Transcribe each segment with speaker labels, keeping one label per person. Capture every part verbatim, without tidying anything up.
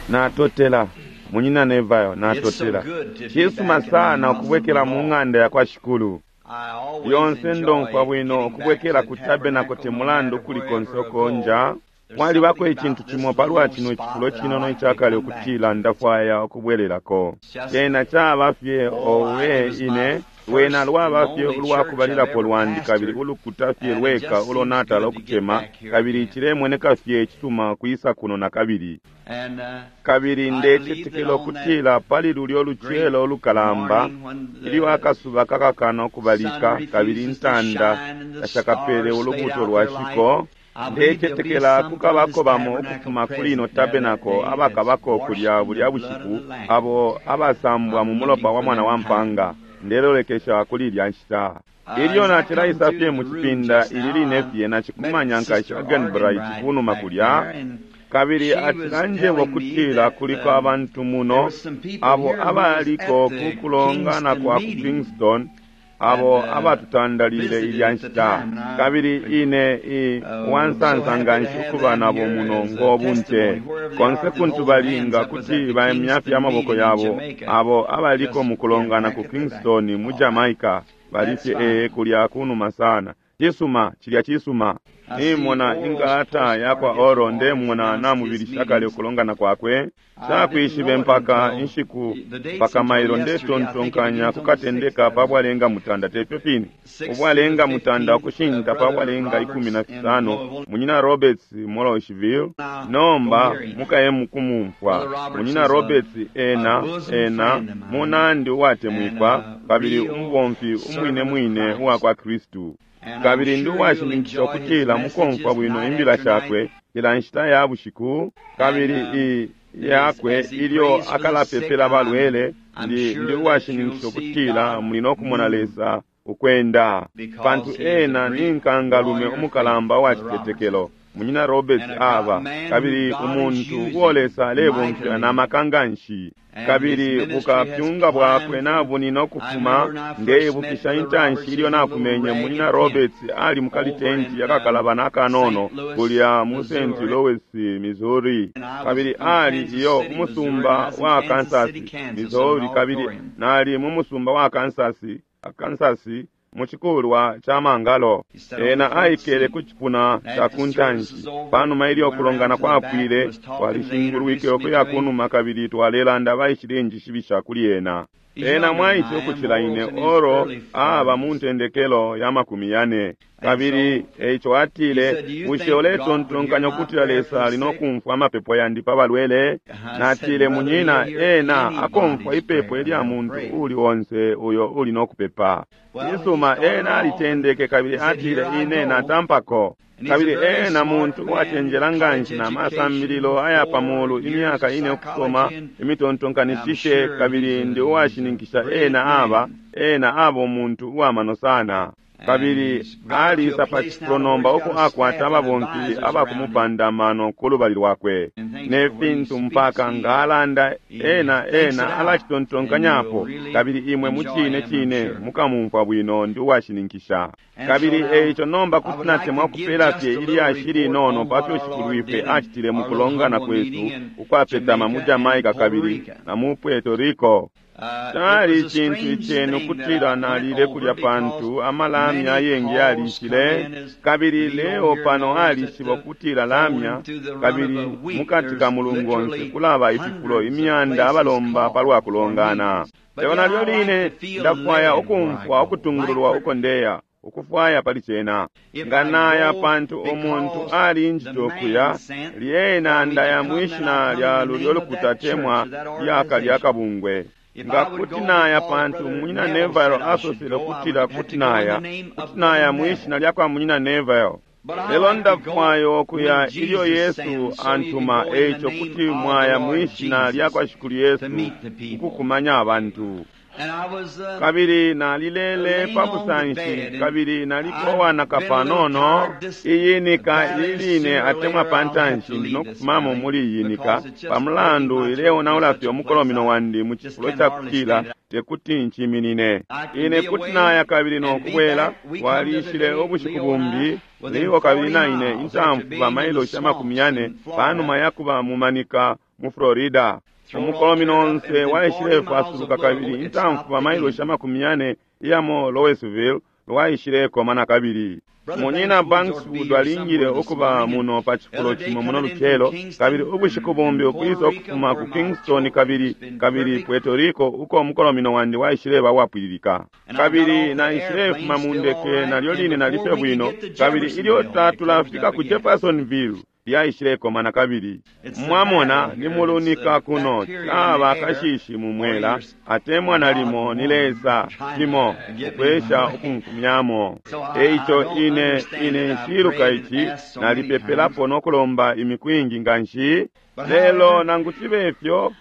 Speaker 1: Natotela munyina Neville,
Speaker 2: It's so
Speaker 1: natotela.
Speaker 2: good to be
Speaker 1: Cisuma
Speaker 2: back in the
Speaker 1: sana
Speaker 2: house of
Speaker 1: ukubwekela
Speaker 2: the
Speaker 1: mu
Speaker 2: Lord.
Speaker 1: ng'anda ya kwa Shikulu.
Speaker 2: I always
Speaker 1: Lyonse ndomfwa
Speaker 2: enjoy
Speaker 1: bwino
Speaker 2: getting back
Speaker 1: ukubwekela
Speaker 2: to
Speaker 1: ku
Speaker 2: the
Speaker 1: tabernacle
Speaker 2: tabernacle
Speaker 1: te
Speaker 2: no
Speaker 1: mulandu
Speaker 2: matter
Speaker 1: kuli
Speaker 2: wherever
Speaker 1: konse
Speaker 2: I go.
Speaker 1: ukonja.
Speaker 2: There's
Speaker 1: Mwalibako
Speaker 2: something
Speaker 1: icintu
Speaker 2: about this
Speaker 1: cimo palwa
Speaker 2: little
Speaker 1: chino
Speaker 2: spot
Speaker 1: icifulo
Speaker 2: that I
Speaker 1: cinono
Speaker 2: like to
Speaker 1: icakale
Speaker 2: come back
Speaker 1: ukutila
Speaker 2: to.
Speaker 1: ndafwaya ukubwelelako.
Speaker 2: It's just,
Speaker 1: Cena caba fye
Speaker 2: oh, I, it
Speaker 1: owe
Speaker 2: was my
Speaker 1: ine lwena
Speaker 2: first and
Speaker 1: lwaba fye
Speaker 2: only church I've
Speaker 1: ulwakubalilapo
Speaker 2: ever
Speaker 1: lwandi kabili
Speaker 2: pastored,
Speaker 1: ulukuta fye
Speaker 2: and it
Speaker 1: lweka
Speaker 2: just
Speaker 1: ulo
Speaker 2: seems
Speaker 1: natala
Speaker 2: good to get
Speaker 1: ukucema
Speaker 2: back here
Speaker 1: kabili
Speaker 2: again.
Speaker 1: cilemoneka fye icisuma kwisa kuno na kabili.
Speaker 2: And uh,
Speaker 1: Kabili
Speaker 2: I believe that
Speaker 1: ndecetekela
Speaker 2: on that
Speaker 1: ukutila pali lulyo
Speaker 2: great
Speaker 1: lucelo ulukalamba
Speaker 2: morning when
Speaker 1: ilyo
Speaker 2: the
Speaker 1: akasuba kakakana
Speaker 2: sun
Speaker 1: ukubalika kabili
Speaker 2: refuses to
Speaker 1: intanda
Speaker 2: shine and the
Speaker 1: tashakapele
Speaker 2: stars fade
Speaker 1: ulubuuto
Speaker 2: out
Speaker 1: lwa
Speaker 2: their light,
Speaker 1: shiko,
Speaker 2: I believe there'll be
Speaker 1: ndecetekela
Speaker 2: some from this
Speaker 1: kukabako bamo
Speaker 2: tabernacle
Speaker 1: ukufuma kuli ino
Speaker 2: present there that
Speaker 1: tabernacle
Speaker 2: day that's
Speaker 1: abakabako
Speaker 2: washed
Speaker 1: kulya
Speaker 2: in
Speaker 1: bulya
Speaker 2: the blood of
Speaker 1: bushiku
Speaker 2: the Lamb.
Speaker 1: abo abasambwa mu
Speaker 2: I'm
Speaker 1: mulopa
Speaker 2: looking
Speaker 1: wa
Speaker 2: for
Speaker 1: mwana wa
Speaker 2: them time.
Speaker 1: mpanga. Ndelolekesha kuli ilya nshita.
Speaker 2: Uh,
Speaker 1: Ilyo
Speaker 2: as I come
Speaker 1: nacilaisa
Speaker 2: through
Speaker 1: fye
Speaker 2: the
Speaker 1: mu
Speaker 2: room
Speaker 1: cipinda
Speaker 2: just
Speaker 1: ili
Speaker 2: now,
Speaker 1: line
Speaker 2: I
Speaker 1: fye
Speaker 2: met
Speaker 1: nacikumanya nkashi
Speaker 2: Sister
Speaker 1: Agenbright
Speaker 2: Arganbright
Speaker 1: kunuma
Speaker 2: back
Speaker 1: kulya
Speaker 2: there, and
Speaker 1: kabili
Speaker 2: she was
Speaker 1: acilanjebwa
Speaker 2: telling me
Speaker 1: kutila
Speaker 2: that
Speaker 1: kuliko
Speaker 2: um,
Speaker 1: abantu
Speaker 2: there
Speaker 1: muno
Speaker 2: was some people
Speaker 1: abo
Speaker 2: here who was
Speaker 1: abaliko
Speaker 2: at
Speaker 1: ku
Speaker 2: the
Speaker 1: kulongana
Speaker 2: Kingston
Speaker 1: kwa ku
Speaker 2: meeting
Speaker 1: Kingston
Speaker 2: that
Speaker 1: abo
Speaker 2: uh,
Speaker 1: abatutandalile
Speaker 2: visited
Speaker 1: ilya
Speaker 2: at the
Speaker 1: nshita
Speaker 2: time. And I
Speaker 1: kabili ine i
Speaker 2: uh, so
Speaker 1: wansansa
Speaker 2: happy
Speaker 1: nga
Speaker 2: to
Speaker 1: nshi
Speaker 2: have
Speaker 1: ukuba
Speaker 2: them
Speaker 1: nabo
Speaker 2: here
Speaker 1: muno
Speaker 2: as a
Speaker 1: ng'obunte
Speaker 2: testimony wherever they
Speaker 1: konse
Speaker 2: are that
Speaker 1: kuntu
Speaker 2: hold their hands
Speaker 1: balinga
Speaker 2: up was
Speaker 1: kuti
Speaker 2: at the
Speaker 1: baimya fye
Speaker 2: Kingston
Speaker 1: amaboko
Speaker 2: meeting in
Speaker 1: yabo
Speaker 2: Jamaica.
Speaker 1: abo abaliko
Speaker 2: Just
Speaker 1: mu
Speaker 2: yeah,
Speaker 1: kulongana
Speaker 2: back
Speaker 1: ku
Speaker 2: at the back.
Speaker 1: Kingston mu
Speaker 2: All right.
Speaker 1: Jamaica bali
Speaker 2: That's
Speaker 1: fye ee
Speaker 2: fine.
Speaker 1: kulya kunuma sana cisuma cilya cisuma
Speaker 2: I see
Speaker 1: nimona
Speaker 2: Oral's
Speaker 1: inkalata ya kwa
Speaker 2: postcard gets
Speaker 1: Oro
Speaker 2: already
Speaker 1: ndemona
Speaker 2: announced his
Speaker 1: namubilisha kale
Speaker 2: meetings.
Speaker 1: ukulongana kwakwe
Speaker 2: I didn't
Speaker 1: Nshakwishibe
Speaker 2: know it
Speaker 1: mpaka
Speaker 2: until
Speaker 1: inshiku
Speaker 2: the dates
Speaker 1: mpaka
Speaker 2: until
Speaker 1: mailo
Speaker 2: yesterday. I think it
Speaker 1: ndetontonkanya
Speaker 2: begins on the sixth.
Speaker 1: kukatendeka
Speaker 2: That
Speaker 1: pa
Speaker 2: was
Speaker 1: bwalenga mutanda tefyo fine
Speaker 2: sixth to the
Speaker 1: ubwalenga mutanda
Speaker 2: fifteenth. Uh,
Speaker 1: ukushinta pa
Speaker 2: Brother
Speaker 1: bwalenga ikumi na
Speaker 2: Roberts in
Speaker 1: fisano
Speaker 2: Louisville.
Speaker 1: munyina Roberts Morosville
Speaker 2: Now go
Speaker 1: nomba
Speaker 2: hear him.
Speaker 1: mukaye mukumumfwa
Speaker 2: Brother Roberts
Speaker 1: munyina
Speaker 2: is a,
Speaker 1: Roberts
Speaker 2: a
Speaker 1: ena
Speaker 2: bosom
Speaker 1: ena
Speaker 2: friend of mine
Speaker 1: munandi
Speaker 2: and
Speaker 1: uwatemwikwa
Speaker 2: a
Speaker 1: kabili
Speaker 2: real
Speaker 1: umubomfi umwine
Speaker 2: servant of
Speaker 1: mwine uwa
Speaker 2: Christ.
Speaker 1: kwa Kristu
Speaker 2: And I'm
Speaker 1: kabili ndi
Speaker 2: sure you'll
Speaker 1: uwashininkisha
Speaker 2: enjoy his
Speaker 1: ukutila mukomfwa
Speaker 2: messages
Speaker 1: bwino
Speaker 2: night
Speaker 1: imbila
Speaker 2: after night.
Speaker 1: shakwe ila nshita ya bushiku
Speaker 2: And
Speaker 1: kabili
Speaker 2: um,
Speaker 1: i
Speaker 2: as,
Speaker 1: yakwe
Speaker 2: as he
Speaker 1: ilyo
Speaker 2: prays for the sick,
Speaker 1: akalapepela
Speaker 2: I'm,
Speaker 1: balwele
Speaker 2: I'm
Speaker 1: ndi ndi
Speaker 2: sure that you'll
Speaker 1: uwashininkisha
Speaker 2: see
Speaker 1: ukutila
Speaker 2: God
Speaker 1: muli no kumona
Speaker 2: move
Speaker 1: Lesa ukwenda pantu
Speaker 2: because he is a
Speaker 1: ena ni
Speaker 2: great
Speaker 1: nkangalume
Speaker 2: warrior of faith,
Speaker 1: umukalamba wa
Speaker 2: Brother Roberts.
Speaker 1: citetekelo munyina Roberts
Speaker 2: And a God,
Speaker 1: aba
Speaker 2: man who
Speaker 1: kabili
Speaker 2: God is
Speaker 1: umuntu uo
Speaker 2: using
Speaker 1: Lesa alebomfya na
Speaker 2: mightily.
Speaker 1: maka nganshi
Speaker 2: And his
Speaker 1: kabili
Speaker 2: ministry has
Speaker 1: bukapyunga bwakwe
Speaker 2: climbed from,
Speaker 1: nabunina
Speaker 2: I
Speaker 1: ukufuma
Speaker 2: remember when I first met
Speaker 1: ndeibukisha
Speaker 2: Brother
Speaker 1: intanshi
Speaker 2: Roberts,
Speaker 1: ilyo
Speaker 2: he was a little
Speaker 1: nakumenye munyina
Speaker 2: ragged tent
Speaker 1: Roberts ali
Speaker 2: over
Speaker 1: mukalitenti
Speaker 2: in um,
Speaker 1: akakalabana akanono
Speaker 2: Saint Louis,
Speaker 1: kulya mu Saint
Speaker 2: Missouri.
Speaker 1: Louis Missouri
Speaker 2: And I was
Speaker 1: kabili
Speaker 2: from
Speaker 1: ali
Speaker 2: Kansas
Speaker 1: iyo
Speaker 2: City, Missouri, and I
Speaker 1: umusumba
Speaker 2: was in
Speaker 1: wa
Speaker 2: Kansas
Speaker 1: Kansas
Speaker 2: City, Kansas, in an
Speaker 1: Missouri kabili
Speaker 2: auditorium.
Speaker 1: nali mu musumba wa Kansas Kansas mu cikulwa ca mangalo
Speaker 2: He sat on the
Speaker 1: ena
Speaker 2: front
Speaker 1: aikele
Speaker 2: seat.
Speaker 1: ku cipuna
Speaker 2: And
Speaker 1: ca
Speaker 2: after
Speaker 1: ku
Speaker 2: the service
Speaker 1: ntanshi
Speaker 2: was over,
Speaker 1: panuma
Speaker 2: we
Speaker 1: ilyo
Speaker 2: went around
Speaker 1: kulongana
Speaker 2: to the back and
Speaker 1: kwapwile
Speaker 2: was talking. They
Speaker 1: twalishingulwike
Speaker 2: introduced me
Speaker 1: ukuya
Speaker 2: to him.
Speaker 1: kunuma kabili twalelanda baishile njishibisha kuli ena
Speaker 2: He's
Speaker 1: ena
Speaker 2: younger than
Speaker 1: mwaice
Speaker 2: I am.
Speaker 1: ukucila ine
Speaker 2: Oral's in his
Speaker 1: oro
Speaker 2: early
Speaker 1: aba mu
Speaker 2: forties.
Speaker 1: ntendekelo ya makumi yane
Speaker 2: And
Speaker 1: kabili
Speaker 2: so
Speaker 1: eico
Speaker 2: he
Speaker 1: atile
Speaker 2: said, "Do you
Speaker 1: bushe
Speaker 2: think God would hear
Speaker 1: uletontonkanya
Speaker 2: my
Speaker 1: ukutila
Speaker 2: prayer for
Speaker 1: Lesa
Speaker 2: the
Speaker 1: ali no
Speaker 2: sick?"
Speaker 1: kumfwa amapepo yandi pa balwele
Speaker 2: I said,
Speaker 1: natile
Speaker 2: "Brother,
Speaker 1: munyina
Speaker 2: he'll hear
Speaker 1: ena akomfwa
Speaker 2: anybody's
Speaker 1: ipepo
Speaker 2: prayer
Speaker 1: ilya
Speaker 2: that'll
Speaker 1: muntu
Speaker 2: pray."
Speaker 1: uli onse uyo uli no kupepa
Speaker 2: Well, he
Speaker 1: cisuma
Speaker 2: started
Speaker 1: ena
Speaker 2: off and
Speaker 1: alitendeke kabili
Speaker 2: he said,
Speaker 1: atile
Speaker 2: "Here I
Speaker 1: ine
Speaker 2: go."
Speaker 1: natampako
Speaker 2: And he's a
Speaker 1: kabili
Speaker 2: very
Speaker 1: ena
Speaker 2: smart
Speaker 1: muntu
Speaker 2: man,
Speaker 1: uwacenjela
Speaker 2: college
Speaker 1: nganshi na
Speaker 2: education,
Speaker 1: masambililo aya pa
Speaker 2: four
Speaker 1: mulu
Speaker 2: years
Speaker 1: imyaka
Speaker 2: of
Speaker 1: ine ukusoma
Speaker 2: psychology, and I'm
Speaker 1: imitontonkanishishe
Speaker 2: sure he's
Speaker 1: kabili
Speaker 2: a,
Speaker 1: ndi
Speaker 2: he's a
Speaker 1: uwashininkisha
Speaker 2: brilliant
Speaker 1: ena aba
Speaker 2: man.
Speaker 1: ena aba umuntu uwamano sana
Speaker 2: And
Speaker 1: kabili
Speaker 2: he's got to a
Speaker 1: alisa pa
Speaker 2: place now
Speaker 1: cifulo
Speaker 2: to where
Speaker 1: nomba
Speaker 2: he's
Speaker 1: uko
Speaker 2: got a
Speaker 1: akwata
Speaker 2: staff and
Speaker 1: ababomfi
Speaker 2: advisors around him
Speaker 1: abakumupanda amano ku lubali lwakwe
Speaker 2: and things.
Speaker 1: ne
Speaker 2: But when he
Speaker 1: fintu
Speaker 2: speaks,
Speaker 1: mpaka
Speaker 2: he
Speaker 1: nga alanda
Speaker 2: he
Speaker 1: ena
Speaker 2: thinks it
Speaker 1: ena
Speaker 2: out, and you'll
Speaker 1: alacitontonkanyapo
Speaker 2: really
Speaker 1: kabili imwe mu
Speaker 2: enjoy
Speaker 1: cine
Speaker 2: him, I'm
Speaker 1: cine
Speaker 2: sure.
Speaker 1: mukamumfwa bwino ndi uwashininkisha
Speaker 2: And so
Speaker 1: kabili
Speaker 2: now
Speaker 1: eico nomba
Speaker 2: I
Speaker 1: kuti
Speaker 2: would like
Speaker 1: natemwa
Speaker 2: to give
Speaker 1: kupela
Speaker 2: just
Speaker 1: fye
Speaker 2: a little
Speaker 1: ilyashi
Speaker 2: report
Speaker 1: linono
Speaker 2: on
Speaker 1: pa
Speaker 2: what
Speaker 1: fyo
Speaker 2: our Lord
Speaker 1: Shikulwife
Speaker 2: did in
Speaker 1: acitile mu
Speaker 2: our little
Speaker 1: kulongana
Speaker 2: humble
Speaker 1: kwesu
Speaker 2: meeting in
Speaker 1: ukwapetama mu
Speaker 2: Jamaica and
Speaker 1: Jamaica
Speaker 2: Puerto
Speaker 1: kabili
Speaker 2: Rico.
Speaker 1: na mu Puerto Rico
Speaker 2: Uh, it
Speaker 1: cali
Speaker 2: was a
Speaker 1: icintu
Speaker 2: strange
Speaker 1: icenu
Speaker 2: thing that
Speaker 1: kutila
Speaker 2: I went
Speaker 1: nalile
Speaker 2: over
Speaker 1: kulya
Speaker 2: because
Speaker 1: pantu amalamya
Speaker 2: many
Speaker 1: ayengi
Speaker 2: calls come
Speaker 1: yalishile
Speaker 2: in as
Speaker 1: kabili
Speaker 2: Leo
Speaker 1: leo
Speaker 2: here
Speaker 1: pano
Speaker 2: knows that
Speaker 1: alishiba
Speaker 2: the
Speaker 1: ukutila
Speaker 2: phone
Speaker 1: lamya
Speaker 2: through the run of
Speaker 1: kabili
Speaker 2: a week
Speaker 1: mukati
Speaker 2: there's
Speaker 1: ka mulungu onse
Speaker 2: literally
Speaker 1: kulaba ififulo
Speaker 2: hundreds of
Speaker 1: imyanda
Speaker 2: places
Speaker 1: abalomba palwa
Speaker 2: called for
Speaker 1: kulongana
Speaker 2: meetings. But
Speaker 1: lelo
Speaker 2: yet
Speaker 1: nalyo
Speaker 2: I like
Speaker 1: line
Speaker 2: to feel
Speaker 1: ndafwaya
Speaker 2: led where I
Speaker 1: ukumfwa
Speaker 2: go. Like
Speaker 1: ukutungululwa
Speaker 2: for
Speaker 1: uko ndeya ukufwaya pali cena
Speaker 2: if
Speaker 1: nga
Speaker 2: I
Speaker 1: naya
Speaker 2: go
Speaker 1: pantu umuntu
Speaker 2: because
Speaker 1: ali
Speaker 2: the
Speaker 1: njito kuya
Speaker 2: man sent
Speaker 1: lyena
Speaker 2: for me to
Speaker 1: ndaya
Speaker 2: come, then I
Speaker 1: mwishina
Speaker 2: come in
Speaker 1: lya
Speaker 2: the
Speaker 1: lulyo
Speaker 2: name of
Speaker 1: lukuta
Speaker 2: that church
Speaker 1: temwa
Speaker 2: or that
Speaker 1: lyaka lya
Speaker 2: organization.
Speaker 1: kabungwe
Speaker 2: If
Speaker 1: nga
Speaker 2: I would
Speaker 1: kuti
Speaker 2: go
Speaker 1: naya
Speaker 2: because
Speaker 1: pantu
Speaker 2: Brother
Speaker 1: munyina
Speaker 2: Neville
Speaker 1: Neville
Speaker 2: said I should
Speaker 1: asosele
Speaker 2: go, I
Speaker 1: kutila
Speaker 2: would have
Speaker 1: kuti
Speaker 2: to go in the
Speaker 1: naya
Speaker 2: name
Speaker 1: kuti
Speaker 2: of
Speaker 1: naya
Speaker 2: Brother
Speaker 1: mwishina
Speaker 2: Neville.
Speaker 1: lya kwa munyina Neville
Speaker 2: But I
Speaker 1: lelo
Speaker 2: like to go
Speaker 1: ndafwaya okuya
Speaker 2: when
Speaker 1: ilyo
Speaker 2: Jesus
Speaker 1: Yesu
Speaker 2: sends, so you can
Speaker 1: antuma
Speaker 2: go in the
Speaker 1: eico
Speaker 2: name
Speaker 1: kuti
Speaker 2: of the
Speaker 1: mwaya
Speaker 2: Lord
Speaker 1: mwishina lya
Speaker 2: Jesus
Speaker 1: kwa Shikulu
Speaker 2: to
Speaker 1: Yesu
Speaker 2: meet the people.
Speaker 1: ukukumanya abantu
Speaker 2: And I was, uh,
Speaker 1: Kabili nalilele pa busanshi, kabili nalikowanaka panono. Iyi nika iline atemwa pantanshi ndi nokufumamo muli iyi nika pamulandu ileonaula fye umukolomino wandi mu cifulo ca kutila tekuti nchiminine. Ine kuti naya kabili nokubwela. Walishile ubushiku bumbi Leo kabili naine intamfu bamailoshi amakumi yane panuma yakuba mumanika mu Florida. Umukolomino onse waishile fasuluka kabili intamfu bamailoshi amakumi yane iyamo Louisville lwaishilekoma na kabili. Munyina Bankswood alingile ukuba muno pa cifulo cimo muno lucelo, kabili ubushiku bumbi ukwisa ukufuma ku Kingston kabili kabili Puerto Rico uko umukolomino wandi waishileba wapwililika. Kabili naishilefuma mu ndeke nalyo line nalife bwino, kabili ilyo tatulafika ku Jeffersonville lyaishilekoma na kabili. Mwamona ni mulunika kuno caba kashishi mumwela atemwa nalimo ni Lesa cimo ukwesha ukumfumyamo. Eico ine ine nshiluka ici nalipepelapo nokulomba imiku ingi nganshi, lelo nangu cibe ifyo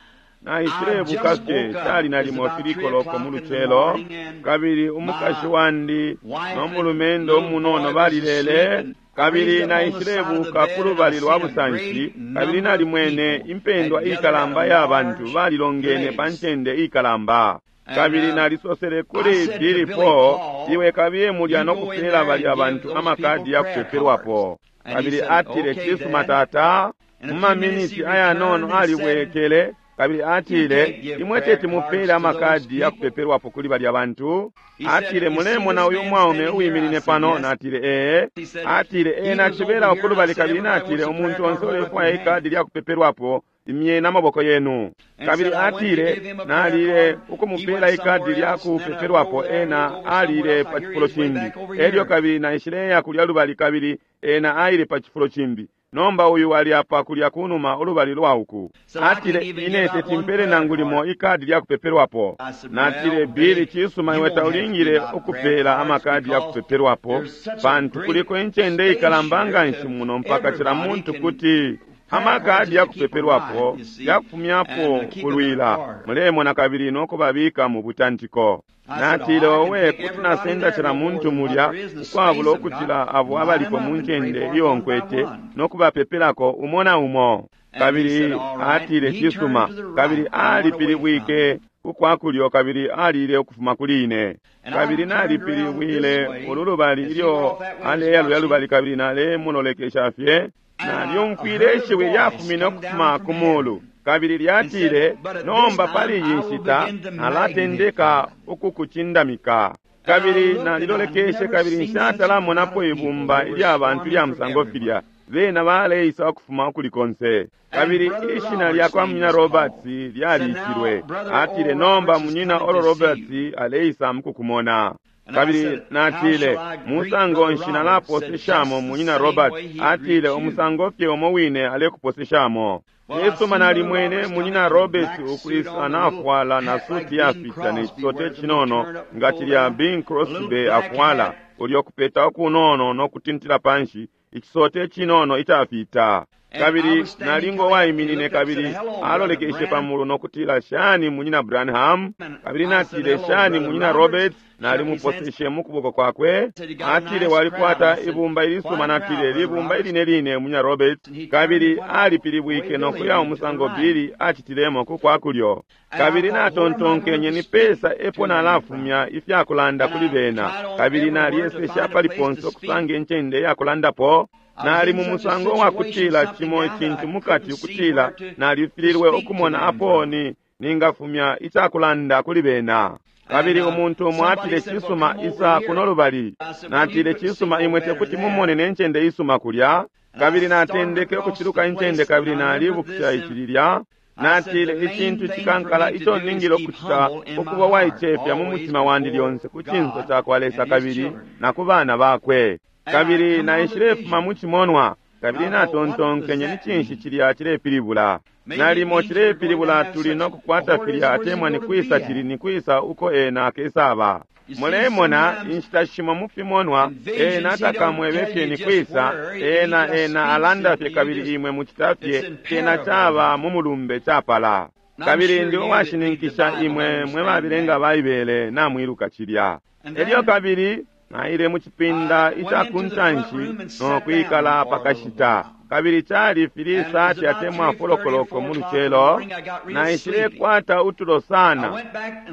Speaker 1: naishilebuka fye cali nalimo filikoloko mu lucelo, kabili umukashi wandi no mulumendo umunono balilele. Kabili naishilebuka ku lubali lwa busanshi, kabili nalimwene impendwa ikalamba ya bantu balilongene pa ncende ikalamba. Kabili nalisosele kuli Billy Paul, iwe kabiye mulya no kupela balya bantu amakadi ya kupepelwapo. Kabili atile, cisuma tata. Mu maminiti ayanono alibwekele kabili atile, imwe teti mupele amakadi ya kupepelwapo kuli balya bantu. Atile, mulemona uyu mwaume uwiminine pano? Natile, ee. Atile, ena acibela ukulubali. Kabili natile, umuntu onse ulefwaya ikadi lya kupepelwapo, imyeni amaboko yenu. Kabili atile, nalile ukumupela ikadi lya kupepelwapo, ena alile pa cifulo cimbi. Elyo kabili naishileya kulya lubali, kabili ena aile pa cifulo cimbi. Nomba uyu ali apa kulya kunuma ulubali lwa uku. Atile, ine teti mpele nangu limo ikadi lya kupepelwapo. Natile, Billy, cisuma iwe taulingile ukupela amakadi ya kupepelwapo, pantu kuliko incende ikalamba nganshi muno mpaka cila muntu kuti amakadi ya kupepelwapo yakufumyapo kulwila mulemona kabili nokubabika mu butantiko. Natile, owe kuti nasenda cila muntu mulya ukwabula ukucila abo abalipo mu ncende iyo nkwete nokubapepelako umo na umo. Kabili atile, cisuma. Kabili alipilibwike ukwakulyo kabili alile ukufuma kuli ine. Kabili nalipilibwile ulu lubali ilyo aleya lulya lubali, kabili nalemulolekesha fye. Nalyumfwile ishiwi lyafumine ukufuma ku mulu kabili lyatile, nomba pali iyi nshita nalatendeka ukukucindamika. Kabili nalilolekeshe kabili nshatalamonapo ibumba ilya bantu lya musango filya bena baleisa ukufuma ukuli konse. Kabili ishina lya kwa munyina Roberts lyaliitilwe. Atile, nomba munyina Oral Roberts aleisa mukukumona. Kabili natile, musango nshi nalaposeshamo munyina Roberts? Atile, umusango fye umo wine alekuposeshamo. Cisuma, nalimwene munyina Roberts ukwisa nafwala na suti yafita ne cisote cinono nga cilya Bing Crosby afwala, ulyo kupeta ukunono no kutintila panshi ikisote cinono icafita. Kabili nalingo waiminine kabili alolekeshe pamulu nokutila, shani munyina Branham? Kabili natile, shani munyina Roberts? Nalimuposeshe mukuboko kwakwe. Atile, walikwata ibumba ilisuma. Natile, libumba iline line munyina Roberts. Kabili alipilibwike nokuya umusango Billy acitilemo kukwakulyo. Kabili natontonkenye ni pesa epo nalafumya ifyakulanda kuli bena. Kabili naliyesesha pali ponse okusanga incende yakulandapo. Nali mu musango wa kutila cimo icintu mukati ukutila nalifililwe ukumona apo ni ningafumya icakulanda kuli bena. Kabili umuntu umo atile, cisuma, isa kuno lubali. Natile, cisuma, imwe tekuti mumone ne ncende isuma kulya. Kabili natendeke ukuciluka incende kabili nalibukisha icililya. Natile, icintu cikankala ico ningile ukucita ukuba waicefya mu mutima wandi lyonse ku cinso cakwa Lesa kabili na ku bana bakwe. Kabili naishilefuma mu cimonwa kabili natontonkenye ni cinshi cilya cilepilibula. Nalimo cilepilibula tuli no kukwata filya atemwa ni kwisa cili ni kwisa uko ena akesaba. Mulemona inshita shimo mu fimonwa ena takamwebe fye ni kwisa, ena ena alanda fye kabili imwe mucita fye cena caba mu mulumbe capala. Kabili ndi uwashininkisha imwe mwe babilenga Baibele namwiluka cilya. Elyo kabili naile mu cipinda ica kuntanshi no kwikala pakashita. Kabili cali three thirty atemwa four o'clock mu lucelo, naishilekwata utulo sana,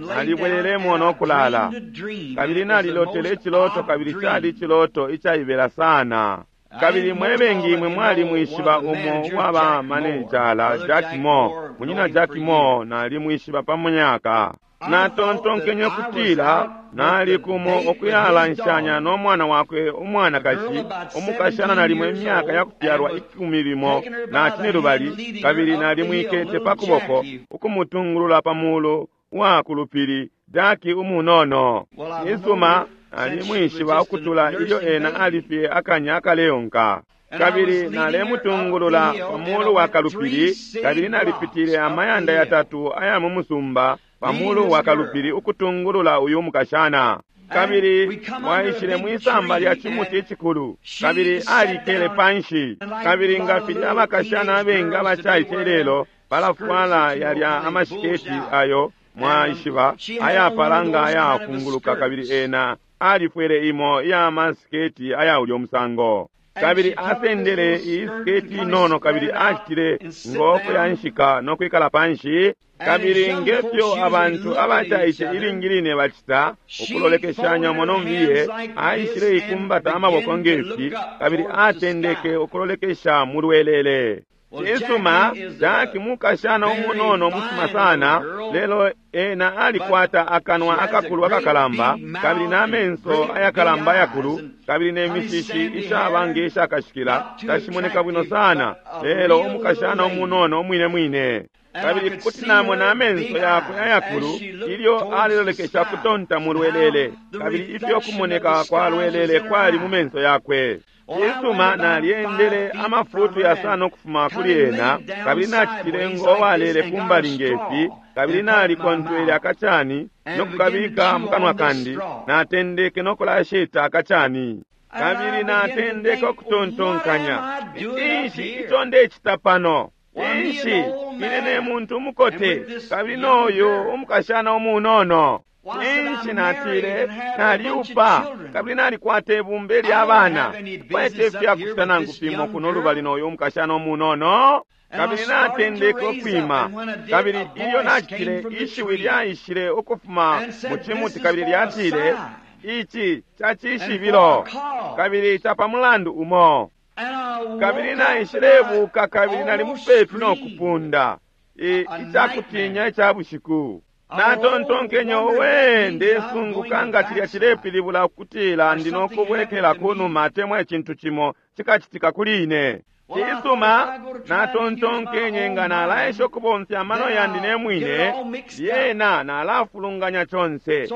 Speaker 1: nalibwelelemo no kulala. Kabili nalilotele iciloto, kabili cali iciloto icaibela sana. Kabili mwe bengi imwe mwalimwishiba umo uwaba manejala Jack Moore, munyina Jack Moore, nalimwishiba pa myaka. Natontonkenye kutila nali kumo okuyalanshanya no mwana wakwe umwanakashi, umukashana nalimo imyaka yakufyalwa ikumi limo na cinelubali, kabili nalimwikete pa kuboko ukumutungulula pa mulu wa kulupili, Jackie umunono. Isuma nalimwishiba ukutula ilyo ena alifye akanya akaleonka. Kabili nalemutungulula pa mulu wa kalupili, kabili nalipitile amayanda yatatu aya mu musumba pa mulu wa kalupili ukutungulula uyu mukashana. Kabili mwaishile mwisamba lya chimuti icikulu, kabili alikele panshi. Kabili nga filya abakashana abengi abacaice lelo balafwala yalya amashiketi ayo mwaishiba ayapala nga ayafunguluka, kabili ena alifwele imo iya masiketi aya ulyo musango. Kabili asendele iyi siketi inono, kabili acitile ngo kuyanshika no kwikala panshi. Kabili ngefyo abantu abacaice ilingi line bacita ukulolekeshanya monombiye, aishile ikumbata amaboko ngefi, kabili atendeke ukulolekesha mulwelele. Cisuma, Jack mukashana umunono musuma sana, lelo ena alikwata akanwa akakulu akakalamba, kabili n'amenso ayakalamba ayakulu, kabili n'emishishi ishaba ng'eshakashikila, tashimoneka bwino sana, lelo umukashana umunono umwine mwine. Kabili kuti namona amenso yakwe ayakulu ilyo alelolekesha kutonta mulwelele, kabili ifyo kumoneka kwa lwelele kwali mu menso yakwe. Cisuma, nalyendele amafutu yasano ukufuma kuli ena, kabili nacitile ngo walele kumbali ngefi, kabili nalikontwele akacani no kukabika mu kanwa kandi, natendeke no kulasheta akacani. Kabili natendeke ukutontonkanya, cinshi ico ndecita pano? Cinshi ine ne muntu umukote, kabili noyo umukashana umunono? Cinshi natile, naliupa, kabili nalikwata ibumba lya bana, kwete ifyakucita nangu fimo kuno lubali noyo umukashana umunono. Kabili natendeke ukwima, kabili ilyo nacitile, ishiwi lyaishile ukufuma mu cimuti, kabili lyatile, ici cacishibilo, kabili capa mulandu umo. Kabili naishilebuka, kabili nali mupepi no kupunda icakutinya ica bushiku. Natontonkenye, owe, ndesunguka nga cilya cilepilibula ukutila ndi nokubwekela kunuma atemwa icintu cimo cikacitika kuli ine. Cisuma, natontonkenye nga nalaesha ukubomfya amano yandi ne mwine, lyena nalafulunganya conse.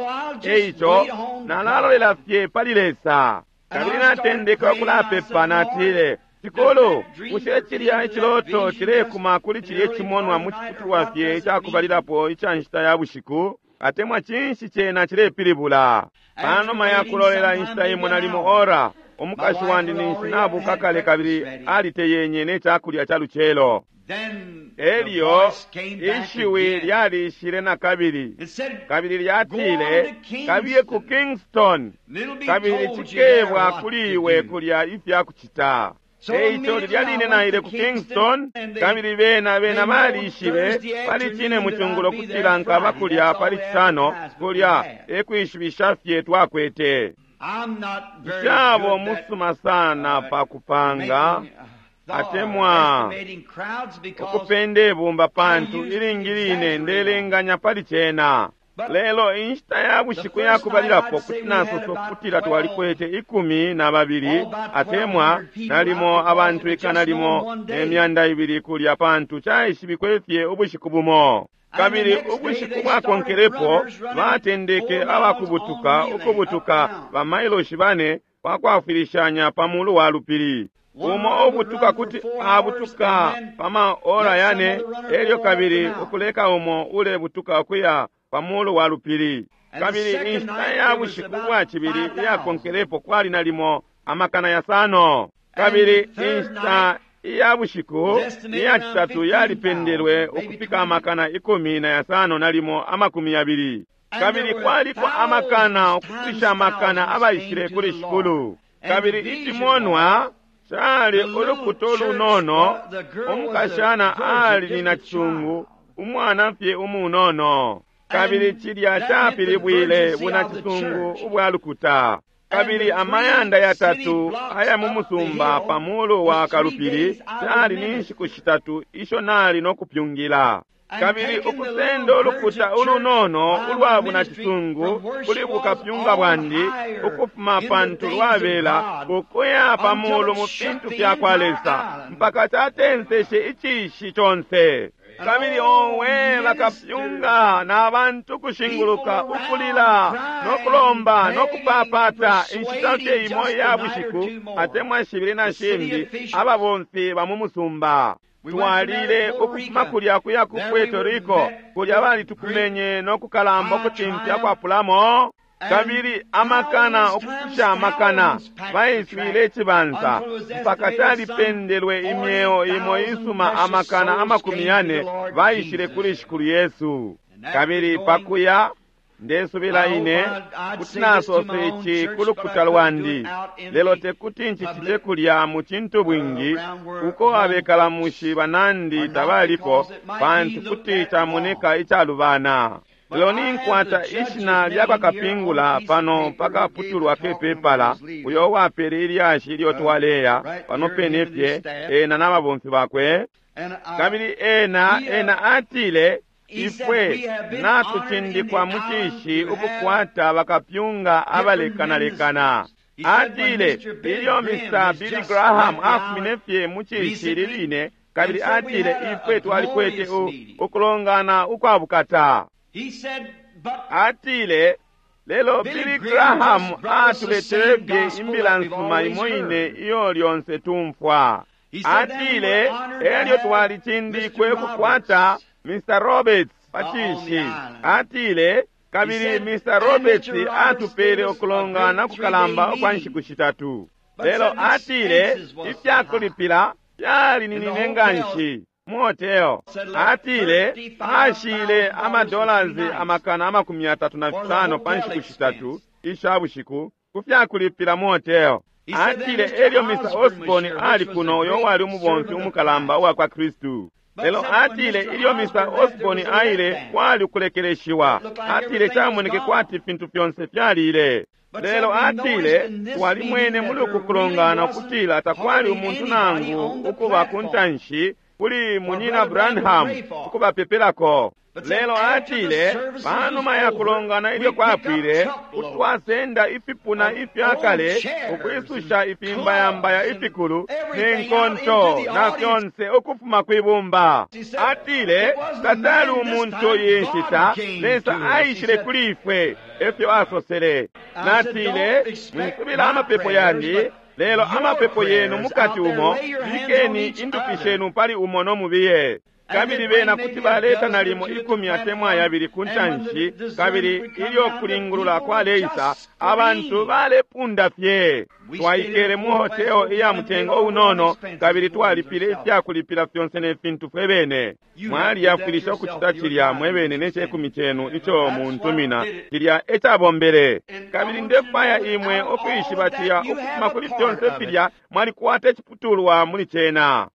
Speaker 1: Eico nalalolela fye pali Lesa. Kabili natendeka ukulapepa, natile, Shikulu, bushe cilya iciloto cilekuma kuli cilya icimonwa mu ciputulwa fye icakubalilapo ica nshita ya bushiku, atemwa cinshi cena cilepilibula? Panuma ya kulolela inshita imo nalimo ora, umukashi wandi ninshi nabuka kale kabili aliteyenye ne cakulya ca lucelo. Elyo ishiwi lyalishile na kabili, kabili lyatile, kabiye ku Kingston, kabili cikebwa kuli iwe kulya ifya kucita. Eico lilya line naile ku Kingston, kabili bena bena balishibe pali cine mucungulo kutila nkaba kulya pali cisano, kulya ekwishibisha fye twakwete. Nshabo musuma sana pa kupanga atemwa ukupenda ibumba, pantu ilingi line ndelenganya pali cena. Lelo inshita ya bushiku yakubalilapo kuti nasosa ukutila twalikwete ikumi na babili atemwa nalimo abantu ikana limo ne myanda ibili kulya, pantu caishibikwe fye ubushiku bumo. Kabili ubushiku bwakonkelepo batendeke abakubutuka ukubutuka bamailoshi bane pakwafwilishanya pa mulu wa lupili. Umo ubutuka kuti abutuka pa maora yane, elyo kabili ukuleka umo ulebutuka ukuya pa mulu wa lupili. Kabili inshita ya bushiku bwa cibili iyakonkelepo kwali nalimo amakana yasano. Kabili inshita iya bushiku iya citatu yalipendelwe ukufika amakana ikumi na yasano nalimo amakumi yabili. Kabili kwaliko amakana ukufikisha amakana abaishile kuli Shikulu. Kabili icimonwa cali ulukuto lunono, umukashana ali ni nacisungu, umwana fye umunono. Kabili cilya capilibwile bunacisungu ubwa lukuta. Kabili amayanda yatatu aya mu musumba pa mulu wa kalupili cali ni nshiku shitatu isho nali no kupyungila. Kabili ukusenda ulukuta ulunono ulwa bunacisungu kuli bukapyunga bwandi ukufuma pantu lwabela ukuya pa mulu mu fintu fya kwa Lesa mpaka catenseshe icishi conse. Kabili owe bakapyunga na bantu kushinguluka ukulila no kulomba no kupapata inshita fye imo iya bushiku atemwa shibili na shimbi ababomfi ba mu musumba. Twalile ukufuma kulya kuya ku Puerto Rico, kulya balitukumenye no kukalamba ukucimfya kwapulamo. Kabili amakana ukukusha amakana baiswile icibansa mpaka calipendelwe imyeo imo isuma amakana amakumi yane baishile kuli Shikulu Yesu. Kabili pakuya ndesubila ine kuti nasosa ici ku lukuta lwandi, lelo tekuti ncicite kulya mu cintu bwingi uko abekala mushi banandi tabalipo, pantu kuti camoneka icalubana. Lelo ninkwata ishina lya bakapingula pano pakaputulwa kepepala uyo wapele ilyashi ilyo twaleya pano pene fye ena n'ababomfi bakwe. Kabili ena ena atile ifwe natucindikwa mu cishi ukukwata bakapyunga abalekanalekana. Atile ilyo Mister Billy Graham afumine fye mu cishi liline, kabili atile ifwe twalikwete ukulongana ukwabukata. Atile lelo Billy Graham atuletele fye imbila nsuma imo ine iyo lyonse tumfwa. Atile elyo twalicindikwe ukukwata Mister Roberts pacishi. Atile kabili Mister Roberts atupele ukulongana kukalamba ukwa nshiku shitatu. Lelo atile ifyakulipila fyalininine nganshi mu hotel. Atile ashile amadolasi amakana amakumi yatatu na fisano pa nshiku shitatu isha bushiku ku fyakulipila mu hotel. Atile elyo Mister Osborne ali kuno uyo wali umubomfi umukalamba uwa kwa Kristu. Lelo atile ilyo Mister Osborne aile kwali ukulekeleshiwa. Atile camoneke kwati fintu fyonse fyalile. Lelo atile twalimwene muli uku kulongana ukutila takwali umuntu nangu ukuba ku ntanshi kuli Munyina Branham ukubapepelako. Lelo atile panuma ya kulongana ilyo kwapwile kutwasenda ifipuna ifyakale ukwisusha ifimbayambaya ifikulu ne nkonto na fyonse ukufuma kwibumba. Atile tatali umuntu iyi nshita Lesa aishile kuli ifwe, efyo asosele. Natile mwisubila amapepo yandi, lelo amapepo yenu mukati umo bikeni indupi shenu pali umo no mubiye. Kabili bena kuti baleta nalimo ikumi atemwa yabili ku ntanshi, kabili ilyo kulingulula kwaleisa abantu balepunda fye. Twaikele mu hotel iya mutengo unono kabili twalipile ifyakulipila fyonse ne fintu fwe bene. Mwaliyafwilisha ukucita cilya mwe bene ne cekumi cenu ico muntumina, cilya ecabombele. Kabili ndefwaya imwe ukwishiba cilya ukufuma kuli fyonse filya mwalikwata iciputulwa muli cena.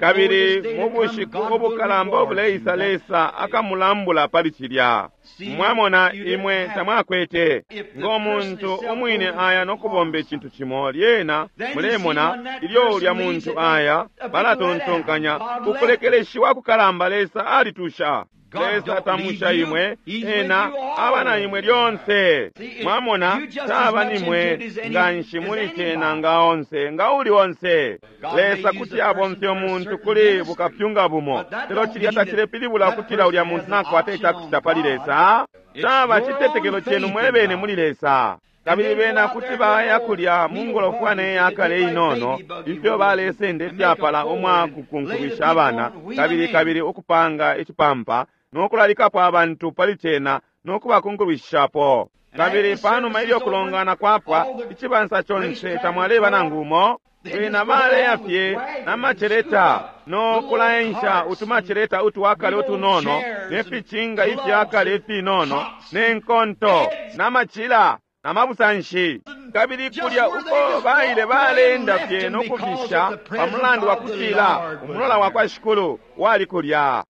Speaker 1: Kabili mu bushiku ubukalamba ubuleisa Lesa akamulambula pali cilya. Mwamona imwe tamwakwete ngo muntu umwine aya no kubomba icintu cimo, lyena mulemona ilyo ulya muntu aya balatontonkanya ukulekeleshiwa kukalamba Lesa alitusha. Lesa tamusha imwe, ena aba na imwe lyonse. Mwamona taba nimwe nganshi muli cena nga onse nga uli onse. Lesa kuti abomfye umuntu kuli bukapyunga bumo, lelo cilya tacilepilibula ukutila ulya muntu nakwata icakucita pali Lesa. Caba citetekelo cenu mwebene muli Lesa. Kabili bena kuti baya kulya mu ngolofwane yakale inono ifyo balesenda ifyapala umwa kukunkulisha abana, kabili kabili ukupanga icipampa no kulalikapo abantu pali cena no kubakunkulishapo. Kabili panuma ilyo kulongana kwapwa icibansa conse tamwaleba nangu umo. Bena baleya fye na maceleta no kulaensha utumaceleta utwakale utunono ne ficinga ifyakale ifinono ne nkonto na macila na mabusanshi, kabili kulya uko baile baleenda fye no kufisha pa mulandu wa kutila umulola wa kwa Shikulu wali kulya.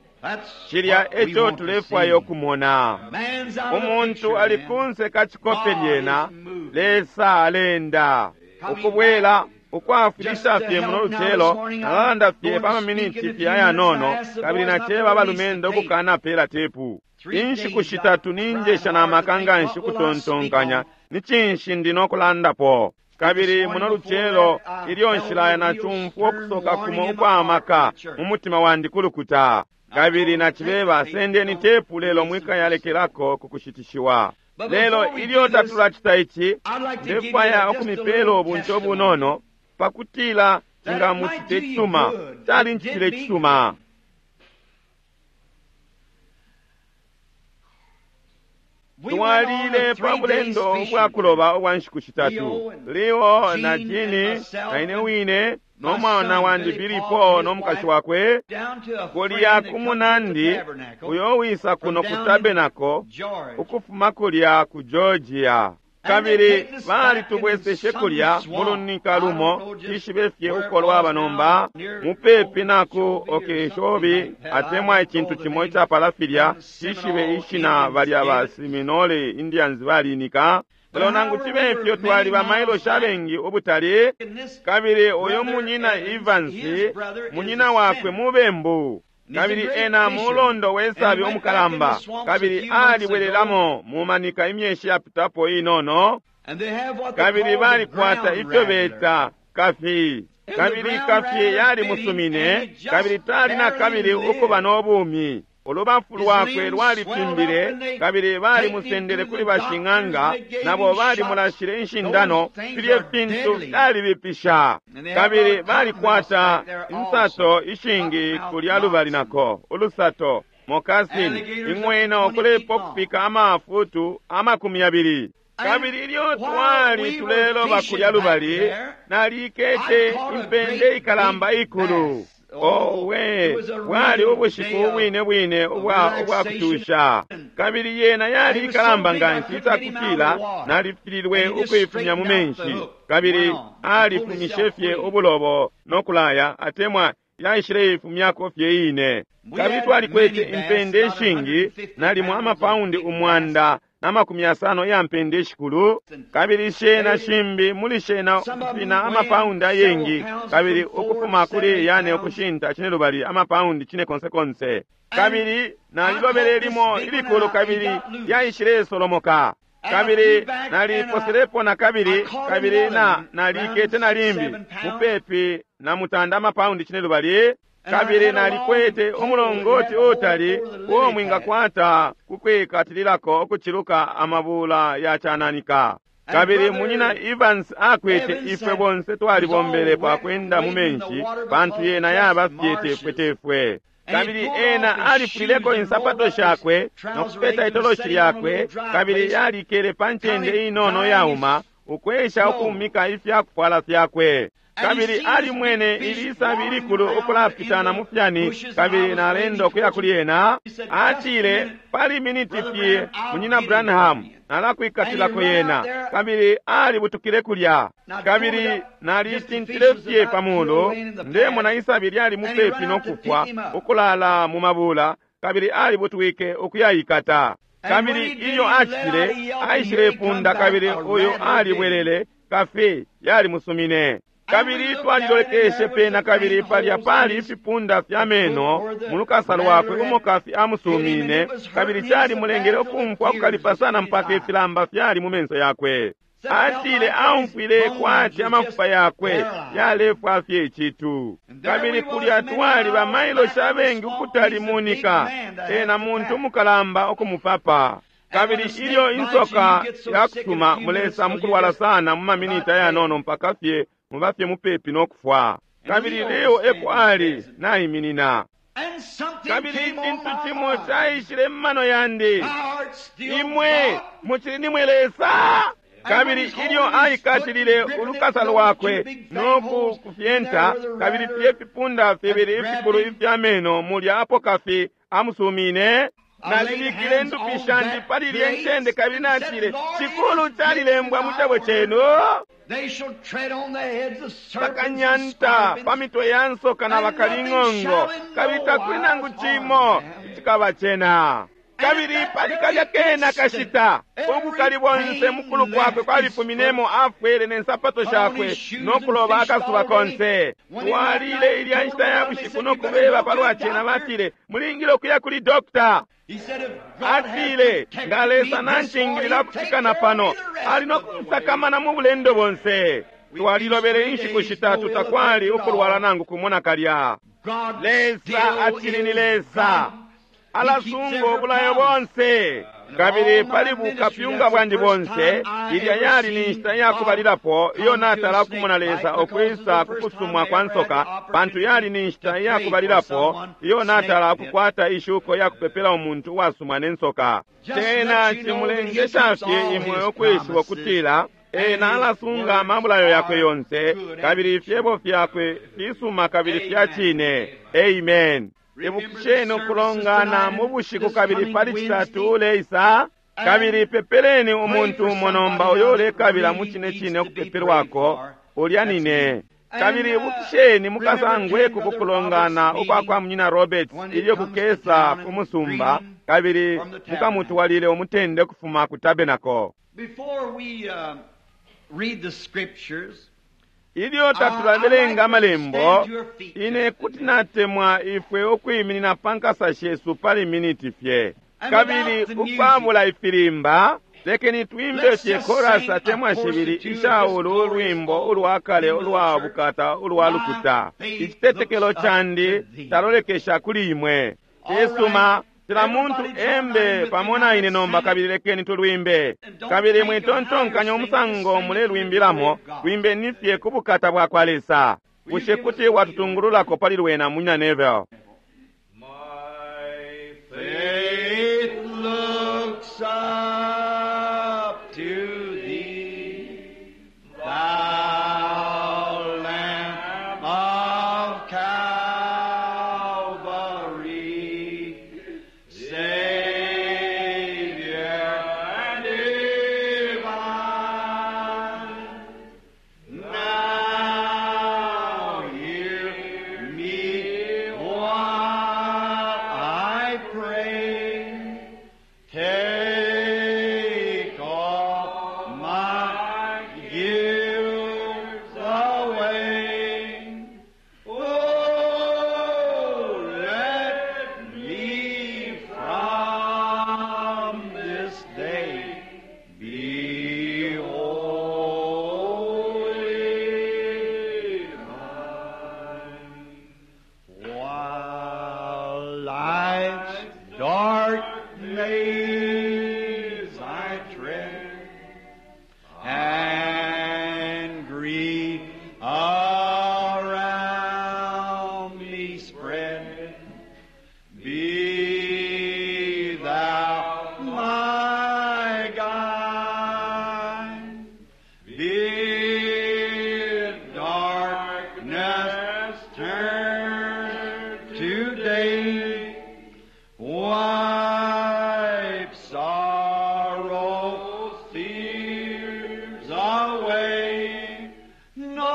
Speaker 1: Cilya eco tulefwaya ukumona. Umuntu ali kunse ka cikope lyena, Lesa alenda ukubwela ukwafulisha fye muno lucelo. Nalalanda fye pa maminiti fye ayanono, kabili naceba abalumendo ukukanapela tepu. Inshiku shitatu ninjesha na maka nganshi ukutontonkanya ni cinshi ndi no kulandapo. Kabili muno lucelo ilyo nshilaya nacumfwa ukusoka kumo ukwa maka mu mutima wandi kulukuta, kabili nacibeba sendeni tepu lelo mwikayalekelako kukushitishiwa. Lelo ilyo tatulacita ici, ndefwaya ukumipela ubunte obunono pakutila cingamucite cisuma. Calincitile cisuma. Twalile pa bulendo ubwa kuloba ubwa nshiku shitatu, Leo na Jini na ine wine no mwana wandi Billy Paul no mukashi wakwe, kulya ku munandi uyo wisa kuno ku Tabernacle ukufuma kulya ku Georgia. Kabili balitubweseshe kulya mulunika lumo, tishibe fye uko lwaba nomba, mupepi na ku Okeechobee atemwa icintu cimo icapala filya, tishibe ishina balya ba Seminole Indians balinika. Lelo nangu cibe ifyo twali ba mailoshi abengi ubutali, kabili uyu munyina Evans, munyina wakwe mubembu, kabili ena mulondo wesabi umukalamba, kabili alibwelelamo mumanika imyeshi yapitapo inono, kabili balikwata ifyo beta kafi, kabili kafi yalimusumine, kabili tali na kabili ukuba n'obumi. Ulubafu lwakwe lwalifimbile, kabili balimusendele kuli bashing'anga, nabo balimulashile inshindano. Filye fintu fyalibipisha, kabili balikwata insato ishingi kulya lubali nako ulusato mokasini ing'wena ukulepa ukufika amafutu amakumi yabili. Kabili ilyo twali tuleloba kulya lubali, nalikete impende ikalamba ikulu. Owe, bwali ubushiku ubwine bwine ubwa ubwa kutusha, kabili yena yali ikalamba nganshi icakutila nalifililwe ukuifumya mu menshi, kabili alifumishe fye ubulobo no kulaya, atemwa yaishileifumyako fye ine. Kabili twalikwete impende ishingi, nalimo amapaundi umwanda na makumi yasano ya mpende ishikulu, kabili shena shimbi muli shena ukufina amapaundi ayengi, kabili ukufuma kuli yane ukushinta cine lubali amapaundi cine konse konse. Kabili nalilobele limo ilikulu, kabili yaishileisolomoka, kabili naliposelepo na kabili, kabili na nalikete na limbi mupepi na mutanda amapaundi cine lubali. Kabili nalikwete umulongoti utali uo mwingakwata kukwikatililako ukuciluka amabula ya cananika. Kabili munyina Evans akwete ifwe bonse twalibombele pa kwenda mu menshi, pantu yena yaba fye tefwe tefwe. Kabili ena alifulileko insapato shakwe no kupeta itoloshi lyakwe, kabili yalikele pa ncende inono yauma ukwesha ukumika ifyakufwala fyakwe. Kabili alimwene ilisabi ilikulu ukulapitana mu fyani, kabili nalenda ukuya kuli ena. Atile, pali miniti fye, munyina Branham, nalakwikatilako yena. Kabili alibutukile kulya, kabili nalitintile fye pamulu, ndemona isabi lyali mupepi no kufwa ukulala mu mabula, kabili alibutwike ukuyayikata. Kabili ilyo acitile, aishilepunda, kabili uyu alibwelele, kafi yalimusumine. Kabili twalilolekeshe pena, kabili palya pali ifipunda fya meno mulukasa lwakwe umo kafi amusumine, kabili calimulengele ukumfwa ukukalipa sana mpaka ifilamba fyali mu menso yakwe. Atile aumfwile kwati amafupa yakwe yalefwa fye icitu. Kabili kulya twali bamailoshi abengi ukutali munika, ena muntu umukalamba ukumupapa. Kabili ilyo insoka yakusuma mulesa mukulwala sana mu maminiti ayanono mpaka fye mubafye mupepi no kufwa. Kabili Leo eko ali naiminina, kabili icintu cimo caishile mmano yandi, imwe mucili nimwe Lesa. Kabili ilyo aikatilile ulukasa lwakwe no kufyenta, kabili fye fipunda fibili ifikulu ifya meno mulya apo kafi amusumine. Nabikile ndupi shandi pali lye ncende kabili natile, Shikulu, calilembwa mu cebo chenu, bakanyanta pa mitwe ya nsoka na bakaling'ongo, kabili takuli nangu cimo icikaba cena. Kabili pali kalya kena kashita ubukali bonse mukulu kwakwe kwalifuminemo, afwele ne nsapato shakwe no kuloba akasuba konse. Twalile ilya nshita ya bushiku no kubeba palwa cena, batile, mulingile ukuya kuli dokta. Atile, nga Lesa nancingilila kufikana pano, ali no kunsakamana mu bulendo bonse. Twalilobele inshiku shitatu, takwali ukulwala nangu kumona kalya. Lesa acili ni Lesa, alasunga obulayo bonse. Kabili pali bukapyunga bwandi bonse, ilya yali ni nshita yakubalilapo iyo natala kumona Lesa okwisa kukusumwa kwa nsoka, pantu yali ni nshita yakubalilapo iyo natala kukwata ishuko ya kupepela umuntu uwasumwa ne nsoka. Cena cimulengesha fye imwe ukwishiba ukutila ena alasunga amabulayo yakwe yonse, kabili ifyebo fyakwe fisuma kabili fya cine. Amen. Ibukisheni ukulongana mu bushiku kabili pali citatu uleisa, kabili pepeleni umuntu umo nomba uyo ulekabila mu cine cine ukupepelwako, ulya nine. Kabili ibukisheni mukasangweko ku kulongana ukwa kwa Munyina Roberts ilyo kukesa ku musumba, kabili mukamutwalile umutende kufuma ku tabernacle. Ilyo tatulabelenga amalembo, ine kuti natemwa ifwe ukwiminina pa nkasa shesu pali miniti fye. Kabili ukwabula ifilimba, lekeni twimbe fye korasi atemwa shibili isha ulu ulwimbo ulwa kale ulwa bukata ulwa lukuta. Icitetekelo candi talolekesha kuli imwe. Cisuma, cila muntu embe pamo na ine nomba, kabili lekeni tulwimbe. Kabili mwitontonkanya umusango mulelwimbilamo, lwimbeni fye ku bukata bwa kwa Lesa. Bushe kuti watutungululako pali lwena, Munyina Neville?
Speaker 2: My faith looks up to thee, thou Lamb of Calvary, Savior divine. Now hear me while I pray. Take all my guilt away. Oh, let me from this day be wholly thine. While life's dark maze I tread, and grief around me spread, be thou my guide. Bid darkness turn to day, wipe sorrow's tears away, nor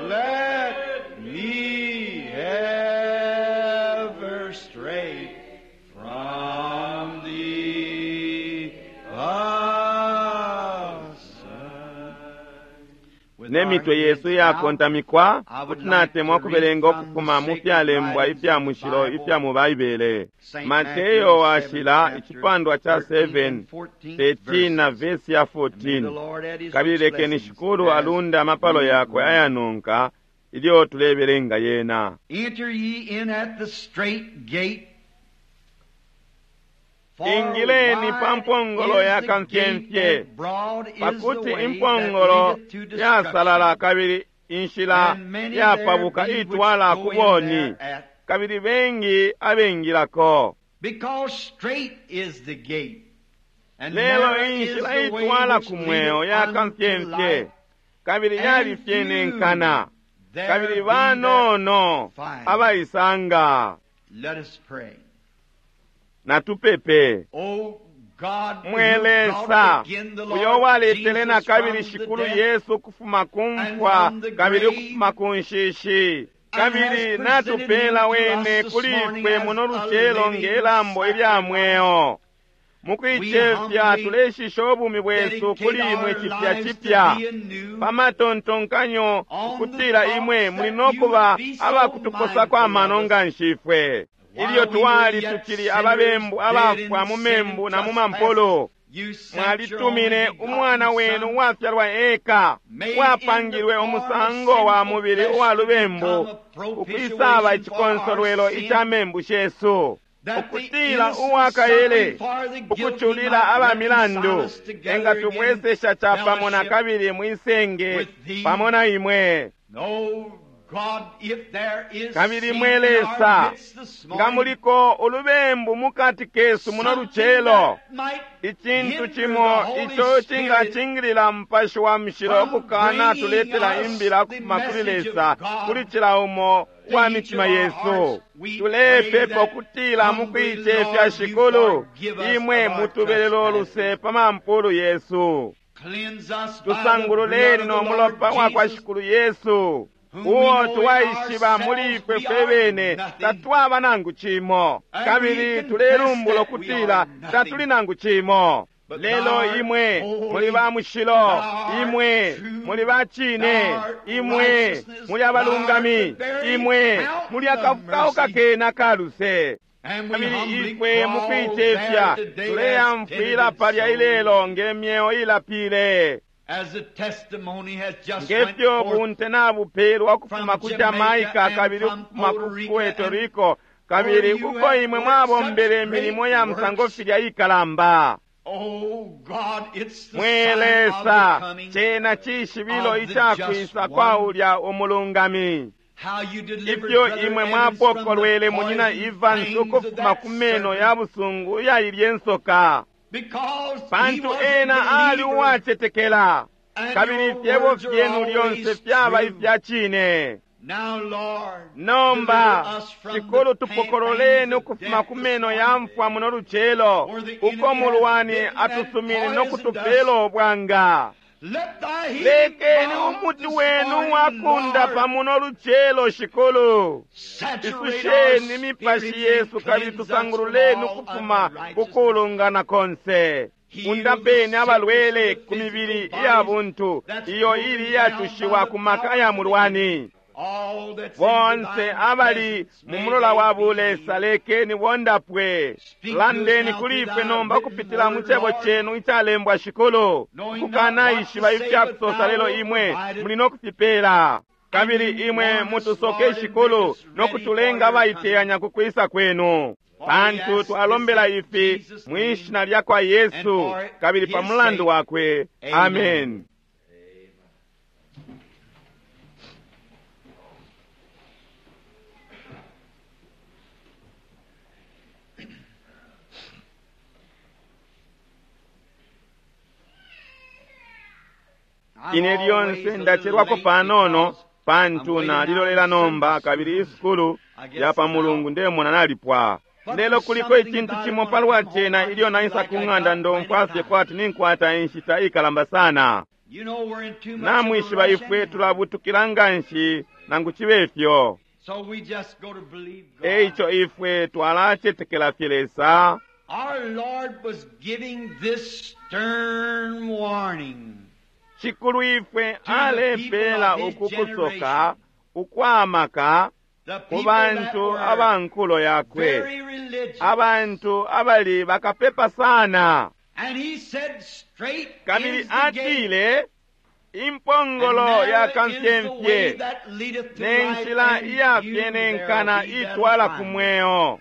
Speaker 2: let me ever stray from thee aside.
Speaker 1: Nemitwe yesu yakontamikwa, kuti natemwa ukubelenga ukufuma mu fyalembwa ifya mushilo ifya mu Baibele. Mateyo washila icipandwa cha seven, thirteen na vesi ya fourteen. Kabili lekeni Shikulu alunde amapalo yakwe ayanonka ilyo tulebelenga yena.
Speaker 2: Enter ye in at the strait gate. For
Speaker 1: Ingileni pa
Speaker 2: wide
Speaker 1: mpongolo
Speaker 2: is
Speaker 1: ya
Speaker 2: the
Speaker 1: kamfyemfye,
Speaker 2: gate and broad is the
Speaker 1: pakuti
Speaker 2: way that
Speaker 1: impongolo
Speaker 2: leadeth to
Speaker 1: yasalala
Speaker 2: destruction,
Speaker 1: kabili inshila
Speaker 2: and many there
Speaker 1: yapabuka
Speaker 2: be which
Speaker 1: itwala
Speaker 2: go
Speaker 1: ku
Speaker 2: in
Speaker 1: boni,
Speaker 2: thereat.
Speaker 1: kabili bengi abengilako.
Speaker 2: Because strait is the gate, And
Speaker 1: Lelo
Speaker 2: narrow is
Speaker 1: inshila
Speaker 2: the way
Speaker 1: itwala
Speaker 2: which
Speaker 1: ku mweo
Speaker 2: leadeth unto
Speaker 1: yakamfyemfye
Speaker 2: life,
Speaker 1: kabili yalifyenenkana
Speaker 2: there
Speaker 1: kabili
Speaker 2: be that
Speaker 1: banono
Speaker 2: find.
Speaker 1: abaisanga.
Speaker 2: Let us pray.
Speaker 1: Natupepe.
Speaker 2: O God, who
Speaker 1: Mwe
Speaker 2: brought
Speaker 1: Lesa,
Speaker 2: again the
Speaker 1: uyo
Speaker 2: Lord
Speaker 1: waletele
Speaker 2: Jesus
Speaker 1: na kabili
Speaker 2: from the
Speaker 1: Shikulu
Speaker 2: death,
Speaker 1: Yesu ukufuma ku mfwa
Speaker 2: from the
Speaker 1: kabili
Speaker 2: grave,
Speaker 1: ukufuma ku nshishi,
Speaker 2: and
Speaker 1: kabili
Speaker 2: has presented
Speaker 1: natupela
Speaker 2: him to
Speaker 1: wene
Speaker 2: us this
Speaker 1: kuli
Speaker 2: morning
Speaker 1: ifwe
Speaker 2: as
Speaker 1: muno
Speaker 2: a
Speaker 1: lucelo
Speaker 2: living
Speaker 1: ngelambo ilya mweo. Mukuicefya
Speaker 2: humbly
Speaker 1: tuleshisha ubumi bwesu
Speaker 2: dedicate
Speaker 1: kuli imwe
Speaker 2: our
Speaker 1: cipya
Speaker 2: lives to
Speaker 1: cipya
Speaker 2: thee anew,
Speaker 1: pamatontonkanyo
Speaker 2: on the
Speaker 1: ukutila
Speaker 2: thoughts
Speaker 1: imwe muli
Speaker 2: that
Speaker 1: no
Speaker 2: you
Speaker 1: kuba
Speaker 2: would be so
Speaker 1: abakutukosa kwa
Speaker 2: mindful
Speaker 1: mano
Speaker 2: of us.
Speaker 1: nga nshifwe.
Speaker 2: While
Speaker 1: Ilyo
Speaker 2: we
Speaker 1: twali
Speaker 2: were yet
Speaker 1: tukili
Speaker 2: sinners,
Speaker 1: ababembu
Speaker 2: dead in
Speaker 1: abafwa mu
Speaker 2: sin
Speaker 1: membu
Speaker 2: and
Speaker 1: na mu mampolo,
Speaker 2: trespasses, you sent your
Speaker 1: mwalitumine
Speaker 2: only
Speaker 1: umwana
Speaker 2: begotten
Speaker 1: wenu
Speaker 2: Son,
Speaker 1: uwafyalwa eka,
Speaker 2: made in the
Speaker 1: wapangilwe
Speaker 2: form of
Speaker 1: umusango wa
Speaker 2: sinful
Speaker 1: mubili
Speaker 2: flesh
Speaker 1: uwa
Speaker 2: to
Speaker 1: lubembu,
Speaker 2: become a
Speaker 1: ukwisaba
Speaker 2: propitiation for our
Speaker 1: icikonsolwelo
Speaker 2: sin,
Speaker 1: ica membu shesu,
Speaker 2: that the
Speaker 1: ukutila
Speaker 2: innocent
Speaker 1: uwakaele
Speaker 2: suffering for the guilty
Speaker 1: ukuculila
Speaker 2: might
Speaker 1: aba
Speaker 2: reconcile
Speaker 1: milandu
Speaker 2: us together
Speaker 1: engatubwesesha
Speaker 2: again
Speaker 1: capamo na
Speaker 2: fellowship
Speaker 1: kabili mwisenge
Speaker 2: with thee.
Speaker 1: pamo na imwe.
Speaker 2: Oh God, if there is
Speaker 1: Kabili
Speaker 2: sin
Speaker 1: mwe
Speaker 2: in our
Speaker 1: Lesa,
Speaker 2: midst this
Speaker 1: nga
Speaker 2: morning,
Speaker 1: muliko ulubembu mukati kesu muno
Speaker 2: something
Speaker 1: lucelo,
Speaker 2: that might
Speaker 1: icintu
Speaker 2: hinder
Speaker 1: cimo
Speaker 2: the Holy
Speaker 1: ico
Speaker 2: Spirit
Speaker 1: cingacingilila Mupashi wa Mushilo
Speaker 2: from
Speaker 1: ukukana
Speaker 2: bringing
Speaker 1: tuletela
Speaker 2: us
Speaker 1: imbila
Speaker 2: the
Speaker 1: ukufuma kuli
Speaker 2: message of
Speaker 1: Lesa
Speaker 2: God
Speaker 1: kuli cila umo
Speaker 2: to
Speaker 1: wa
Speaker 2: each
Speaker 1: mitima
Speaker 2: of our
Speaker 1: yesu.
Speaker 2: hearts. We pray
Speaker 1: Tulepepa
Speaker 2: that
Speaker 1: ukutila
Speaker 2: humbly,
Speaker 1: mukuicefya
Speaker 2: Lord, you
Speaker 1: Shikulu,
Speaker 2: forgive us
Speaker 1: imwe
Speaker 2: of our
Speaker 1: mutubelele uluse
Speaker 2: trespasses.
Speaker 1: pa mampulu yesu.
Speaker 2: Cleanse us by the blood
Speaker 1: Tusangululeni
Speaker 2: of
Speaker 1: no
Speaker 2: the Lord
Speaker 1: mulopa wa kwa
Speaker 2: Jesus,
Speaker 1: Shikulu Yesu,
Speaker 2: whom we
Speaker 1: uo
Speaker 2: know in
Speaker 1: twaishiba muli
Speaker 2: ourselves
Speaker 1: ifwe
Speaker 2: we
Speaker 1: fwe
Speaker 2: are
Speaker 1: bene
Speaker 2: nothing.
Speaker 1: tatwaba nangu cimo,
Speaker 2: And
Speaker 1: kabili
Speaker 2: we confess
Speaker 1: tulelumbula
Speaker 2: that we
Speaker 1: ukutila
Speaker 2: are nothing.
Speaker 1: tatuli nangu cimo.
Speaker 2: But
Speaker 1: Lelo
Speaker 2: thou art
Speaker 1: imwe
Speaker 2: holy,
Speaker 1: muli ba mushilo,
Speaker 2: thou art
Speaker 1: imwe
Speaker 2: true,
Speaker 1: muli ba cine,
Speaker 2: thou art
Speaker 1: imwe
Speaker 2: righteousness,
Speaker 1: muli abalungami,
Speaker 2: thou art the very
Speaker 1: imwe
Speaker 2: fountain
Speaker 1: muli
Speaker 2: of
Speaker 1: akafukauka
Speaker 2: mercy.
Speaker 1: kena kaluse.
Speaker 2: And we
Speaker 1: Kabili
Speaker 2: humbly
Speaker 1: ifwe
Speaker 2: crawl
Speaker 1: mukuicefya
Speaker 2: there today as
Speaker 1: tuleyamfwila
Speaker 2: penitent
Speaker 1: palya
Speaker 2: souls,
Speaker 1: ilelo nge myeo ilapile.
Speaker 2: as the testimony has just went
Speaker 1: Ngefyo
Speaker 2: forth
Speaker 1: bunte nabupelwa ukufuma
Speaker 2: from
Speaker 1: ku
Speaker 2: Jamaica
Speaker 1: Jamaica
Speaker 2: and
Speaker 1: kabili
Speaker 2: from
Speaker 1: ukufuma
Speaker 2: Puerto
Speaker 1: ku
Speaker 2: Rico
Speaker 1: Puerto
Speaker 2: and
Speaker 1: Rico kabili
Speaker 2: where you
Speaker 1: uko
Speaker 2: have
Speaker 1: imwe
Speaker 2: worked
Speaker 1: mwabombele
Speaker 2: such
Speaker 1: imilimo
Speaker 2: great
Speaker 1: ya musango
Speaker 2: works.
Speaker 1: filya ikalamba.
Speaker 2: Oh God, it's the
Speaker 1: Mwe
Speaker 2: sign of
Speaker 1: Lesa,
Speaker 2: the coming,
Speaker 1: cena cishibilo
Speaker 2: of the
Speaker 1: icakwisa
Speaker 2: just
Speaker 1: kwa
Speaker 2: one.
Speaker 1: ulya umulungami.
Speaker 2: How you delivered
Speaker 1: Ifyo
Speaker 2: Brother
Speaker 1: imwe
Speaker 2: Evans from the
Speaker 1: mwapokolwele munyina
Speaker 2: poison
Speaker 1: Evans
Speaker 2: fangs of
Speaker 1: ukufuma
Speaker 2: that
Speaker 1: ku meno
Speaker 2: serpent,
Speaker 1: ya busungu iyailye nsoka,
Speaker 2: because he
Speaker 1: pantu
Speaker 2: was a
Speaker 1: ena ali
Speaker 2: believer,
Speaker 1: uwacetekela,
Speaker 2: and
Speaker 1: kabili
Speaker 2: your
Speaker 1: ifyebo
Speaker 2: words are
Speaker 1: fyenu lyonse
Speaker 2: always
Speaker 1: fyaba
Speaker 2: true.
Speaker 1: ifya cine.
Speaker 2: Now, Lord,
Speaker 1: Nomba
Speaker 2: deliver us from
Speaker 1: Shikulu
Speaker 2: the
Speaker 1: tupokololeni
Speaker 2: pangs of
Speaker 1: ukufuma
Speaker 2: death
Speaker 1: ku
Speaker 2: this
Speaker 1: meno ya
Speaker 2: morning,
Speaker 1: mfwa muno lucelo,
Speaker 2: where the
Speaker 1: uko
Speaker 2: enemy has
Speaker 1: mulwani
Speaker 2: bitten and
Speaker 1: atusumine no
Speaker 2: poisoned
Speaker 1: kutupela
Speaker 2: us.
Speaker 1: obwanga.
Speaker 2: Let thy healing
Speaker 1: Lekeni
Speaker 2: balm
Speaker 1: umuti
Speaker 2: this
Speaker 1: wenu
Speaker 2: morning,
Speaker 1: wakunda
Speaker 2: Lord,
Speaker 1: pamuno lucelo Shikulu.
Speaker 2: saturate our
Speaker 1: Isusheni imipashi
Speaker 2: spirits and
Speaker 1: yesu kabili
Speaker 2: cleanse us from
Speaker 1: tusangululeni
Speaker 2: all
Speaker 1: ukufuma
Speaker 2: unrighteousness.
Speaker 1: kukulungana konse.
Speaker 2: Heal the
Speaker 1: Undapeni
Speaker 2: sick
Speaker 1: abalwele
Speaker 2: in the
Speaker 1: ku mibili
Speaker 2: physical
Speaker 1: iya
Speaker 2: bodies
Speaker 1: buntu
Speaker 2: that's
Speaker 1: iyo
Speaker 2: broken
Speaker 1: ili
Speaker 2: down by
Speaker 1: iyatushiwa
Speaker 2: the
Speaker 1: ku maka
Speaker 2: power
Speaker 1: ya
Speaker 2: of the
Speaker 1: mulwani.
Speaker 2: enemy. All that's in
Speaker 1: Bonse
Speaker 2: divine
Speaker 1: abali
Speaker 2: presence,
Speaker 1: mu
Speaker 2: may
Speaker 1: mulola
Speaker 2: they
Speaker 1: wa
Speaker 2: be
Speaker 1: bulesa
Speaker 2: healed.
Speaker 1: lekeni bondapwe.
Speaker 2: Speak to us
Speaker 1: Landeni
Speaker 2: now
Speaker 1: kuli
Speaker 2: through
Speaker 1: ifwe
Speaker 2: thy
Speaker 1: nomba
Speaker 2: written
Speaker 1: kupitila mu
Speaker 2: word,
Speaker 1: cebo
Speaker 2: Lord,
Speaker 1: chenu icalembwa Shikulu.
Speaker 2: knowing not what to
Speaker 1: Kukanaishiba
Speaker 2: say,
Speaker 1: ifya
Speaker 2: but
Speaker 1: kusosa
Speaker 2: thou
Speaker 1: lelo
Speaker 2: wilt
Speaker 1: imwe
Speaker 2: provide it.
Speaker 1: muli no kufipela.
Speaker 2: And
Speaker 1: Kabili
Speaker 2: you
Speaker 1: imwe
Speaker 2: warn us,
Speaker 1: mutusoke
Speaker 2: Lord, and make
Speaker 1: Shikulu
Speaker 2: us
Speaker 1: no
Speaker 2: ready for
Speaker 1: kutulenga
Speaker 2: your coming.
Speaker 1: abaiteyanya ku kwisa kwenu.
Speaker 2: For we
Speaker 1: Pantu
Speaker 2: ask this
Speaker 1: twalombela
Speaker 2: in
Speaker 1: ifi
Speaker 2: Jesus'
Speaker 1: mwi
Speaker 2: name
Speaker 1: shina lya kwa
Speaker 2: and
Speaker 1: Yesu
Speaker 2: for
Speaker 1: kabili pa
Speaker 2: his
Speaker 1: mulandu
Speaker 2: sake.
Speaker 1: wakwe.
Speaker 2: Amen.
Speaker 1: Amen.
Speaker 2: I'm
Speaker 1: Ine
Speaker 2: always
Speaker 1: lyonse
Speaker 2: a little
Speaker 1: ndachelwako
Speaker 2: late
Speaker 1: panono
Speaker 2: because I'm
Speaker 1: pantu
Speaker 2: waiting now
Speaker 1: nalilolela
Speaker 2: on
Speaker 1: nomba
Speaker 2: service
Speaker 1: kabili
Speaker 2: school.
Speaker 1: isukulu
Speaker 2: I guess
Speaker 1: ya pa
Speaker 2: it's
Speaker 1: mulungu
Speaker 2: out.
Speaker 1: ndemona nalipwa.
Speaker 2: But
Speaker 1: Lelo
Speaker 2: there's
Speaker 1: kuliko
Speaker 2: something
Speaker 1: icintu
Speaker 2: about it
Speaker 1: cimo
Speaker 2: when I
Speaker 1: palwa
Speaker 2: come home,
Speaker 1: cena
Speaker 2: I
Speaker 1: ilyo
Speaker 2: just feel
Speaker 1: naisa
Speaker 2: like
Speaker 1: ku
Speaker 2: I
Speaker 1: ng'anda
Speaker 2: got plenty
Speaker 1: ndomfwa fye
Speaker 2: time.
Speaker 1: kwati ninkwata inshita ikalamba sana.
Speaker 2: You know we're in too much of a
Speaker 1: Namwishiba
Speaker 2: rush
Speaker 1: ifwe
Speaker 2: anyhow.
Speaker 1: tulabutukila nganshi nangu chibe ifyo.
Speaker 2: So we just go to believe God.
Speaker 1: Eico ifwe twalacetekela fye Lesa.
Speaker 2: Our Lord was giving this stern warning
Speaker 1: Shikulu ifwe
Speaker 2: to the people
Speaker 1: alepela
Speaker 2: of his
Speaker 1: uku kusoka
Speaker 2: generation,
Speaker 1: ukwamaka
Speaker 2: the
Speaker 1: ku
Speaker 2: people that
Speaker 1: bantu
Speaker 2: were
Speaker 1: abankulo yakwe.
Speaker 2: very religious.
Speaker 1: Abantu abali bakapepa sana.
Speaker 2: And he said, Straight
Speaker 1: Kabili
Speaker 2: is the gate,
Speaker 1: atile
Speaker 2: and
Speaker 1: impongolo
Speaker 2: narrow
Speaker 1: ya
Speaker 2: is the way
Speaker 1: kamfyemfye
Speaker 2: that leadeth to
Speaker 1: ne
Speaker 2: life,
Speaker 1: nshila
Speaker 2: and few there
Speaker 1: iyafyenenkana
Speaker 2: be that'll
Speaker 1: itwala ku
Speaker 2: find it.
Speaker 1: mweo.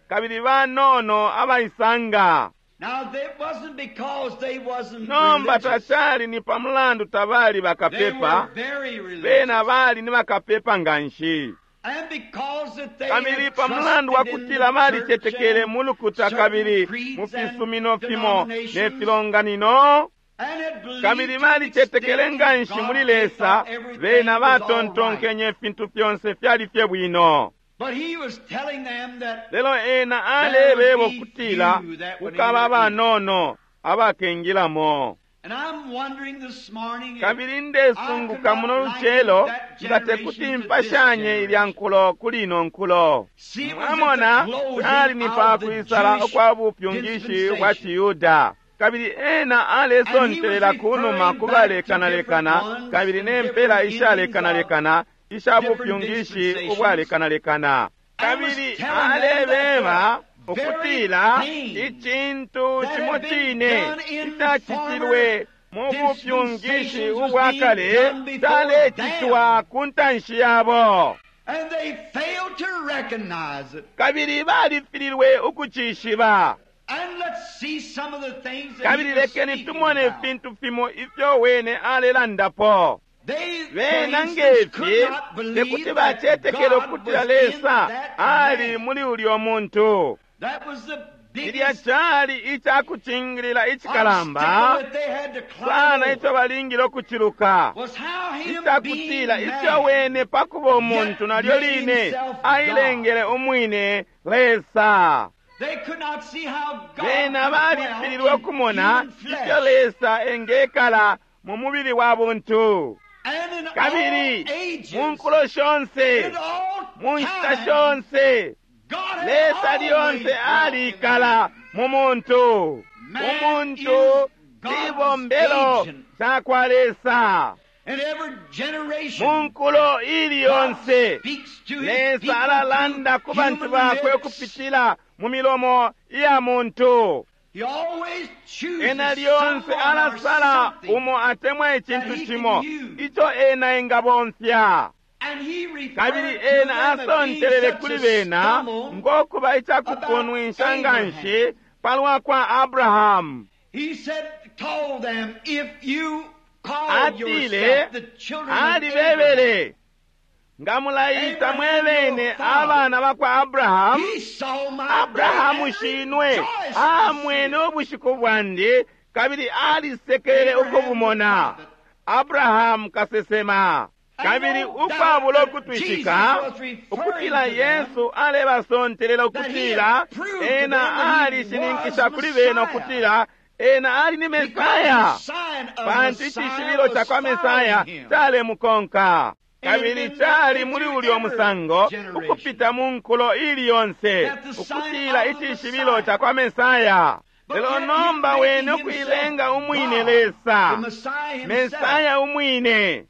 Speaker 1: Kabili banono abaisanga.
Speaker 2: Now, it wasn't because they wasn't
Speaker 1: Nomba
Speaker 2: religious.
Speaker 1: tacali ni pa mulandu tabali
Speaker 2: They
Speaker 1: bakapepa,
Speaker 2: were very
Speaker 1: bena
Speaker 2: religious.
Speaker 1: bali ni bakapepa nganshi.
Speaker 2: And because that they
Speaker 1: Kabili
Speaker 2: had
Speaker 1: pa mulandu wa
Speaker 2: trusted in
Speaker 1: kutila
Speaker 2: the
Speaker 1: balicetekele
Speaker 2: church
Speaker 1: mu lukuta
Speaker 2: and
Speaker 1: kabili
Speaker 2: certain
Speaker 1: mu
Speaker 2: creeds and
Speaker 1: fisumino fimo ne
Speaker 2: denominations,
Speaker 1: filonganino,
Speaker 2: and had believed
Speaker 1: kabili
Speaker 2: to
Speaker 1: balicetekele
Speaker 2: the
Speaker 1: nga
Speaker 2: extent
Speaker 1: nshi
Speaker 2: in
Speaker 1: muli
Speaker 2: God, they
Speaker 1: Lesa,
Speaker 2: thought everything
Speaker 1: bena
Speaker 2: was all right.
Speaker 1: batontonkenye ifintu fyonse fyali fye bwino.
Speaker 2: But he was telling them that
Speaker 1: Lelo ena alebeba ukutila kukaba abanono abakengilamo.
Speaker 2: And I'm wondering this morning if
Speaker 1: Kabili ndesunguka muno lucelo nga tekuti mpashanye ilya nkulo kuli ino nkulo.
Speaker 2: See, it was at
Speaker 1: Mwamona
Speaker 2: the closing
Speaker 1: ali ni pa
Speaker 2: of the
Speaker 1: kwisala
Speaker 2: Jewish
Speaker 1: ukwa bupyungishi bwa
Speaker 2: dispensation.
Speaker 1: Chiyuda. Kabili ena alesontelela ku numa ku balekanalekana kabili ne mpela ishalekanalekana isha bupyungishi ubwalekanalekana. Kabili alebeba ukutila icintu cimo cine icacitilwe mu bupyungishi ubwa kale calecitwa ku ntanshi yabo.
Speaker 2: And they failed to recognize it.
Speaker 1: Kabili balifililwe ukucishiba.
Speaker 2: And let's see some of the things that
Speaker 1: Kabili
Speaker 2: he was
Speaker 1: lekeni
Speaker 2: speaking
Speaker 1: tumone
Speaker 2: about.
Speaker 1: ifintu fimo ifyo wene alelandapo.
Speaker 2: They, for
Speaker 1: Bena
Speaker 2: instance,
Speaker 1: ngefi
Speaker 2: could not believe
Speaker 1: tekuti
Speaker 2: that
Speaker 1: bacetekele
Speaker 2: God
Speaker 1: ukutila
Speaker 2: was in
Speaker 1: Lesa
Speaker 2: that
Speaker 1: ali
Speaker 2: man.
Speaker 1: muli ulyo muntu.
Speaker 2: That was the
Speaker 1: Cilya
Speaker 2: biggest
Speaker 1: cali icakucingilila icikalamba
Speaker 2: obstacle that they had to climb
Speaker 1: sana
Speaker 2: over
Speaker 1: ico balingile ukuciluka.
Speaker 2: was how him being
Speaker 1: Icakutila ifyo
Speaker 2: man
Speaker 1: wene pakuba umuntu nalyo line ailengele umwine Lesa.
Speaker 2: They could not see how God
Speaker 1: Bena
Speaker 2: could
Speaker 1: balifililwe
Speaker 2: dwell in
Speaker 1: ukumona
Speaker 2: human
Speaker 1: ifyo
Speaker 2: flesh.
Speaker 1: Lesa engekala mu mubili wa buntu.
Speaker 2: And in all
Speaker 1: Kabili
Speaker 2: ages,
Speaker 1: mu nkulo shonse,
Speaker 2: in all
Speaker 1: mu nshita
Speaker 2: times,
Speaker 1: shonse,
Speaker 2: God had
Speaker 1: Lesa
Speaker 2: always
Speaker 1: lyonse
Speaker 2: dwelt in
Speaker 1: alikala mu muntu.
Speaker 2: Man
Speaker 1: Umuntu
Speaker 2: is God's
Speaker 1: cibombelo
Speaker 2: agent.
Speaker 1: cakwa Lesa.
Speaker 2: In every
Speaker 1: Mu
Speaker 2: generation,
Speaker 1: nkulo ili
Speaker 2: God
Speaker 1: yonse,
Speaker 2: speaks to his
Speaker 1: Lesa
Speaker 2: people
Speaker 1: alalanda ku
Speaker 2: through
Speaker 1: bantu
Speaker 2: human
Speaker 1: bakwe
Speaker 2: lips.
Speaker 1: ukupitila mu milomo iya muntu.
Speaker 2: He always chooses
Speaker 1: Ena lyonse
Speaker 2: someone or
Speaker 1: alasala
Speaker 2: something,
Speaker 1: umo atemwa icintu
Speaker 2: that he can
Speaker 1: cimo
Speaker 2: use.
Speaker 1: ico ena engabomfya.
Speaker 2: And he referred
Speaker 1: Kabili
Speaker 2: to
Speaker 1: ena
Speaker 2: them as being
Speaker 1: asontelele
Speaker 2: such
Speaker 1: kuli
Speaker 2: a
Speaker 1: bena
Speaker 2: stumble.
Speaker 1: ngokuba icakupunwisha nga nshi palwa kwa Abrahamu.
Speaker 2: He said, told them, if you call
Speaker 1: Atile
Speaker 2: yourself the children of Abraham,
Speaker 1: alibebele nga mulayita mwebene abana bakwa Abrahamu,
Speaker 2: he saw my
Speaker 1: Abrahamu
Speaker 2: day and
Speaker 1: shinwe
Speaker 2: rejoiced to see
Speaker 1: amwene
Speaker 2: it.
Speaker 1: ubushiku bwandi kabili alisekele ukubumona. Abrahamu kasesema. Kabili ukwabula ukutwishika ukutila Yesu alebasontelela ukutila ena alishininkisha kuli bena ukutila ena ali ni
Speaker 2: Because
Speaker 1: Mesaya,
Speaker 2: the sign of
Speaker 1: pantu
Speaker 2: Messiah
Speaker 1: icishibilo
Speaker 2: was
Speaker 1: ca kwa Mesaya
Speaker 2: following him.
Speaker 1: calemukonka. Kabili cali muli ulyo musango ukupita mu nkulo ili yonse ukutila icishibilo ca kwa Mesaya. Lelo nomba wene ukuilenga umwine Lesa,
Speaker 2: The Messiah himself.
Speaker 1: Mesaya umwine.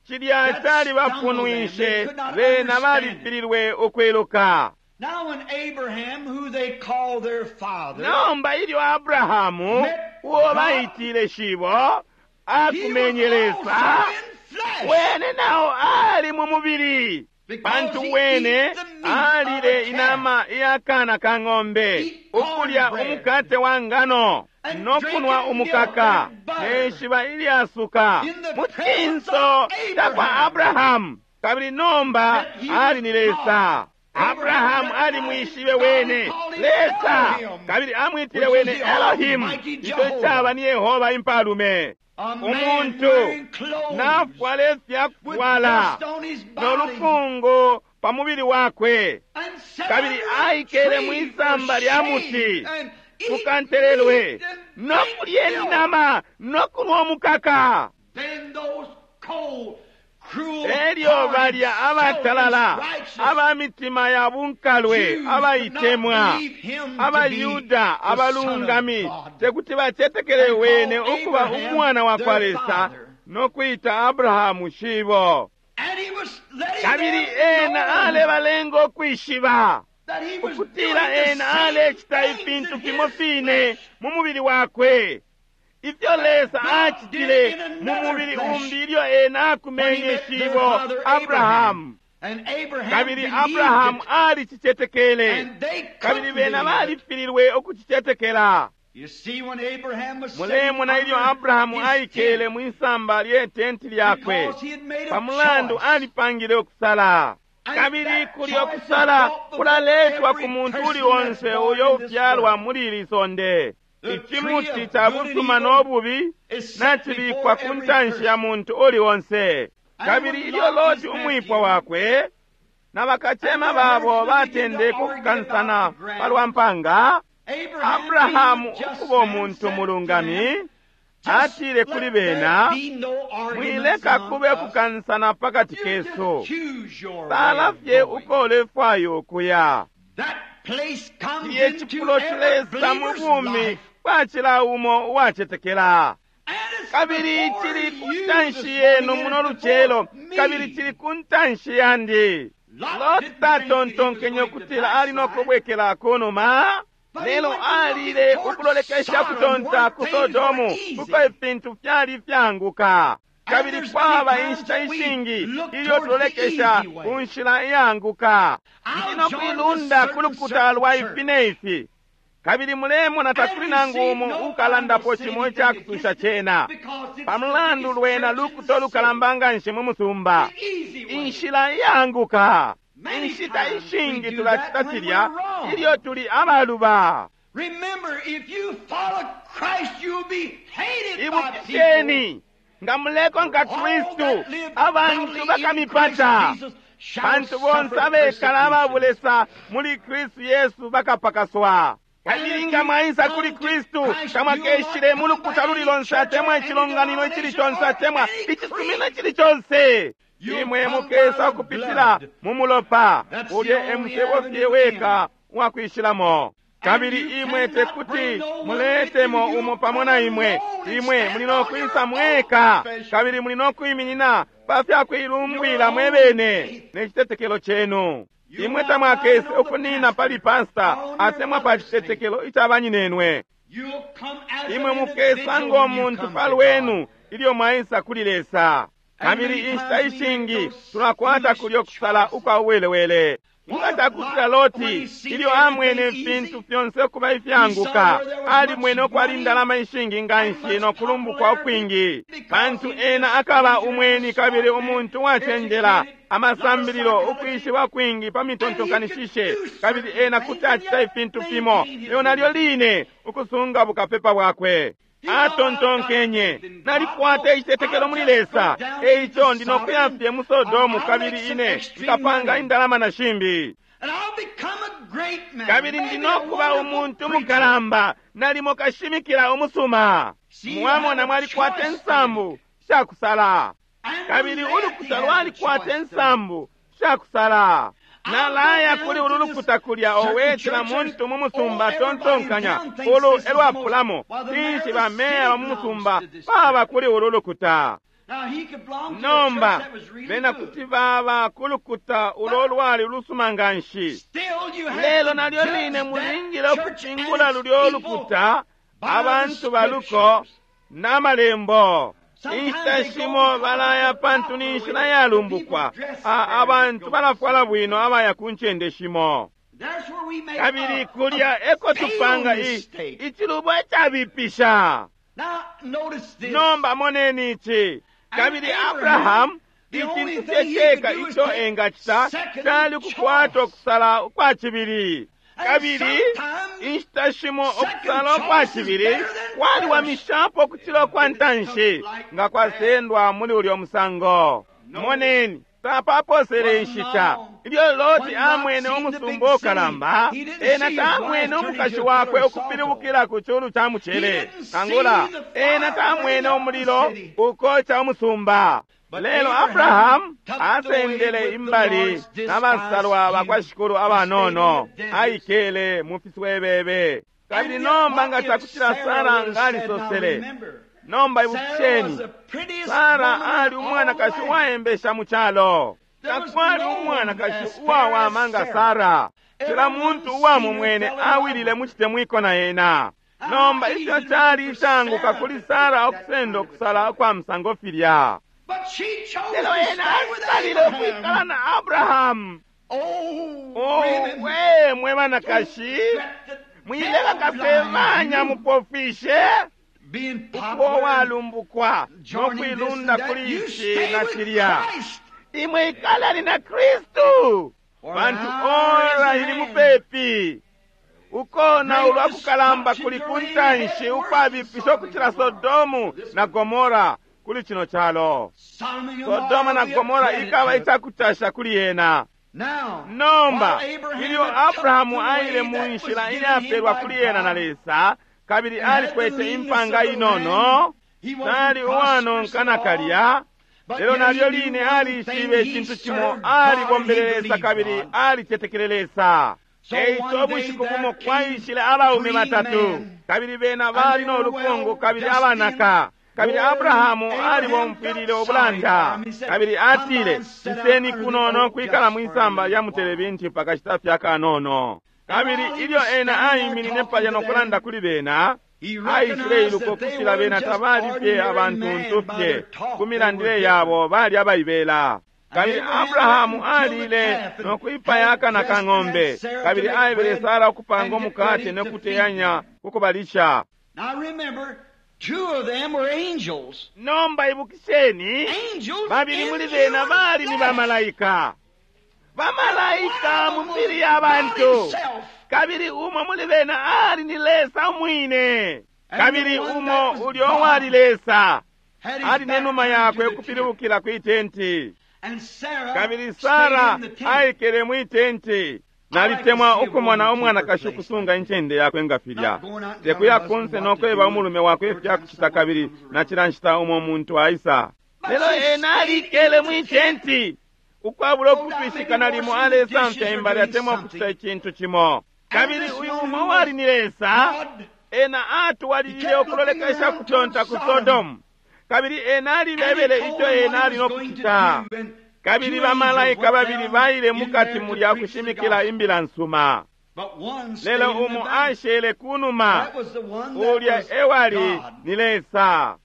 Speaker 1: Cilya cali bapunwishe bena balifililwe ukwiluka.
Speaker 2: Now when Abraham, who they call their father,
Speaker 1: Nomba ilyo Abrahamu uo baitile shibo
Speaker 2: he was
Speaker 1: akumenye Lesa,
Speaker 2: also in flesh.
Speaker 1: wene nawo ali mu mubili, pantu
Speaker 2: Because he
Speaker 1: wene
Speaker 2: eat the meat of
Speaker 1: alile
Speaker 2: a calf.
Speaker 1: inama iyakana ka ng'ombe,
Speaker 2: Eat corn
Speaker 1: ukulya
Speaker 2: bread.
Speaker 1: umukate wa ngano
Speaker 2: And
Speaker 1: no kunwa
Speaker 2: drinking
Speaker 1: umukaka
Speaker 2: milk and butter.
Speaker 1: ne nshiba ilyasuka
Speaker 2: In the
Speaker 1: mu
Speaker 2: presence
Speaker 1: cinso
Speaker 2: of
Speaker 1: cakwa
Speaker 2: Abraham.
Speaker 1: Abrahamu. Kabili nomba
Speaker 2: That he was
Speaker 1: ali ni Lesa.
Speaker 2: God.
Speaker 1: Abrahamu ali mwishibe wene
Speaker 2: God called him
Speaker 1: Lesa,
Speaker 2: Elohim,
Speaker 1: kabili amwitile
Speaker 2: which
Speaker 1: wene
Speaker 2: is the
Speaker 1: Elohimu,
Speaker 2: Almighty
Speaker 1: ico
Speaker 2: Jehovah.
Speaker 1: caba ni Yehova impalume.
Speaker 2: A man
Speaker 1: Umuntu
Speaker 2: wearing clothes
Speaker 1: nafwala
Speaker 2: with
Speaker 1: ifyakufwala
Speaker 2: dust on his
Speaker 1: no
Speaker 2: body
Speaker 1: lukungu pa mubili wakwe,
Speaker 2: and sat
Speaker 1: kabili
Speaker 2: under a
Speaker 1: aikele
Speaker 2: tree
Speaker 1: mwisamba
Speaker 2: for
Speaker 1: lya
Speaker 2: shade
Speaker 1: muti
Speaker 2: and eat
Speaker 1: kukantelelwe
Speaker 2: meat and
Speaker 1: no
Speaker 2: drink
Speaker 1: kulya
Speaker 2: milk.
Speaker 1: inama no kunwa omukaka.
Speaker 2: Then those cold, cruel,
Speaker 1: Elyo balya abatalala
Speaker 2: selfish, righteous
Speaker 1: aba mitima ya bunkalwe
Speaker 2: Jews could not
Speaker 1: abaitemwa
Speaker 2: believe him to be
Speaker 1: abayuda
Speaker 2: the Son of
Speaker 1: abalungami
Speaker 2: God.
Speaker 1: tekuti bacetekele
Speaker 2: And
Speaker 1: wene
Speaker 2: call
Speaker 1: ukuba
Speaker 2: Abraham
Speaker 1: umwana wa kwa
Speaker 2: their
Speaker 1: Lesa
Speaker 2: father.
Speaker 1: no kwita Abrahamu shibo.
Speaker 2: And he was letting
Speaker 1: Kabili
Speaker 2: them
Speaker 1: ena
Speaker 2: know
Speaker 1: alebalenga ukwishiba
Speaker 2: that he was
Speaker 1: ukutila
Speaker 2: doing the
Speaker 1: ena
Speaker 2: same
Speaker 1: alecita
Speaker 2: things
Speaker 1: ifintu
Speaker 2: in
Speaker 1: fimo
Speaker 2: his
Speaker 1: fine
Speaker 2: flesh.
Speaker 1: mu mubili wakwe ifyo Lesa
Speaker 2: God
Speaker 1: acitile
Speaker 2: did in
Speaker 1: mu
Speaker 2: another
Speaker 1: mubili
Speaker 2: flesh
Speaker 1: umbi ilyo ena
Speaker 2: when he
Speaker 1: akumenye
Speaker 2: met their
Speaker 1: shibo
Speaker 2: father
Speaker 1: Abrahamu.
Speaker 2: And Abraham
Speaker 1: Kabili
Speaker 2: believed
Speaker 1: Abrahamu
Speaker 2: it,
Speaker 1: alicicetekele,
Speaker 2: and they
Speaker 1: kabili
Speaker 2: couldn't
Speaker 1: bena
Speaker 2: believe it.
Speaker 1: balifililwe ukucicetekela.
Speaker 2: You see, when Abraham was sitting
Speaker 1: Mulemona ilyo
Speaker 2: under
Speaker 1: Abrahamu
Speaker 2: his
Speaker 1: aikele
Speaker 2: tent,
Speaker 1: mwisamba lye tenti lyakwe,
Speaker 2: because he had made a
Speaker 1: pamulandu
Speaker 2: choice
Speaker 1: alipangile ukusala. Kabili kulyo kusala kulaletwa ku muntu uli onse uyo ufyalwa muli ili sonde. Ichimuti cha busuma no bubi nachibikwa ku ntanshi ya muntu uli onse. Kabili ilyo Loti umwipwa wakwe na bakachema babo batendeka ukukansana palwa mpanga, Abrahamu ukuba umuntu mulungami atile kuli bena, mwileka kube kukansana pakati kesu, sala fye uko ulefwaya ukuya. Iye cifulo cilesa mu bumi bwa cila umo uwacetekela. Kabili cili ku ntanshi yenu muno lucelo, kabili cili ku ntanshi yandi. Loti tatontonkenye ukutila ali no kubwekela kunuma, lelo alile ukulolekesha kutonta ku Sodomu kuko ifintu fyali fyanguka. Kabili kwaba inshita ishingi ilyo tulolekesha ku nshila iyanguka. Ndi no kuilunda ku lukuta lwa ifi ne ifi. Kabili mulemona takuli nangu umo ukalandapo cimo icakutusha cena, pamulandu lwena lukuta olukalamba nganshi mu musumba. Inshila iyanguka. Inshita ishingi tulacita cilya ilyo tuli abaluba. Ibukisheni, nga mulekonka Kristu, abantu bakamipata. Pantu bonse abekala ababulesa muli Kristu Yesu bakapakaswa. Kabili nga mwaisa kuli Kristu, tamwakeshile mu lukuta luli lonse atemwa icilonganino icili conse atemwa icisumino icili conse. Imwe mukesa ukupitila mu mulopa, ulye emusebo fye weka uwakwishilamo. Kabili imwe tekuti muletemo umo pamo na imwe. Imwe muli no kwisa mweka, kabili muli no kwiminina pa fya kuilumbwila mwe bene ne citetekelo cenu. Imwe tamwakese ukunina pali pasta atemwa pa citetekelo ica banyinenwe. Imwe mukesa ngo muntu pa lwenu ilyo mwaisa kuli Lesa. Kabili inshita ishingi tulakwata kulyo kusala ukwa uwelewele. Nga cakutila Loti ilyo amwene ifintu fyonse ukuba ifyanguka, alimwene ukwali indalama ishingi nganshi no kulumbukwa ukwingi, pantu ena akaba umweni kabili umuntu wacenjela, amasambililo ukwishiba kwingi pa mitontonkanishishe, kabili ena kuti acita ifintu fimo, lelo nalyo line ukusunga bukapepa bwakwe. Atontonkenye, nalikwata icitetekelo muli Lesa, eico ndi no kuya fye mu Sodomu kabili ine nkapanga indalama na shimbi. Kabili ndi no kuba umuntu mukalamba, nalimo kashimikila umusuma. Mwamona mwalikwata insambu shakusala, kabili ulukuta lwalikwata insambu shakusala. Nalaya kuli ulu lukuta kulya owetela muntu mu musumba tontonkanya ulu elwapulamo tinshi bameya ba mu musumba baba kuli ulu lukuta. Nomba bena kuti baba ku lukuta ulo lwali ulusuma nganshi, lelo nalyo line mulingile ukupingula lulyo lukuta abantu baluko n'amalembo. Inshita shimo balaya pantu ni nshila yalumbukwa, abantu balafwala bwino abaya ku ncende shimo. Kabili kulya eko tupanga icilubo icabipisha. Nomba moneni ici. Kabili Abrahamu icintu fye ceka ico engacita cali ukukwata ukusala ukwa cibili. Kabili inshita shimo ukusala ukwa cibili kwaliwamishapo ukucila ukwa ntanshi nga kwasendwa muli ulyo musango. Moneni, tapaposele inshita ilyo Loti amwene umusumba ukalamba, ena tamwene umukashi wakwe ukupilibukila ku culu ca mucele, nangula ena tamwene umulilo ukoca umusumba. Lelo Abrahamu asendele imbali n'abasalwa bakwa Shikulu abanono, aikele mu fiswebebe. Kabili nomba nga cakutila Sara ngalisosele, nomba ibukisheni, Sara ali umwanakashi uwaembesha mu calo. Takwali umwanakashi uwawama nga Sara. Cila muntu uwamumwene awilile mu citemwiko na ena. Nomba ifyo cali icanguka kuli Sara ukusenda ukusala ukwa musango filya. Lelo ena asalile ukwikala na Abrahamu. Oh, we mwe banakashi, mwileka kasebanya mupofishe ukuba uwalumbukwa no kuilunda kuli ici na cilya. Imwe ikalani na Kristu, pantu ora ili mupepi. Ukona ulwa kukalamba kuli kuntanshi ukwabipisha ukucila Sodomu na Gomora kuli chino chalo. Sodoma na Gomora ikaba icakutasha kuli yena. Nomba ilyo Abrahamu aile mu nshila iyapelwa kuli yena na Lesa, kabili alikwete impanga inono, tali uwanonka nakalya, lelo nalyo line alishibe icintu cimo, alibombele Lesa kabili alicetekele Lesa. Eico ubushiku bumo kwaishile abaume batatu, kabili bena bali no lukungu kabili abanaka. Kabili Abrahamu alibomfwilile ubulanda, kabili atile, iseni kuno no kwikala mwisamba lya mutelebinti pakashita fya kanono. Kabili ilyo ena aiminine palya no kulanda kuli bena, aishile iluka ukutila bena tabali fye abantuntu fye, ku milandile yabo bali abaibela. Kabili Abrahamu alile no kwipaya akana ka ng'ombe, kabili aebele Sara ukupanga umukate no kuteyanya kukubalisha.
Speaker 2: Two of them were angels.
Speaker 1: Nomba ibukisheni,
Speaker 2: Angels
Speaker 1: babili
Speaker 2: in
Speaker 1: muli bena
Speaker 2: human
Speaker 1: bali ni
Speaker 2: flesh.
Speaker 1: bamalaika, bamalaika mu mibili ya
Speaker 2: God
Speaker 1: bantu,
Speaker 2: himself.
Speaker 1: kabili umo muli bena ali ni Lesa umwine,
Speaker 2: And
Speaker 1: kabili
Speaker 2: the one
Speaker 1: umo
Speaker 2: that was
Speaker 1: ulyo
Speaker 2: God
Speaker 1: wali Lesa
Speaker 2: had his
Speaker 1: ali
Speaker 2: back
Speaker 1: nenuma
Speaker 2: turned to
Speaker 1: yakwe
Speaker 2: the tent.
Speaker 1: ukupilibukila kwi tenti.
Speaker 2: And Sarah
Speaker 1: Kabili
Speaker 2: stayed
Speaker 1: Sara
Speaker 2: in the tent.
Speaker 1: aikele mwi tenti. Nalitemwa ukumona umwanakashi ukusunga incende yakwe nga filya, tekuya kunse nokweba umulume wakwe ifyakucita, kabili na cila nshita umo muntu aisa. Lelo ena alikele mwi tenti ukwabula ukutwishika, nalimo alesamfya imbali atemwa ukucita icintu cimo. Kabili uyu umo wali ni Lesa,
Speaker 2: God
Speaker 1: ena atwalilile ukulolekesha kutonta ku Sodomu, kabili ena alibebele ico ena ali no kucita. Kabili bamalaika babili baile mukati mulya kushimikila imbila nsuma, lelo umo ashele kunuma, ulya ewali ni Lesa.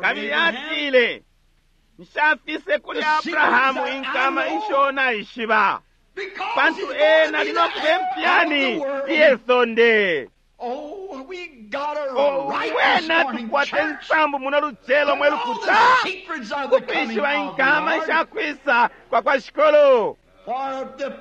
Speaker 1: Kabili atile, nshafise kuli Abrahamu inkama isho naishiba, pantu ena ali no kuba impyani iye sonde.
Speaker 2: Oh, we got a
Speaker 1: Oh,
Speaker 2: right this
Speaker 1: wena
Speaker 2: morning,
Speaker 1: tukwate
Speaker 2: church.
Speaker 1: nsambu muno lucelo mwe
Speaker 2: All
Speaker 1: lukuta
Speaker 2: the secrets of the coming
Speaker 1: ukwishiba
Speaker 2: of the
Speaker 1: inkama
Speaker 2: Lord.
Speaker 1: ishakwisa kwa kwa shikolo.
Speaker 2: For the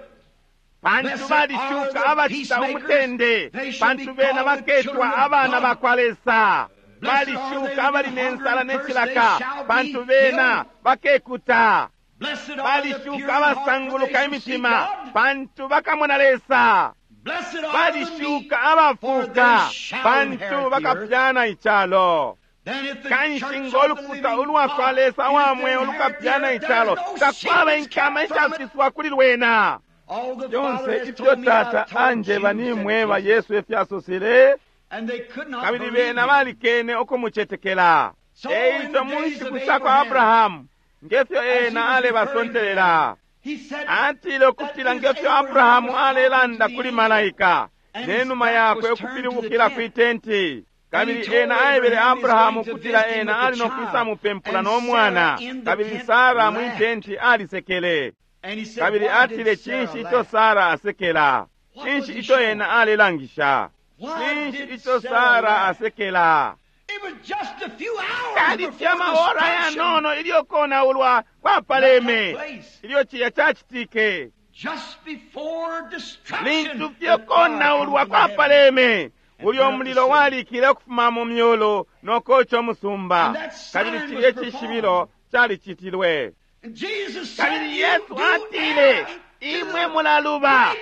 Speaker 1: Pantu
Speaker 2: Blessed
Speaker 1: balishuka
Speaker 2: are the
Speaker 1: abacita
Speaker 2: peacemakers,
Speaker 1: umutende,
Speaker 2: they shall
Speaker 1: pantu
Speaker 2: be
Speaker 1: bena
Speaker 2: called the
Speaker 1: baketwa
Speaker 2: children of
Speaker 1: abana
Speaker 2: God.
Speaker 1: bakwa Lesa.
Speaker 2: Blessed are they
Speaker 1: Balishuka
Speaker 2: that
Speaker 1: abali
Speaker 2: hunger
Speaker 1: nensala
Speaker 2: and thirst,
Speaker 1: n'ecilaka,
Speaker 2: they shall be
Speaker 1: pantu bena
Speaker 2: filled.
Speaker 1: bakekuta.
Speaker 2: Blessed are the pure
Speaker 1: Balishuka
Speaker 2: in heart, for they
Speaker 1: abasanguluka
Speaker 2: shall see
Speaker 1: imitima,
Speaker 2: God.
Speaker 1: pantu bakamona Lesa.
Speaker 2: Blessed are the meek,
Speaker 1: Balishuka
Speaker 2: for
Speaker 1: abafuka,
Speaker 2: they shall
Speaker 1: pantu
Speaker 2: inherit the earth.
Speaker 1: bakapyana icalo.
Speaker 2: Then if the
Speaker 1: Kanshi
Speaker 2: church of the
Speaker 1: ng'olukuta
Speaker 2: living
Speaker 1: ulwa kwa
Speaker 2: God
Speaker 1: Lesa
Speaker 2: is
Speaker 1: wa
Speaker 2: to
Speaker 1: mweo
Speaker 2: inherit the
Speaker 1: lukapyana
Speaker 2: earth,
Speaker 1: icalo,
Speaker 2: there is no
Speaker 1: takwaba
Speaker 2: secrets
Speaker 1: inkama
Speaker 2: kept from it.
Speaker 1: ishafiswa kuli lwena.
Speaker 2: All the Father
Speaker 1: Fyonse
Speaker 2: has
Speaker 1: ifyo
Speaker 2: told me,
Speaker 1: Tata
Speaker 2: I've told
Speaker 1: anjeba
Speaker 2: you, said
Speaker 1: nimweba,
Speaker 2: Jesus.
Speaker 1: Yesu efyasosele,
Speaker 2: And they could not
Speaker 1: kabili
Speaker 2: believe
Speaker 1: bena
Speaker 2: him.
Speaker 1: balikene ukumucetekela.
Speaker 2: So
Speaker 1: Eico
Speaker 2: in the
Speaker 1: mu
Speaker 2: days
Speaker 1: nshiku
Speaker 2: of
Speaker 1: sha kwa
Speaker 2: Abraham,
Speaker 1: Abrahamu, ngefyo
Speaker 2: as he
Speaker 1: ena
Speaker 2: was referring to
Speaker 1: alebasontelela,
Speaker 2: them, he said,
Speaker 1: atile ukutila
Speaker 2: that
Speaker 1: ngefyo
Speaker 2: is
Speaker 1: Abrahamu
Speaker 2: Abraham was talking
Speaker 1: alelanda
Speaker 2: to the
Speaker 1: kuli
Speaker 2: angel,
Speaker 1: malaika,
Speaker 2: and his
Speaker 1: nenuma
Speaker 2: back
Speaker 1: yakwe
Speaker 2: was turned to the
Speaker 1: ukupilibukila
Speaker 2: tent.
Speaker 1: kwi tenti.
Speaker 2: And he
Speaker 1: Kabili
Speaker 2: told
Speaker 1: ena aebele
Speaker 2: Abraham he's
Speaker 1: Abrahamu
Speaker 2: going to
Speaker 1: ukutila
Speaker 2: visit him
Speaker 1: ena
Speaker 2: with
Speaker 1: ali
Speaker 2: the
Speaker 1: no
Speaker 2: child.
Speaker 1: kwisamupempula
Speaker 2: And
Speaker 1: no mwana,
Speaker 2: Sarah in the
Speaker 1: kabili
Speaker 2: tent
Speaker 1: Sara mwi
Speaker 2: laughed.
Speaker 1: tenti alisekele.
Speaker 2: And he said,
Speaker 1: Kabili
Speaker 2: Why did
Speaker 1: atile,
Speaker 2: Sarah
Speaker 1: cinshi ico
Speaker 2: laugh?
Speaker 1: Sara asekela?
Speaker 2: What was
Speaker 1: Cinshi
Speaker 2: he
Speaker 1: ico
Speaker 2: showing?
Speaker 1: ena alelangisha?
Speaker 2: Why
Speaker 1: Cinshi
Speaker 2: did
Speaker 1: ico
Speaker 2: Sarah
Speaker 1: Sara
Speaker 2: laugh?
Speaker 1: asekela?
Speaker 2: It was just a few hours
Speaker 1: Cali
Speaker 2: before
Speaker 1: fye amaora
Speaker 2: destruction
Speaker 1: yanono ilyo konaulwa kwapaleme,
Speaker 2: that took place.
Speaker 1: ilyo ciya cacitike.
Speaker 2: Just before destruction,
Speaker 1: Lintu fye
Speaker 2: the fire
Speaker 1: konaulwa
Speaker 2: come from heaven.
Speaker 1: kwapaleme, ulyo
Speaker 2: burnt the
Speaker 1: mulilo
Speaker 2: city.
Speaker 1: walikile ukufuma mu myulu nokoca umusumba,
Speaker 2: And that sign
Speaker 1: kabili
Speaker 2: was
Speaker 1: cilye
Speaker 2: performed.
Speaker 1: cishibilo calicitilwe.
Speaker 2: And Jesus said,
Speaker 1: Kabili
Speaker 2: "You
Speaker 1: Yesu
Speaker 2: do
Speaker 1: atile,
Speaker 2: err
Speaker 1: imwe mulaluba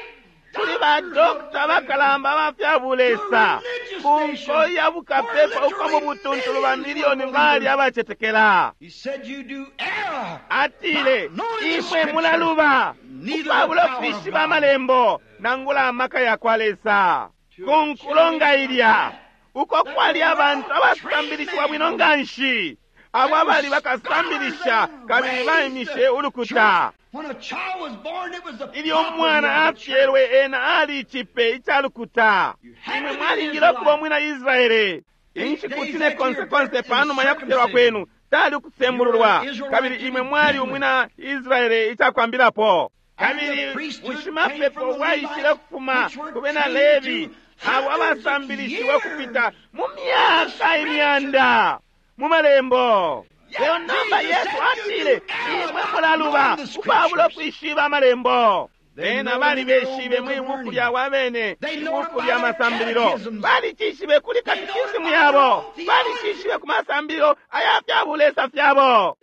Speaker 1: kuli badokita bakalamba abafya bulesa, ku nko ya bukapepa uko mu butuntulu ba miliyoni bali abacetekela.
Speaker 2: He said, "You do err."
Speaker 1: Atile, imwe mulaluba ukwabula ukwishiba amalembo nangula amaka ya kwa Lesa. Ku nkulo nga ilya uko kwali abantu abasambilishiwa bwino nga nshi, abo abali bakasambilisha kabili baimishe ulukuta.
Speaker 2: When a child was born, it was the
Speaker 1: Ilyo
Speaker 2: property
Speaker 1: umwana
Speaker 2: of the church.
Speaker 1: afyelwe, ena ali icipe ica lukuta. Imwe mwalingile ukuba umwina Israele. Inshiku cine konse konse panuma ya kufyalwa kwenu tali ukusembululwa, kabili imwe mwali umwina Israele icakwambilapo. Kabili bushimapepo bwaishile kufuma ku bena Levi, abo abasambilishiwe kupita mu myaka imyanda mu malembo. Lelo nomba Yesu atile, imwe mulaluba ukwabula ukwishiba amalembo. Bena balibeshibe mwi buku lyabo abene, ibuku lya masambililo. Balicishibe kuli katikisimu yabo, balicishibe ku masambililo aya fya bulesa fyabo.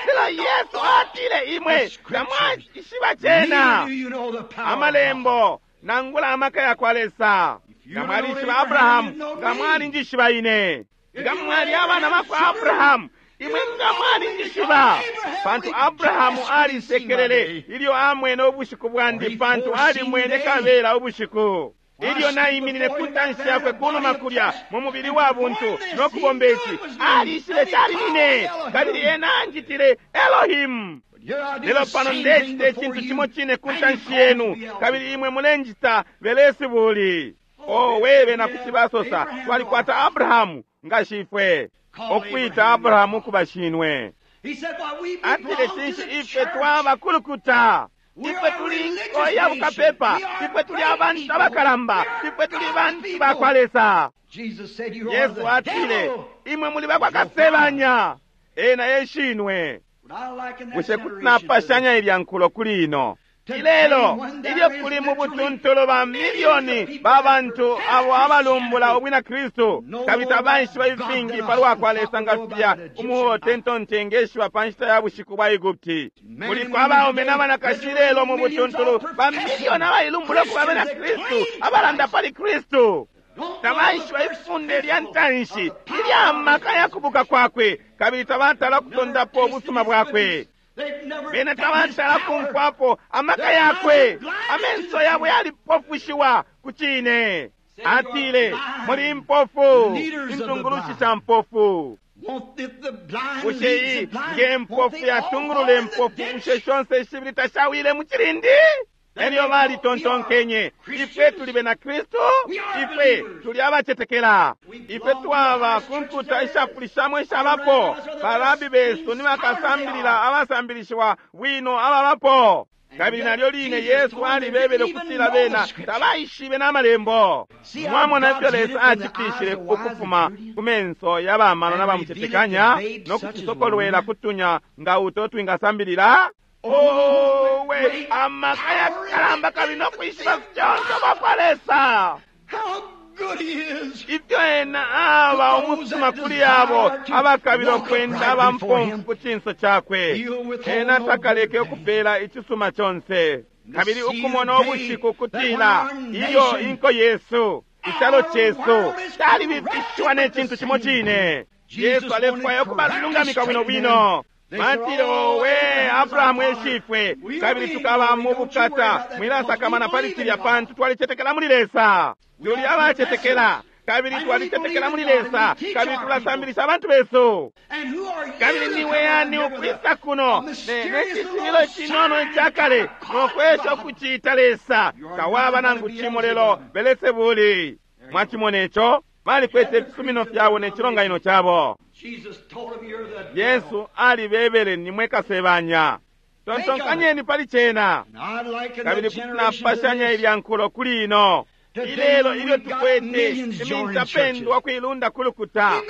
Speaker 1: Lelo Yesu atile, imwe tamwaishiba cena amalembo nangula amaka ya kwa Lesa. Nga mwalishiba Abrahamu, nga mwalinjishiba ine. Nga mwali abana bakwa Abrahamu, imwe nga mwalinjishiba. Pantu Abrahamu alisekelele ilyo amwene ubushiku bwandi, pantu alimwene kabela ubushiku. Ilyo naiminine ku ntanshi yakwe kunuma kulya mu mubili wa buntu no kubomba ici, alishibe cali nine, kabili ena anjitile Elohim. Lelo pano ndecita icintu cimo cine ku ntanshi yenu, kabili imwe mulenjita Belesibuli. Owe, bena kuti basosa, twalikwata Abrahamu nga shifwe. Okwita Abrahamu kuba shinwe. Atile, cinshi ife twaba kulukuta? Ifwe tuli nko ya bukapepa, ifwe tuli abantu abakalamba, ifwe tuli bantu bakwa Lesa. Yesu atile, imwe muli bakwa kasebanya, ena eshinwe. Bushe kuti napashanya ilya nkulo kuli ino? Ilelo, ilyo kuli mu butuntulu ba milioni ba bantu abo abalumbula ubwina Kristu, kabili tabaishiba ifingi palwa kwa Lesa nga filya umuhotentonte ngeshiba pa nshita ya bushiku bwa Egupti. Kuliko abaume n'abanakashi lelo mu butuntulu ba milioni abailumbula ukuba abena Kristu, abalanda pali Kristu. Tabaishiba ifunde lya ntanshi ilya maka ya kubuka kwakwe, kabili tabatala kutondapo ubusuma bwakwe. Bena tabatala kumfwapo amaka yakwe. Amenso yabo yalipofushiwa ku cine. Atile, muli mpofu, intungulushi sha mpofu. Bushe iyi nge mpofu yatungulula impofu, bushe shonse shibili tashawile mu cilindi? Elyo balitontonkenye, ifwe tuli bena Kristu, ifwe tuli abacetekela, ifwe twaba ku nkuta ishapulishamo ishabapo. Barabi besu ni bakasambilila abasambilishiwa bwino ababapo. Kabili nalyo line Yesu alibebele ukutila bena tabaishibe n'amalembo. Mwamona ifyo Lesa acitishile ukufuma ku menso y'abamano n'abamucetekanya no kutusokolwela kutunya nga uto twingasambilila. Owe, amaka yakalamba kabili no kwishiba fyonse bakwa Lesa. Ifyo ena aba umusuma kuli abo abakabila ukwenda abampomfu ku cinso cakwe. Ena takaleke ukupela icisuma conse. Kabili ukumona ubushiku kutila ilyo inko yesu, icalo cesu, calibifishiwa ne cintu cimo cine. Yesu alefwaya ukubalungamika bwino bwino. Batile, owe, Abrahamu eshifwe, kabili tukaba mu bukata. Mwilasakamana pali cilya, pantu twalicetekela muli Lesa. Tuli abacetekela, kabili twalicetekela muli Lesa, kabili tulasambilisha abantu besu. Kabili niwe yani ukwisa kuno ne cishibilo cinono icakale nokwesha ukucita Lesa? Tawaba nangu cimo lelo Belesebuli. Mwachimona ico? Balikwete ifisumino fyabo ne cilonganino cabo. Yesu alibebele, nimwe kasebanya. Tontonkanyeni pali cena. Kabili kuti napashanya ilya nkulo kuli ino. Ilelo ilyo tukwete imintapendwa kuilunda kulukuta,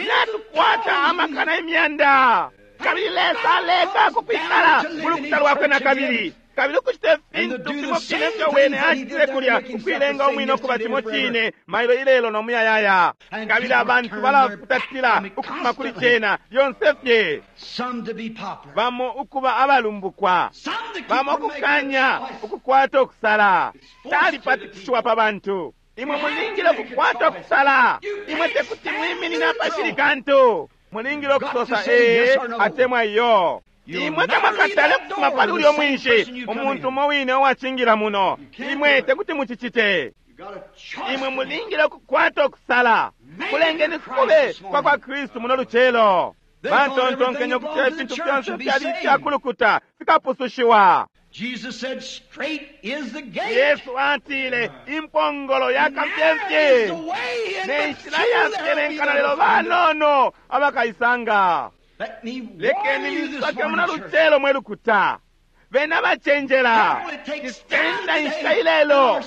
Speaker 1: natukwata amakana imyanda. Kabili Lesa aleka kukwikala mulukuta lwakwe na kabili. Kabili ukucita ifintu fimo fine fyo wene acitile kulya, ukwilenga umwine ukuba cimo cine mailo ilelo no muyayaya. Kabili abantu balafutatila ukufuma kuli cena lyonse fye, bamo ukuba abalumbukwa, bamo ukukanya ukukwata ukusala. Calipatikishiwa pa bantu. Imwe mulingile ukukwata ukusala. Imwe tekuti mwiminina pashili kantu. Mulingile ukusosa ee atemwa iyo. Imwe tamwakatale kufuma pali ulyo mwinshi, umuntu umo wine uwacingila muno. Imwe tekuti mucicite. Imwe mulingile ukukwata ukusala. Kulengeni kube kwa kwa Kristu muno lucelo. Batontonkenye ukutila ifintu fyonse fyali ifyakulukuta fikapusushiwa. Yesu atile, impongolo yakafyemfye ne nshila yafyelenkana, lelo banono abakaisanga. Lekeni misoke muna lucelo mwe lukuta. Bena bacenjela. Cisenda inshita ilelo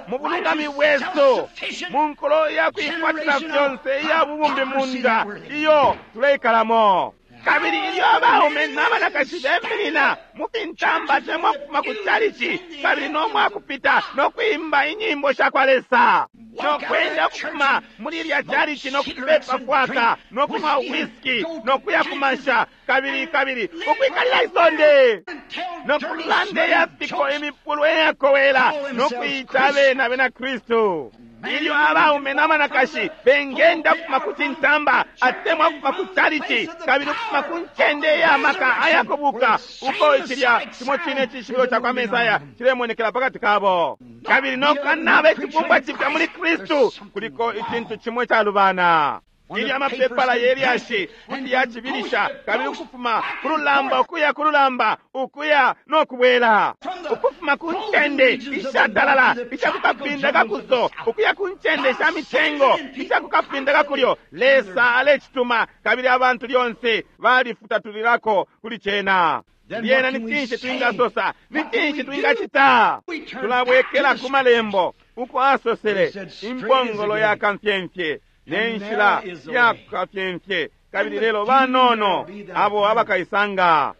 Speaker 1: mu bulungami bwesu, mu nkulo ya kuikwatila fyonse iya bubumbi munda iyo tuleikalamo. Kabili ilyo abaume n'abanakashi beminina mu fintamba temwa kufuma ku chalichi kabili n'omwakupita n'okwimba inyimbo sha kwa Lesa, n'okwenda kufuma muli ilya chalichi n'okupepa fwaka n'okunwa whisky n'okuya kumasha kabili kabili ukwikalila isonde n'okulanda eyafiko emipulu eyakowela n'okuyita abena bena Kristu. Ilyo abaume n'abanakashi bengenda kufuma ku cintamba atemwa kufuma ku chalichi kabili kufuma ku ncende ey'amaka ayakubuka uko cilya cimo cine cishibilo ca kwa Mesaya cilemonekela pakati kabo, kabili nokanaba icibumbwa cipya muli Kristu, kuliko icintu cimwe calubana. Ilyo amapepala yelyashi kuti yacibilisha kabili ukufuma ku lulamba ukuya ku lulamba ukuya nokubwela, ukufuma ku ncende ishatalala ishakukapinda kakuso ukuya ku ncende sha mitengo ishakukapinda kakulyo, Lesa alecituma kabili abantu lyonse balifutatulilako kuli cena. Lyena ni cinshi twingasosa? Ni cinshi twingacita? Tulabwekela ku malembo uko asosele impongolo ya kamfyemfye nenshila ya kafyemfye, kabili lelo banono abo abakaisanga.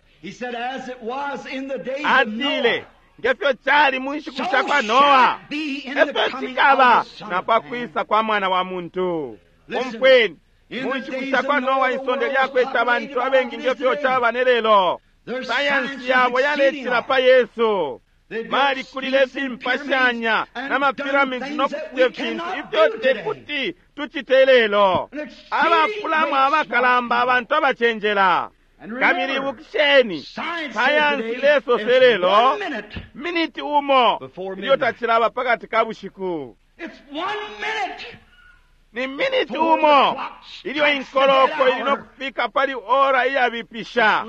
Speaker 1: Atile ngefyo cali mu nshiku sha kwa Noa, efyo cikaba na pakwisa kwa mwana wa muntu. Umfweni, mu nshiku sha kwa Noa isonde lyakwete abantu abengi ngefyo caba ne lelo. Sayansi yabo yalecila pa Yesu. Balikulile fimpashanya n'amapiramidi n'okucita ifintu ifyo tekuti tucite lelo. Abapulamo abakalamba abantu abacenjela. Kabili ibukisheni, sayansi ilesose lelo miniti umo ilyo tacilaba pakati ka bushiku. Ni miniti umo ilyo inkoloko ili nokufika pali ora iyabipisha.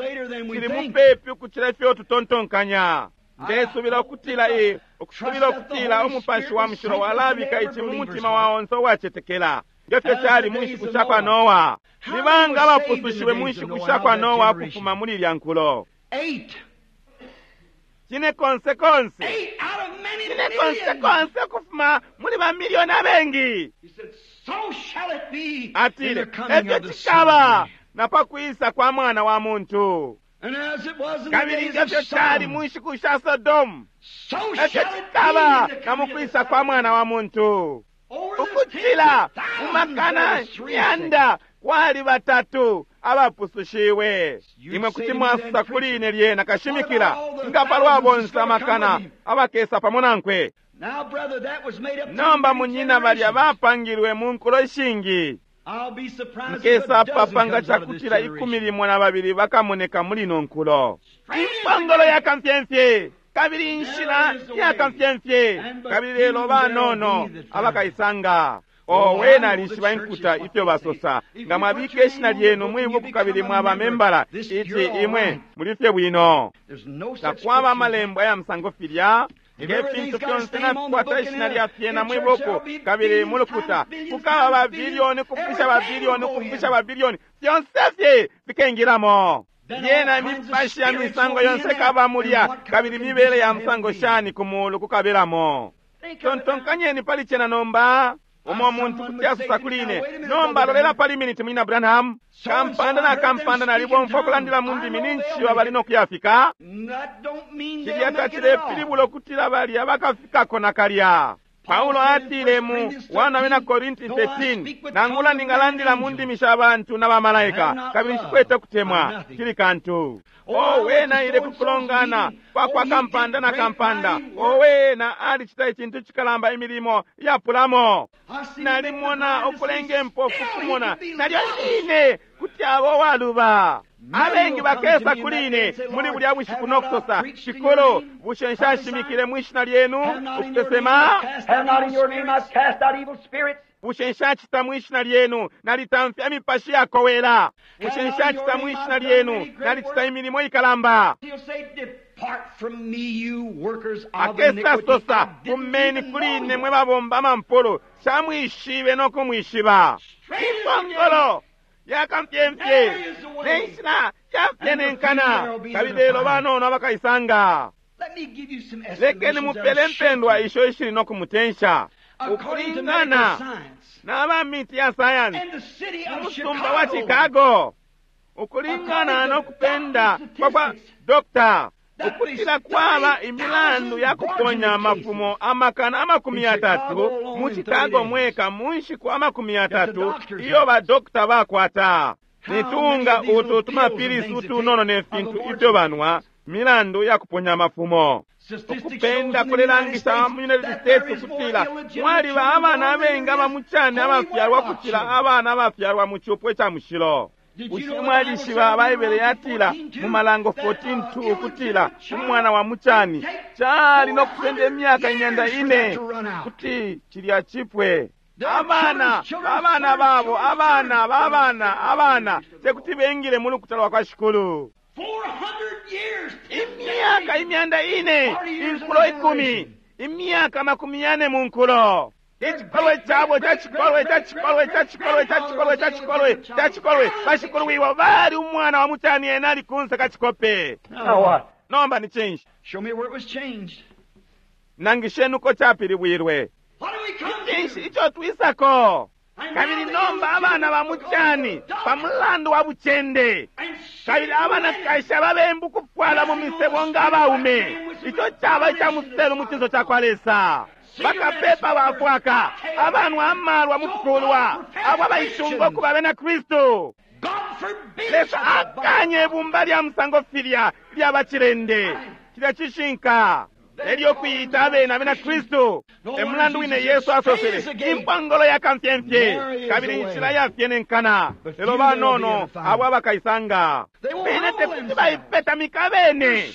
Speaker 1: Cili mupepi ukucila ifyo tutontonkanya. Ndesubila ukutila i ukusubila ukutila umupashi wa mushilo walabika ici mu mutima wa onse uwacetekela ngefyo cali mu nshiku sha kwa Noa. Ni banga abapusushiwe mu nshiku sha kwa Noa ukufuma muli ilya nkulo? Cine konse konse, cine konse konse ukufuma muli bamiliyoni abengi. Atile efyo cikaba na pakwisa kwa mwana wa muntu. Kabili ngefyo cali mu nshiku sha Sodomu, efyo cikaba na mukwisa kwa mwana wa muntu. Ukucila mu makana myanda kwali batatu abapusushiwe. Imwe kuti mwasusa kuli ine lyena kashimikila nga palwa bonse amakana abakesa pamo nankwe. Nomba munyina balya bapangilwe mu nkulo ishingi. Nkesa papanga cakutila ikumi limo na babili bakamoneka muli ino nkulo. Impongolo ya kamfyemfye kabili inshila ya kamfyemfye, kabili lelo banono abakaisanga. Owe, nalishiba inkuta ifyo basosa. Nga mwabika ishina lyenu mwibuku kabili mwaba membala, ici imwe mulifye bwino. Takwaba amalembo aya musango filya. Nge fintu fyonse nafikwata ishina lya fyena mwibuku kabili mulukuta, kukaba babilioni kufisha babilioni kufisha babilioni, fyonse fye fikengilamo. Lyena imipashi ya misango yonse kaba mulya, kabili mibele ya musango shani ku mulu kukabelamo. Tontonkanyeni pali cena nomba. Umo muntu kuti asusa kuli ine, nomba lolela pali miniti munyina Branham. Kampanda na kampanda nalibomfwa okulandila mu ndimi ninshi bali nokuyafika. Cilya tacilepilibula ukutila balya bakafikako nakalya. Paulo atile mu wana bena Korinti thirteen, nangula ningalandila mu ndimi sha bantu na bamalaika, kabili nshikwete kutemwa, kili kantu. Owe, naile kukulongana kwa kwa kampanda na kampanda. Owe, na alicita icintu cikalamba imilimo yapulamo. Nalimona okulenga empofu kumona, nalyo line kuti abo waluba. Abengi bakesa kuli ine muli bulya bushiku nokusosa, Shikulu, bushe nshashimikile mwishina lyenu ukusesema? Bushe nshacita mwishina lyenu nalitamfya imipashi yakowela? Bushe nshacita mwishina lyenu nalicita imilimo ikalamba? Akesa sosa, fumeni kuli ine mwe babomba amampulu, shamwishibe nokumwishiba. Impongolo yakamfyemfye nenshila Icafyenenkana, kabili lelo banono abakaisanga.
Speaker 2: Let me give you some
Speaker 1: Lekeni
Speaker 2: estimations
Speaker 1: mupele
Speaker 2: that'll shake
Speaker 1: mpendwa
Speaker 2: you.
Speaker 1: isho ishili no kumutensha.
Speaker 2: According to medical
Speaker 1: Ukulingana
Speaker 2: science
Speaker 1: n'aba miti ya sayansi
Speaker 2: and the city of
Speaker 1: umusumba wa
Speaker 2: Chicago,
Speaker 1: Chicago, ukulingana no kupenda kwa kwa dokta, ukutila kwaba imilandu ya kuponya amafumo amakana amakumi yatatu mu Chicago mweka mu nshiku amakumi yatatu iyo badokta bakwata. Nitunga utu tumapilisi utunono ne fintu ifyo banwa milandu ya kuponya amafumo.
Speaker 2: statistics shows
Speaker 1: Ukupenda
Speaker 2: in the United
Speaker 1: kulelangisha
Speaker 2: States
Speaker 1: mu United
Speaker 2: that
Speaker 1: States
Speaker 2: there is more
Speaker 1: ukutila
Speaker 2: illegitimate
Speaker 1: mwaliba
Speaker 2: children
Speaker 1: abana
Speaker 2: born than
Speaker 1: abengi
Speaker 2: there is
Speaker 1: abamucane
Speaker 2: holy
Speaker 1: abafyalwa
Speaker 2: wedlock
Speaker 1: kucila
Speaker 2: children.
Speaker 1: abana abafyalwa mu cupo ica mushilo.
Speaker 2: Did you
Speaker 1: Bushe
Speaker 2: know the
Speaker 1: mwalishiba
Speaker 2: Bible
Speaker 1: Baibele
Speaker 2: said in
Speaker 1: yatila
Speaker 2: fourteen
Speaker 1: mu Malango
Speaker 2: two
Speaker 1: fourteen
Speaker 2: that,
Speaker 1: two
Speaker 2: uh,
Speaker 1: ukutila
Speaker 2: illegitimate child
Speaker 1: umwana wa mucani
Speaker 2: take
Speaker 1: cali no kusenda imyaka imyanda
Speaker 2: years for
Speaker 1: ine
Speaker 2: that to run out.
Speaker 1: kuti cilya cipwe.
Speaker 2: Their
Speaker 1: Abana
Speaker 2: children's children's
Speaker 1: abana babo
Speaker 2: children's
Speaker 1: abana
Speaker 2: children's
Speaker 1: babana abana tekuti bengile mu lukuta lwa kwa Shikulu.
Speaker 2: four hundred years,
Speaker 1: Imyaka imyanda ine inkulo ikumi imyaka makumi yane mu nkulo ichikolwe chabo cha chikolwe cha chikolwe cha chikolwe cha chikolwe cha chikolwe cha chikolwe bashikulu bali umwana wa muchani ena ali kunsa kachikope.
Speaker 2: Now what?
Speaker 1: Nomba ni chinshi?
Speaker 2: Show me where it was changed.
Speaker 1: Nangisheni uko chapilibwilwe.
Speaker 2: What do we come
Speaker 1: Chinshi
Speaker 2: to?
Speaker 1: icho twisako?
Speaker 2: And now
Speaker 1: Kabili
Speaker 2: the
Speaker 1: nomba abana ba muchani pa mulandu wa buchende
Speaker 2: And
Speaker 1: kabili abanakashi ababembu kufwala mu misebo nga abaume icho chaba icha muselu mu chiso cha kwa Lesa. Bakapepa bafwaka abanwa amalwa mu kukulwa abo abaishunga okuba bena Kristu.
Speaker 2: God forbid
Speaker 1: Lesa
Speaker 2: such a body.
Speaker 1: akanye ibumba lya musango filya lya bachilende cilya cishinka elyo okuyita abene abena Kristu. Emulandu wine Yesu asosele impongolo ya kamfyemfye kabili inshila yafyenenkana lelo banono abo abakaisanga bene tekuti baipetamika bene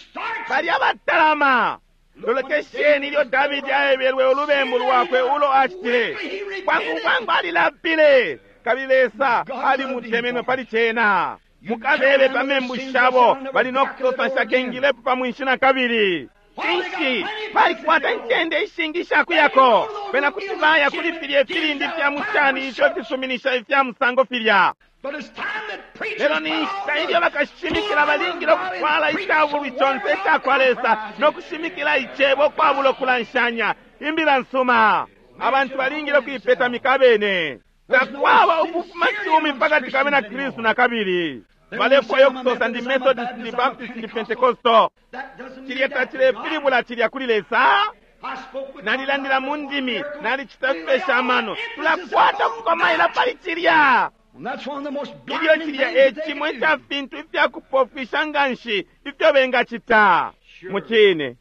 Speaker 1: bali abatalama. Lolekesheni ilyo Davidi aebelwe ulubembu lwakwe ulo acitile bwangu bwangu alilapile kabili Lesa alimutemenwe pali cena. Mukabebe pa membu shabo bali no kusosa nshakengilepo pa mwinshi na kabili. Cinshi balikwata incende ishingi ishakuyako bena kuti baya kuli filya ifilindi fya mucani ifyo fisuminisha ifya musango filya.
Speaker 2: But it's time that preachers
Speaker 1: Lelo ni nshita ilyo bakashimikila balingile okutwala icabulwi conse ica kwa Lesa no kushimikila icebo ukwabula okulanshanya imbila nsuma. Abantu balingile okuipetamika abene. Takwaba ukufuma cumi pakati ka bena Kristu na kabili. Balefwayo okusosa ndi Methodist, ndi Baptist, ndi Pentecostal.
Speaker 2: That doesn't mean
Speaker 1: Cilya
Speaker 2: that
Speaker 1: tacilepilibula cilya kuli Lesa.
Speaker 2: I spoke with
Speaker 1: Nalilandila mu ndimi, nalicita fipesha amano. Tulakwata ukukomaila pali cilya.
Speaker 2: And that's one of the most
Speaker 1: Ilyo
Speaker 2: blinding
Speaker 1: cilya
Speaker 2: things
Speaker 1: e
Speaker 2: that they
Speaker 1: cimwe
Speaker 2: can
Speaker 1: ica
Speaker 2: do.
Speaker 1: fintu ifyakupofwisha nga nshi ifyo bengacita. Mu cine,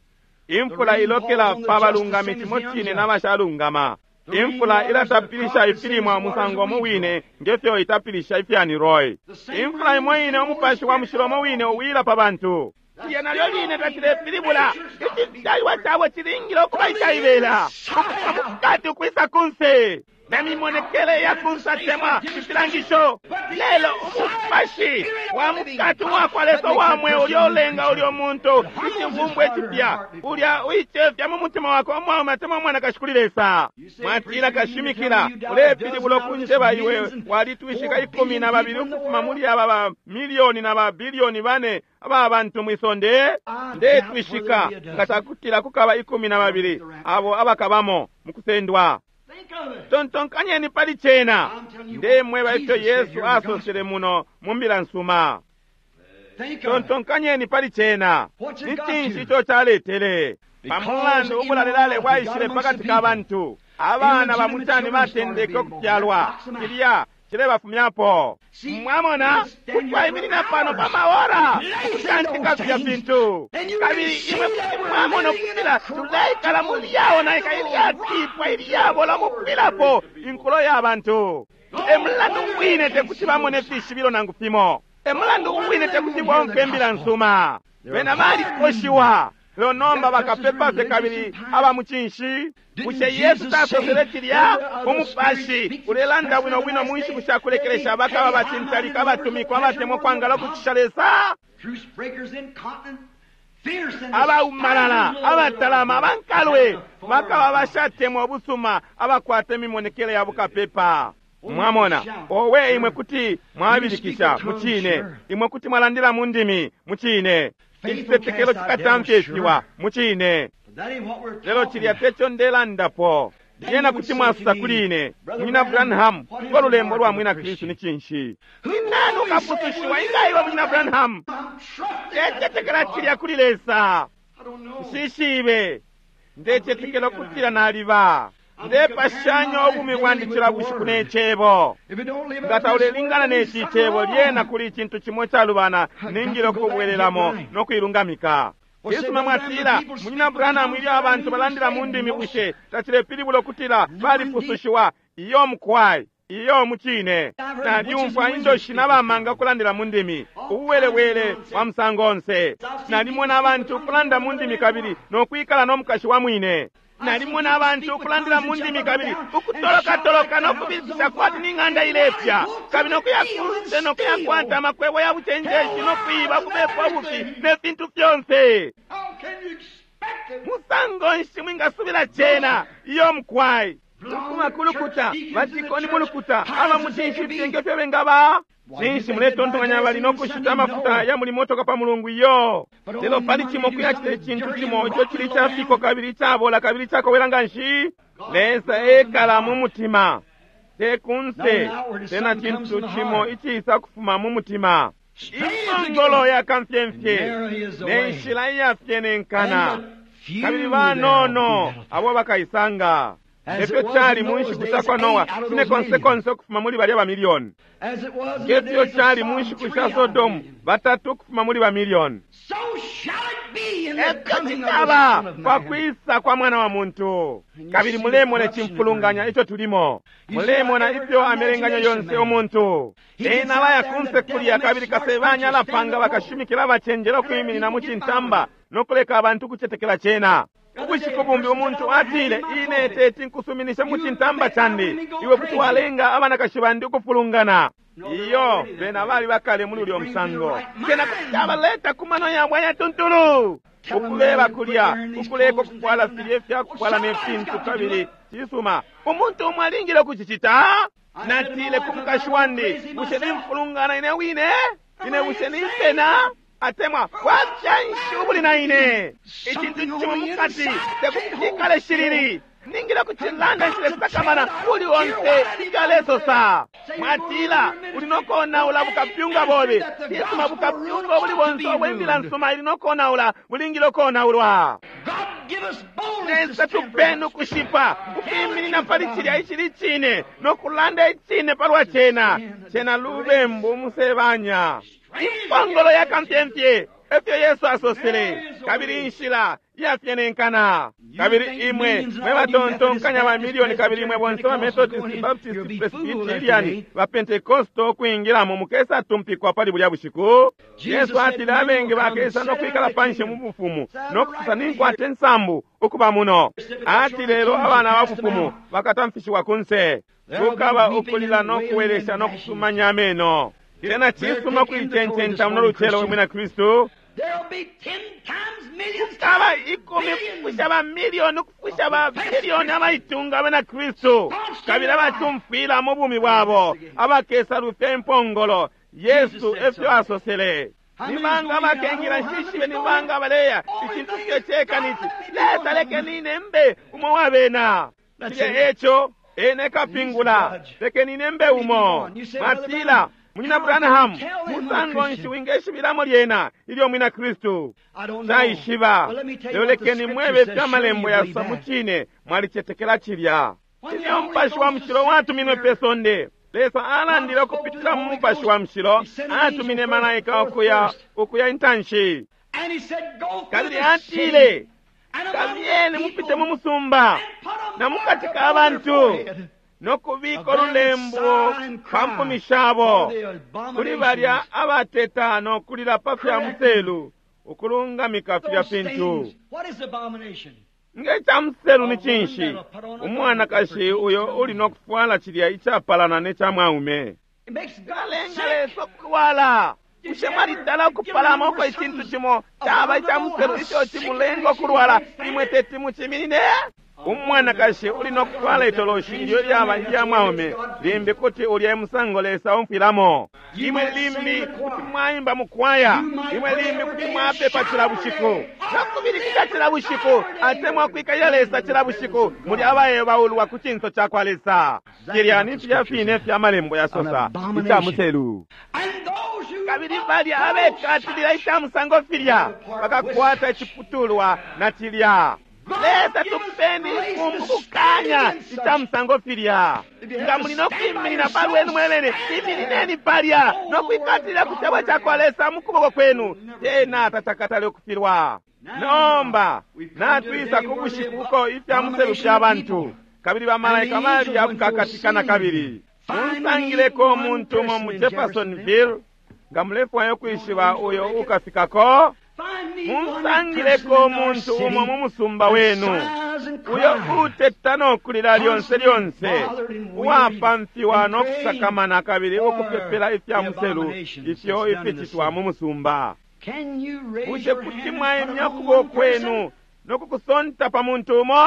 Speaker 1: imfula ilokela pa balungami cimo cine n'abashalungama. Imfula ilatapilisha ifilimwa musango umo wine ngefyo itapilisha ifyani roy. Imfula imo ine umupashi wa mushilo umo wine uwila pa bantu. Cilya nalyo line tacilepilibula icifyalwa cabo cilingile okuba icaibela ukufuma mukati ukwisa kunse na mimonekele ya kunsa temwa ifilangisho. Lelo umupashi wa mukati wakwa Lesa wamwe ulya ulenga ulya umuntu icibumbwa icipya ulya uicefya mu mutima wakwe umwaume atemwa umwanakashi kuli Lesa. Mwatila kashimikila ulepilibula okunjeba iwe walitwishika ikumi na babili ukufuma muli aba ba milioni na ba bilioni bane aba bantu mwisonde. Ndetwishika nga cakutila kukaba ikumi na babili abo abakabamo mukusendwa.
Speaker 2: Think of it.
Speaker 1: Tontonkanyeni pali cena. Ndemweba ifyo Yesu asosele muno mu mbila nsuma.
Speaker 2: Think of it.
Speaker 1: Tontonkanyeni pali cena. Ni cinshi ico caletele? Pamulandu ubulalelale bwaishile pakati ka bantu. Abana ba mucani batendeke okufyalwa. Cilya cilebafumyapo. Mwamona kutwaiminina pano pa maora ukutantika filya fintu. Kabili imwe kuti mwamona ukutila tuleikala muli yawo naika ilyatipwa ilyabola mukupilapo inkulo ya bantu. Emulandu wine tekuti bamone fishibilo nangu fimo. Emulandu wine tekuti bomfwe imbila nsuma. Bena balikoshiwa. Lelo nomba bakapepa fye kabili aba mucinshi. Bushe Yesu tasosele cilya? Umupashi ulelanda bwino bwino mu nshiku sha kulekelesha bakaba bacintalika abatumikwa abatemwa ukwangala ukucisha Lesa.
Speaker 2: Truce breakers incontinent, fierce and
Speaker 1: Abaumalala,
Speaker 2: despising
Speaker 1: abatalama, abankalwe
Speaker 2: the
Speaker 1: bakaba bashatemwa ubusuma abakwata imimonekele ya bukapepa. Mwamona, owe imwe kuti mwabilikisha mucine, imwe kuti mwalandila mu ndimi mucine, icitetekelo cikatamfyeshiwa mucine, lelo cilya teco ndelandapo. Lyena kuti mwasosa kuli ine, Munyina Branham, kwa lulembo lwa mwina Kristu ni cinshi? Ni nani ukapusushiwa inga iwe, Munyina Branham? Ndecetekela cilya kuli Lesa. Nshishibe, ndecetekela ukutila naliba ndepashanya ubumi bwandi cila bushiku ne Cebo. Nga taulelingana ne ci Cebo, lyena kuli icintu cimo calubana, ningile ukubwelelamo no kuilungamika. Yesu mwatila, Munyina Branham, ilyo abantu balandila mu ndimi, bushe tacilepilibula ukutila balipusushiwa? Iyo mukwai, iyo mucine. Nalyumfwa indoshi n'abamanga ukulandila mu ndimi, ubuwelewele wa musango onse. Nalimona abantu ukulanda mu ndimi kabili nokwikala no mukashi wa mwine. Nalimona abantu ukulandila mu ndimi kabili ukutolokatoloka no kubilikisha kwati ni ng'anda ilepya, kabili nokuya kunse nokuyakwata amakwebo ya bucenjeshi nokwiba kubepa ubufi ne fintu fyonse. Musango nshi mwingasubila cena? Iyo mukwai. Ukuma kulukuta batikoni mulukuta aba mucinshi fye ngefyo bengaba. Cinshi muletontonkanya bali nokushita amafuta ya muli motoka pa mulungu? Iyo. Lelo pali cimo kuyacita icintu cimo ico cili icafiko kabili icabola kabili icakowela nganshi. Lesa ekala mu mutima, te kunse. Tena cintu cimo icisa kufuma mu mutima. Impongolo ya kamfyemfye ne nshila iyafyenenkana, kabili banono abo bakaisanga. Efyo cali mu nshiku sha kwa Noa, cine konse konse ukufuma muli balya bamilioni. Ngefyo cali mu nshiku sha Sodomu, batatu ukufuma muli bamilioni. Efyo cikaba pa kwisa kwa Mwana wa Muntu. Kabili mulemona icimfulunganya ico tulimo, mulemona ifyo amelenganya yonse umuntu. Ena baya kunse kulya, kabili kasebanya alapanga bakashimikila abacenjela ukwiminina mu cintamba no kuleka abantu ukucetekela cena. Ubushiku bumbi umuntu atile, ine teti nkusuminishe mu cintamba candi, iwe kuti walenga abanakashi bandi ukufulungana. Iyo, bena bali bakale muli ulyo musango. Cena kuti cabaleta ku mano yabo ayatuntulu, ukubeba kulya, ukuleka ukufwala filya ifyakufwala ne fintu. Kabili cisuma, umuntu umwe alingile ukucicita. Natile ku mukashi wandi, bushe nimfulungana ine wine? Ine bushe nimpena? Atemwa bwafya ubuli na ine? Icintu cimo mukati tekuti cikale shilili, ningile kucilanda nshile uli onse ifyalesosa. Mwatila uli nokonaula bukapyunga bobe. Cisuma, bukapyunga obuli bonse obwembila nsuma ili nokonaula bulingile okonaulwa. Lesa tupeni ukushipa ukwiminina pali cilya icili cine nokulanda icine palwa cena. Cena lubembu umusebanya, impongolo ya kamfyemfye, efyo Yesu asosele, kabili inshila iyafyenenkana. Kabili imwe mwe batontonkanya ba milioni, kabili imwe bonse ba Methodist, Baptist, Presbyterian, ba Pentecosto ukwingilamo, mukesa tumpikwa pali bulya bushiku. Yesu atile abengi bakesa no kwikala panshi mu bufumu no kusosa, ninkwata insambu ukuba muno. Atile lelo abana ba bufumu bakatamfishiwa kunse, kukaba ukulila no kuwelesha no kusumanya ameno. Tena cisuma kuicencenta muno lucelo we mwina Kristu. Kukaba ikumi kufusha ba milioni ukufusha ba bilioni abaitunga abena Kristu, kabili abatumfwila mu bumi bwabo, abakesa lufya impongolo. Yesu efyo asosele. Nibanga abakengila nshishibe, nibanga abaleya icintu fye ceka nici. Lesa lekenine mbe umo wabena. Cilya eco ene kapingula, lekenine mbe umo. Mwatila, Munyina Branham, musango nshi wingeshibilamo lyena ilyo mwina Kristu? Naishiba. Lelo lekeni mwebe ifyo amalembo yasosa mucine, mwalicetekela cilya. Ilyo Mupashi wa Mushilo watuminwe pe sonde, Lesa alandile ukupitila mu Mupashi wa Mushilo, atumine malaika ukuya ukuya intanshi. Kabili atile, kabiyeni mupite mu musumba na mukati ka bantu nokubika olulembo pa mpumi shabo kuli balya abateta nokulila pa fya muselu, ukulungamika filya fintu. Nge ca muselu ni cinshi? Umwanakashi uyo uli nokufwala cilya icapalana ne ca mwaume. Calenga Lesa ukulwala. Bushe mwalitala ukupalama uko icintu cimo caba ica muselu ico cimulenga ukulwala, imwe teti muciminine? Umwanakashi uli nokutwala itoloshi ilyo lyaba ilya mwaume, limbi kuti ulya musango Lesa omfwilamo. Imwe limbi kuti mwaimba mukwaya, imwe limbi kuti mwapepa cila bushiku, nakubilikisha cila bushiku, atemwa kwikalila Lesa cila bushiku, muli abaebaulwa ku cinso cakwa Lesa. Cilya ni filya fine fya malembo yasosa ica muselu. Kabili balya abekatilila ica musango filya bakakwata iciputulwa na cilya. Lesa tupeni kumbukanya ica musango filya. Nga muli nokwiminina palwenu mwebene, iminineni palya nokwikatilila ku cebo cakwa Lesa mu kuboko kwenu, tena tacakatale ukufilwa. Nomba natwisa ku bushiku uko ifya muselu fya bantu kabili bamalaika balya kukakatikana kabili. Munsangileko umuntu umo mu Jeffersonville, nga mulefwaya ukwishiba uyo ukafikako. Munsangileko umuntu umo mu musumba wenu uyo uteta nokulila lyonse lyonse, uwapamfiwa nokusakamana kabili ukupepela ifya muselu ifyo ificitwa mu musumba. Bushe kuti mwaimya ukuboko kwenu nokukusonta pa muntu umo?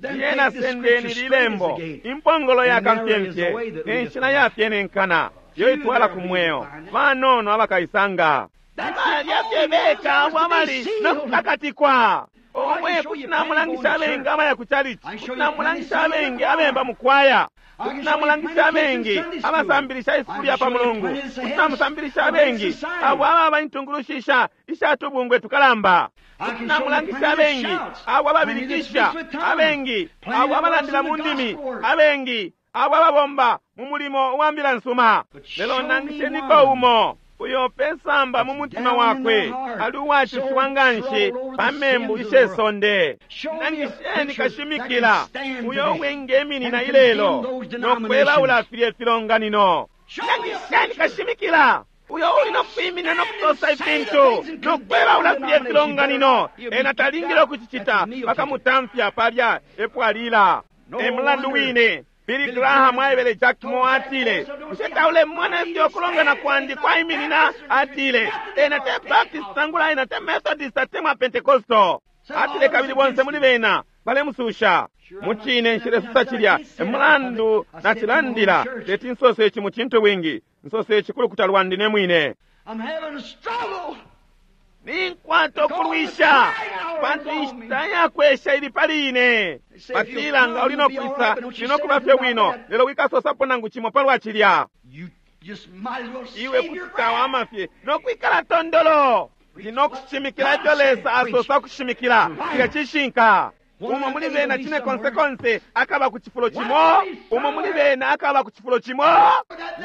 Speaker 1: Lyena sendeni lilembo, impongolo ya kamfyemfye ne nshila yafyenenkana yo itwala ku mweo, banono abakaisanga. Balya fye beka abo abali nokukakatikwa. Omwe kuti namulangisha abengi abaya ku chalichi, kuti namulangisha abengi abemba mukwaya, kuti namulangisha abengi abasambilisha isukulu ya pa mulungu, kuti namusambilisha abengi abo ababa intungulushisha ishatubungwe tukalamba, kuti namulangisha abengi abo ababilikisha, abengi abo abalandila mu ndimi, abengi abo ababomba mu mulimo wa mbila nsuma. Lelo nangisheniko umo uyo pesamba mu mutima wakwe ali uwacushiwa nganshi pa membu ishe sonde. Nangisheni kashimikila uyo wengeminina ilelo nokwebaula filye filonganino. Nangisheni kashimikila uyo uli nokwiminina nokusosa ifintu nokwebaula filye filonganino. Ena talingile ukucicita, bakamutamfya palya epo alila. E mulandu wine Billy Graham aebele Jack Moore atile, bushe taulemona ifyo kulongana kwandi kwaiminina? Atile, ena te Baptist nangula ena te Methodist atemwa Pentecostal. Atile kabili bonse muli bena balemususha. Mucine nshilesusa cilya, emulandu nacilandila teti nsose ici mu cintu bwingi, nsose ici kulukuta lwandi ne mwine. Ninkwata ukulwisha pantu inshita yakwesha ili pali ine. Batila nga uli nokwisa linokuba fye bwino, lelo wikasosapo nangu cimo palwa cilya. Iwe kuti tawama fye nokwikala tondolo. Ndinokushimikila ifyo Lesa asosa kushimikila, cilya cishinka. Umo muli bena cine konse konse akaba ku cifulo cimo, umo muli bena akaba ku cifulo cimo.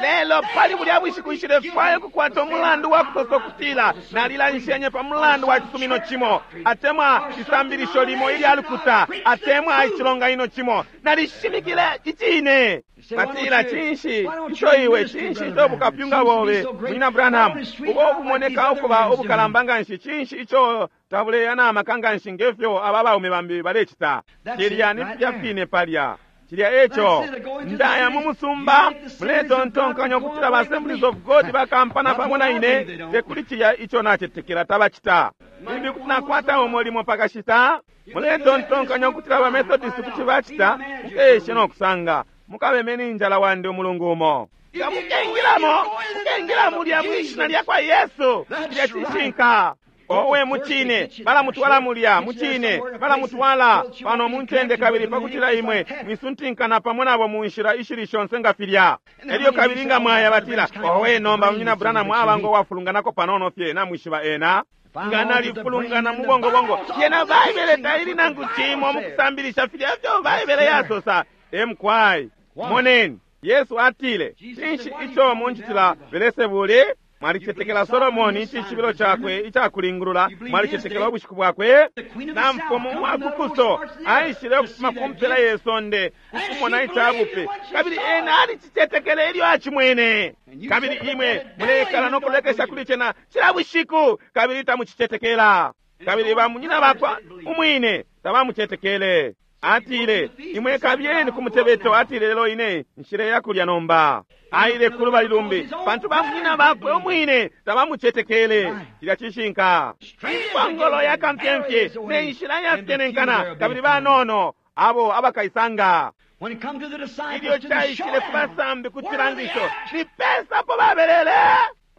Speaker 1: Lelo pali bulya bushiku nshilefwaya ukukwata umulandu wa kusosa ukutila nalilanshenye pa mulandu wa cisumino cimo, atemwa isambilisho limo ilya lukuta, atemwa icilonganino cimo. Nalishimikile icine. Batila, cinshi ico iwe, cinshi ico bukapyunga bobe Munyina Branham ubo bumoneka ukuba ubukalamba nganshi, cinshi ico tabuleya na maka nganshi ngefyo aba baume bambi balecita? Cilya ni filya fine palya. Cilya eco ndaya mu musumba muletontonkanya ukutila ba Assemblies of God bakampana pamo na ine, tekuli cilya ico nacetekela tabacita. Limbi kuti nakwata umulimo pakashita. Muletontonkanya ukutila ba Methodist kuti bacita, mukeshe nokusanga mukabemeni injala wandi umulungu umo. Nga mukengilamo, mukengila mulya mwishina lyakwa Yesu. Cilya cishinka. Owe mucine balamutwala mulya mucine balamutwala pano muncende kabili pakutila imwe mwisuntinkana pamo nabo mu nshila ishili shonse nga filya. Elyo kabili nga mwaya batila, owe nomba Munyina Branham aba ngo wafulunganako panono fye, namwishiba ena nga nalifulungana mu bongobongo. Yena Baibele taili nangu cimo mukusambilisha filya fyo Baibele yasosa. Emkwai moneni, Yesu atile, cinshi ico muncitila Belesebuli? Mwalicetekela Solomoni icishibilo cakwe icakulingulula, mwalicetekela ubushiku bwakwe. Na mfumu wa kukuso aishile ukufuma ku mpela ye sonde kukumona icabupe, kabili ena alicicetekele ilyo acimwene. Kabili imwe mulekala nokulekesha kuli cena cila bushiku, kabili tamucicetekela. Kabili bamunyina bakwa umwine tabamucetekele. Atile, imwe kabyeni ku mutebeto. Atile, lelo ine nshileya kulya nomba. Aile kulubali lumbi pantu bamunyina bakwe umwine tabamucetekele. Cilya cishinka. Impongolo ya kamfyemfye ne nshila yafyenenkana, kabili banono abo abakaisanga.
Speaker 2: When it come to the disciples,
Speaker 1: Ilyo
Speaker 2: to the
Speaker 1: caishile ku
Speaker 2: showdown,
Speaker 1: basambi ku
Speaker 2: where are they
Speaker 1: cilangisho,
Speaker 2: at?
Speaker 1: ni pesa apo babelele.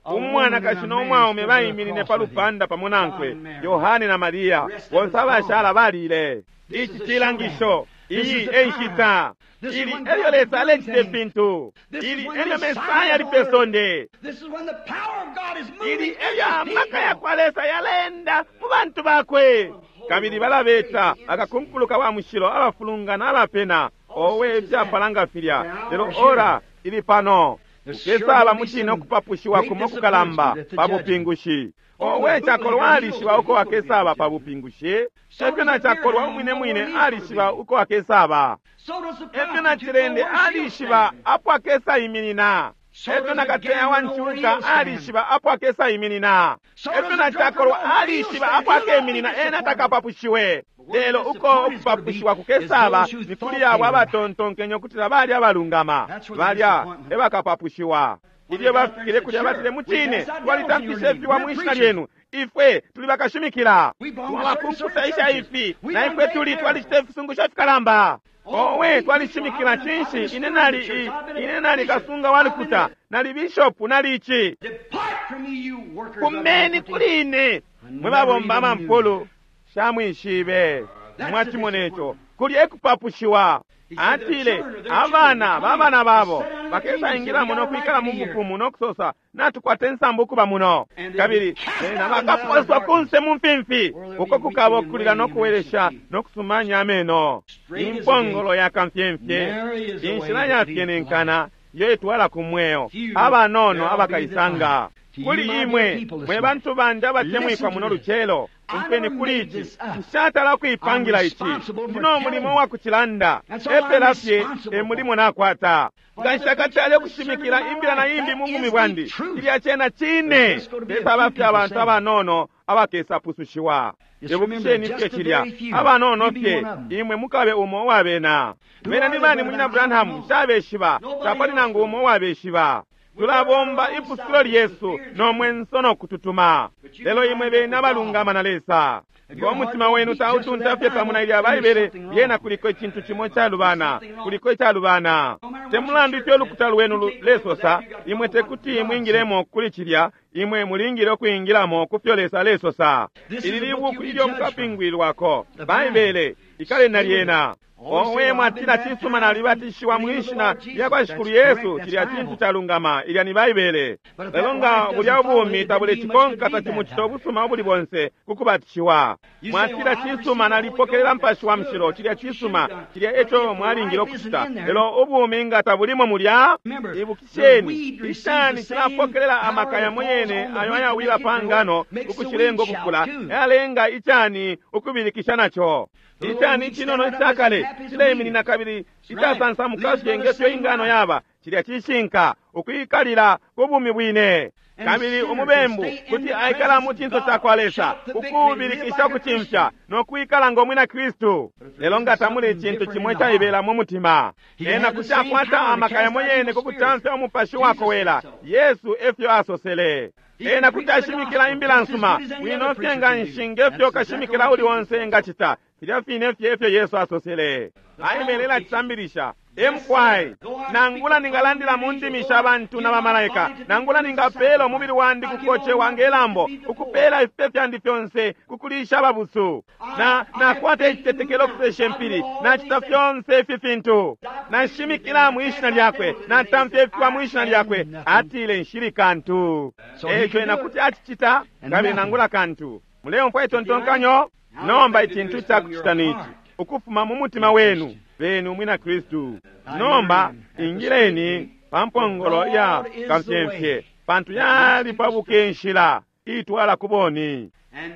Speaker 2: A woman
Speaker 1: Umwanakashi
Speaker 2: and a
Speaker 1: n'omwaume
Speaker 2: man stood
Speaker 1: baiminine
Speaker 2: across
Speaker 1: pa
Speaker 2: with him.
Speaker 1: lupanda pamo nankwe,
Speaker 2: John and Mary.
Speaker 1: Yohane na Mariya,
Speaker 2: The rest of
Speaker 1: bonse
Speaker 2: us gone.
Speaker 1: abashala balile.
Speaker 2: This
Speaker 1: Ici
Speaker 2: is a
Speaker 1: cilangisho,
Speaker 2: showdown. This
Speaker 1: iyi
Speaker 2: is the
Speaker 1: e nshita.
Speaker 2: time. This is
Speaker 1: Ili
Speaker 2: when
Speaker 1: elyo
Speaker 2: God
Speaker 1: Lesa
Speaker 2: is doing
Speaker 1: alecita
Speaker 2: things.
Speaker 1: ifintu.
Speaker 2: This is
Speaker 1: Ili
Speaker 2: when
Speaker 1: elyo
Speaker 2: Messiah
Speaker 1: Mesaya ali
Speaker 2: is
Speaker 1: pe
Speaker 2: on earth.
Speaker 1: sonde.
Speaker 2: This is when the power of God is moving
Speaker 1: Ili
Speaker 2: in
Speaker 1: elyo
Speaker 2: His
Speaker 1: amaka ya
Speaker 2: people.
Speaker 1: kwa Lesa yalenda mu bantu bakwe. Kabili balabeta akakunkuluka wa mushilo abafulungana abapena owe ibyapalanga filya. Lelo ora ili pano. Ukesaba mucine okupapushiwa kumo kukalamba pa bupingushi. Owe cakolwa alishiba uko akesaba pa bupingushi. Efyo na cakolwa umwine mwine alishiba uko akesaba.
Speaker 2: So does the
Speaker 1: Efyo na
Speaker 2: prostitute
Speaker 1: cilende
Speaker 2: know where she'll
Speaker 1: alishiba
Speaker 2: stand.
Speaker 1: apo akesa iminina.
Speaker 2: So
Speaker 1: Efyo
Speaker 2: does
Speaker 1: na
Speaker 2: the
Speaker 1: kateya wa
Speaker 2: gambler know where
Speaker 1: nchuka
Speaker 2: he'll stand.
Speaker 1: alishiba apo akesa iminina.
Speaker 2: So
Speaker 1: Efyo
Speaker 2: does
Speaker 1: na
Speaker 2: the drunkard
Speaker 1: cakolwa
Speaker 2: know where he'll
Speaker 1: alishiba
Speaker 2: stand.
Speaker 1: apo
Speaker 2: He'll not be
Speaker 1: akeminina ena
Speaker 2: disappointed.
Speaker 1: takapapushiwe. Lelo uko okupapushiwa kukesaba
Speaker 2: Is those who
Speaker 1: ni
Speaker 2: thought
Speaker 1: kuli
Speaker 2: they
Speaker 1: abo
Speaker 2: were
Speaker 1: abatontonkenye okutila bali abalungama
Speaker 2: That's where the
Speaker 1: balya
Speaker 2: disappointment.
Speaker 1: ebakapapushiwa. Ilyo bafikile kulya batile mucine twalitamfishe ifiwa mu ishina lyenu ifwe tuli bakashimikila twabakumpusa isha ifi na ifwe tuli twalicita ifisungusho fikalamba. Owe twalishimikila cinshi ine nali i- ine nali kasunga wa lukuta nali bishopu nali ichi.
Speaker 2: Depart from me, you workers of
Speaker 1: Kumeni
Speaker 2: iniquity.
Speaker 1: kuli ine mwe babomba amampulu shamwishibe mwachimona ico kuli ekupapushiwa. Atile abana babana babo bakesaingila muno kwikala mu bufumu nokusosa natukwata ensambu okuba muno kabili bena bakaposwa kunse mu mfimfi uko kukaba okulira n'okuweresha n'okusumanya ameno. Impongolo yakamfyemfye inshila yafyenenkana yo etwala ku mweo abanono abakaisanga. Kuli imwe mwe bantu bandi abatemwikwa muno lucelo umfweni kuli ici nshatala kuipangila ici ndino mulimo wa kucilanda epela fye emulimo nakwata nga nshakatale kushimikila imbila na imbi mu bumi bwandi ilya cena cine pesaba fye abantu abanono abakesapusushiwa. Ibukisheni fye cilya abanono fye imwe mukabe umo uwabena bena ni bani munyina Branham nshabeshiba tapali nangu umo uwabeshiba. Tulabomba ipusukilo lyesu nomwenso nokututuma lelo imwe bene abalungama na Lesa ngo mutima wenu tautunta fye pamo na ilya Baibele lyena kuliko icintu cimo icalubana kuliko icalubana te mulandu ifyo ulukuta lwenu lulesosa imwe tekuti mwingilemo kuli cilya imwe mulingile ukwingilamo ku fyo Lesa alesosa. Ili libuku ilyo mukapingwilwako Baibele ikale na lyena. Owe mwatila cisuma nalibatishiwa mwishina lya kwa Shikulu Yesu cilya cintu calungama ilya ni Baibele. Lelo nga bulya ubumi tabulecikonka tacimucita ubusuma ubuli bonse kukubatishiwa. Mwatila cisuma nalipokelela mpashi wa mushilo cilya cisuma cilya eco mwalingile okucita lelo ubumi nga tabulimo mulya. Ibukisheni icani cilapokelela amaka yamo yene ayo ayawila pa ngano ukucilenga ukukula yalenga icani ukubilikisha naco. Icani cinono icakale cileiminina kabili icasansamuka fye ngefyo ingano yaba cilya cishinka ukwikalila ku bumi bwine. Kabili umubembu kuti aikala mu cinso ca kwa Lesa ukubilikisha ukucimfya nokwikala ngo mwina Kristu. Lelo nga tamuli icintu cimo icaibela mu mutima ena kuti akwata amaka yamo yene ku kutamfya umupashi wakowela. Yesu efyo asosele. Ena kuti ashimikila imbila nsuma bwino fye nga nshi ngefyo kashimikila uli onse engacita filya fine fye efyo Yesu asosele. Baibele ilacisambilisha emkwai nangula ningalandila mu ndimi sha bantu na bamalaika nangula ningapela umubili wandi kukocewa ngelambo ukupela ifipe fyandi fyonse kukulisha ababusu na nakwata icitetekelo kusesha impili nacita fyonse ifi fintu nashimikila mwishina lyakwe natamfya ifiwa mwishina lyakwe atile nshili kantu. Eco ena kuti acicita kabili nangula kantu. Muleumfwa itontonkanyo? Nomba icintu icakucita nici ukufuma mu mutima wenu benu mwina Kristu. Nomba ingileni pa mpongolo ya kamfyemfye pantu yali pabuke nshila itwala ku boni.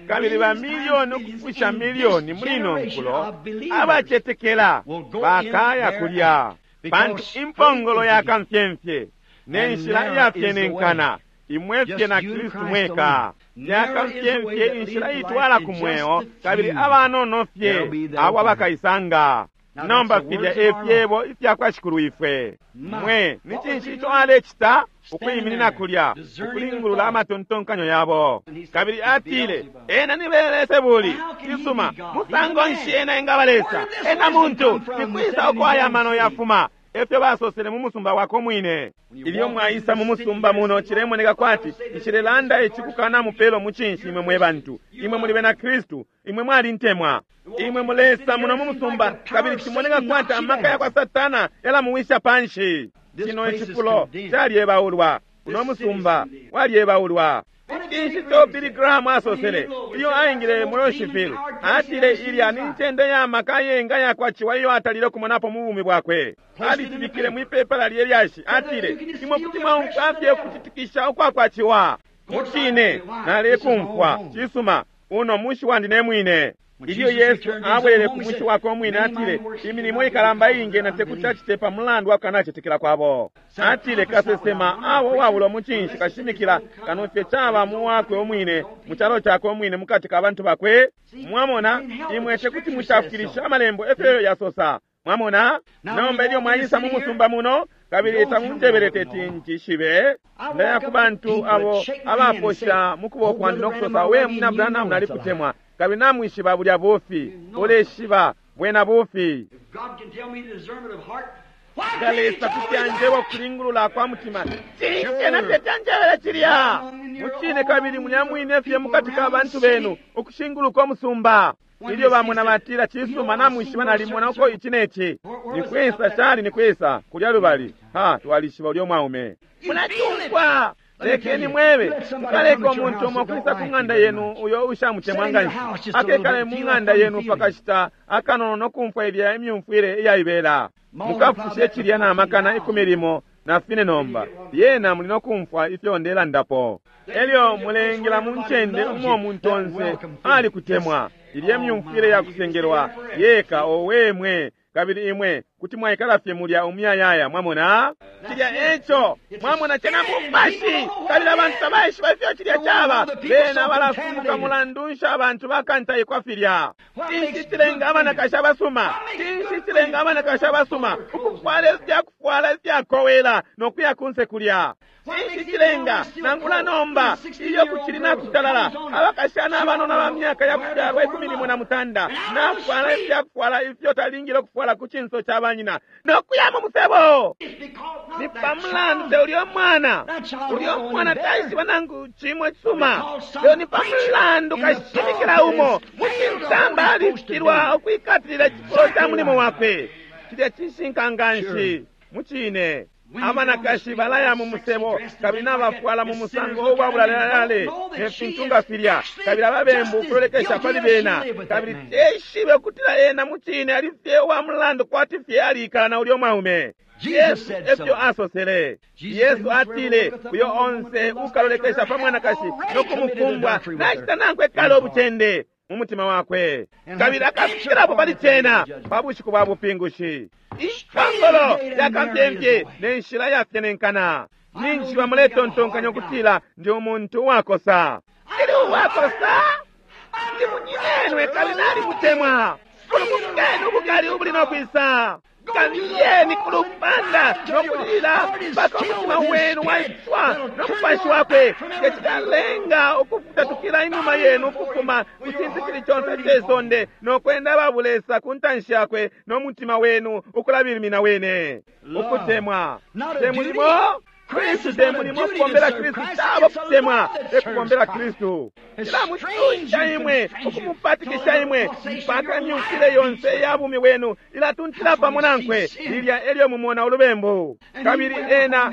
Speaker 1: Kabili ba milioni ukufusha milioni muli ino nkulo abacetekela bakaya kulya pantu impongolo ya kamfyemfye ne nshila iyafyenenkana imwe fye na Kristu mweka. Yakamfyemfye inshila itwala ku mweo kabili abanono fye abo abakaisanga. Nomba filya efyebo ifyakwa Shikulu ifwe. Mwe ni cinshi ico alecita? Ukwiminina kulya ukulingulula amatontonkanyo yabo. Kabili atile, ena ni Beelzebuli. Cisuma, musango nshi ena engaba Lesa? Ena muntu. Nikwisa uko aya mano yafuma? Efyo basosele mu musumba wako mwine. Ilyo mwaisa mu musumba muno, cilemoneka kwati nshilelanda ici kukana mupelo mucinshi imwe mwe bantu. Imwe muli bena Kristu, imwe mwalintemwa. Imwe mulesa muno mu musumba, kabili cimoneka kwati amaka ya kwa Satana yalamuwisha panshi. Kino icifulo calyebaulwa, uno musumba walyebaulwa. Cinshi ico Billy Graham asosele ilyo aingile mu Louisville? Atile ilya ni ncende ya maka yenga yakwa ciwa iyo atalile kumonapo mu bumi bwakwe. Alicibikile mwipepala lye lyashi. Atile, imwe kuti mwaumfwa fye ukutitikisha ukwakwa ciwa. Mucine nalekumfwa. Cisuma, uno mushi wandi ne mwine. Ilyo Yesu abwelele ku mushi wakwe umwine, atile imilimo ikalamba iingi na tekuti acite pa mulandu wa kukanacetekela kwabo. Atile kasesema abo uwabulwa mucinshi kashimikila kano fye caba mu wakwe umwine, mu calo cakwe umwine, mukati ka bantu bakwe. Mwamona, imwe tekuti mucafukilisha amalembo efyo yasosa. Mwamona, nomba ilyo mwaisa mu musumba muno, kabili tamunjebele teti ncishibe. Ndaya ku bantu abo abaposha mu kuboko kwandi no kusosa, we munyina Branham, nalikutemwa. Kabili namwishiba bulya bufi, uleshiba bwena bufi. Nga Lesa kuti anjeba ukulingulula kwa mutima, cinshi ena teti anjebele cilya? Mucine, kabili mulya mwine fye mukati ka bantu benu ukushinguluka umusumba. Ilyo bamona batila, cisuma, namwishiba nalimona uko ici neci. Nikwisa cali? Nikwisa kulya lubali? Ha, twalishiba ulyo mwaume. Mulacumfwa. Lekeni mwebe, mukaleka umuntu umo kwisa ku ng'anda yenu uyo ushamutemwa nganshi, akekale mu ng'anda yenu pakashita akanono no kumfwa ilya imyumfwile iyaibela. Mukafushe cilya na makana ikumi limo na fine nomba, lyena muli no kumfwa ifyo ndelandapo. Elyo mulengela mu ncende umo umuntu onse alikutemwa, ilye myumfwile yakusengelwa yeka, owe mwe, kabili imwe kuti mwaikala fye mulya umuyayaya. Mwamona cilya eco, mwamona cena mupashi, kabili abantu tabaishiba ifyo cilya caba. Bena balafumuka mulandu nsha abantu bakantaikwa filya. Cinshi cilenga abanakashi abasuma? Cinshi cilenga abanakashi abasuma ukufwala ifyakufwala ifyakowela no kuya kunse kulya? Cinshi cilenga nangula nomba ilyo kucili nakutalala abakashana abanona ba myaka yakufyalwa ikumi limo na mutanda nafwala ifyakufwala ifyo talingile ukufwala ku cinso ca banyina no kuya mu musebo? Ni pamulandu te ulyo mwana, ulyo mwana taishiba nangu cimo cisuma, lelo ni pamulandu kashimikila umo mu cintamba alifilwa ukwikatilila icifulo ca mulimo wakwe. Cilya cishinka nganshi mucine. Abanakashi balaya mu musebo kabili nabafwala mu musango uwabulalalale ne fintu nga filya, kabili ababembu ukulolekesha pali bena, kabili teshibe ukutila ena mucine ali fye uwa mulandu kwati fye alikala na ulyo mwaume. Yesu efyo asosele. Yesu atile, uyo onse ukalolekesha pa mwanakashi no kumukumbwa nacita nankwe kale ubucende mu mutima wakwe, kabili akafikirapo pali cena pa bushiku bwa bupingushi. Impongolo yakamfyemfye ne nshila yafyenenkana. Ninshi bamuletontonkanya ukutila ndi umuntu uwakosa? Ndi uwakosa? Ndi munyinenwe kabili nalimutemwa. Fulumukeni ubukali ubuli no kwisa. Kabiyeni ku lupanda no kulila mpaka umutima wenu waiswa no mupashi wakwe, tecikalenga ukufutatukila inuma yenu ukufuma ku cintu cili conse ce sonde no kwenda babulesa ku ntanshi yakwe no mutima wenu ukulabilimina wene. Ukutemwa te mulimo. Kristu te mulimo. Kubombela Kristu tabo kutemwa, te kubombela Kristu. Cilamutunja imwe, ukumupatikisha imwe mpaka imyumfwile yonse ya bumi bwenu ilatuntila pamo nankwe. Lilya elyo mumona ulubembu. Kabili ena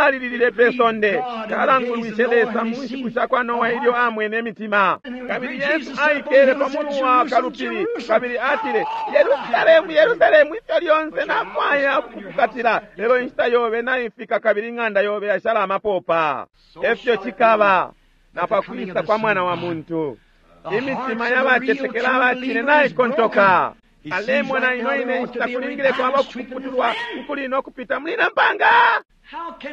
Speaker 1: alililile pe sonde, kalangulwishe Lesa mu nshiku sha kwa Noa ilyo amwene imitima. Kabili Yesu aikele pa mulu wa kalupili kabili atile, Yerusalemu, Yerusalemu, ifyo lyonse nafwaya ukukukatila, lelo inshita yobe naifika kabili ing'anda yobe yashala amapopa. Efyo cikaba na pakwisa kwa Mwana wa Muntu. Imitima y'abacetekela abacine naikontoka. Alemona ino ine inshita kulingile kwaba ukuputulwa ukuli no kupita muli na mpanga.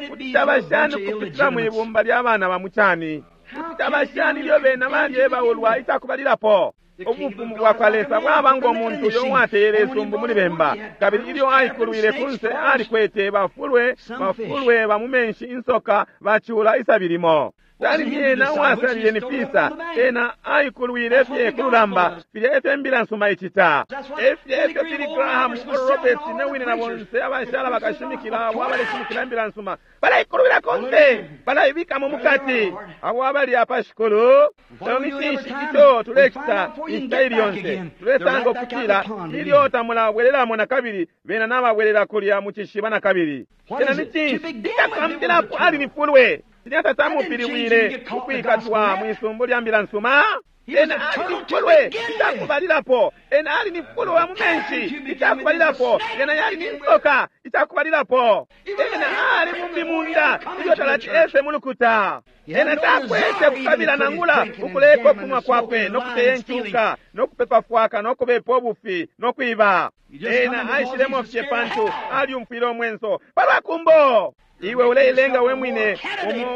Speaker 1: Kuti caba shani ukupitila mwibumba lya bana ba mucani? Kuti caba shani ilyo bena balyebaulwa icakubalilapo? Ubufumu bwakwa Lesa bwaba ngo muntu uyo uwateyele isumbu muli bemba, kabili ilyo aikulwile kunse alikwete bafulwe bafulwe ba mu menshi, insoka, bacula isabi limo. Tali ena uwasalile ni fisa, ena aikulwile fye kululamba. Filya efyo imbila nsuma icita. Efyo efyo Billy Graham, Oral Roberts ne wine na bonse abashala bakashimikila abo abaleshimikila imbila nsuma balaikulwila konse, balaibikamo mukati. Abo abali apa shikulu, lelo ni cinshi ico tulecita inshita ili yonse? Tulesanga ukutila ilyo tamulabwelelamo na kabili, bena nababwelela kulya mu cishiba na kabili. Cena ni cinshi? Icakwambilapo ali ni fulwe. Cilya tatamupiliwile ukwikatwa mwisumbu lya mbila nsuma. Ena ali ni fulwe icakubalilapo. Ena ali ni fulwe wa mu menshi icakubalilapo. Ena yali ni nsoka icakubalilapo. Ena ali mumbi munda ilyo talati ese mu lukuta. Ena takwete kukabila nangula ukuleka okunwa kwakwe nokuteya enkyuka nokupepa fwaka nokubepa obufi nokwiba. Ena aishilemo fye pantu alyumfwile omwenso palwa kumbo. Iwe uleilenga we mwine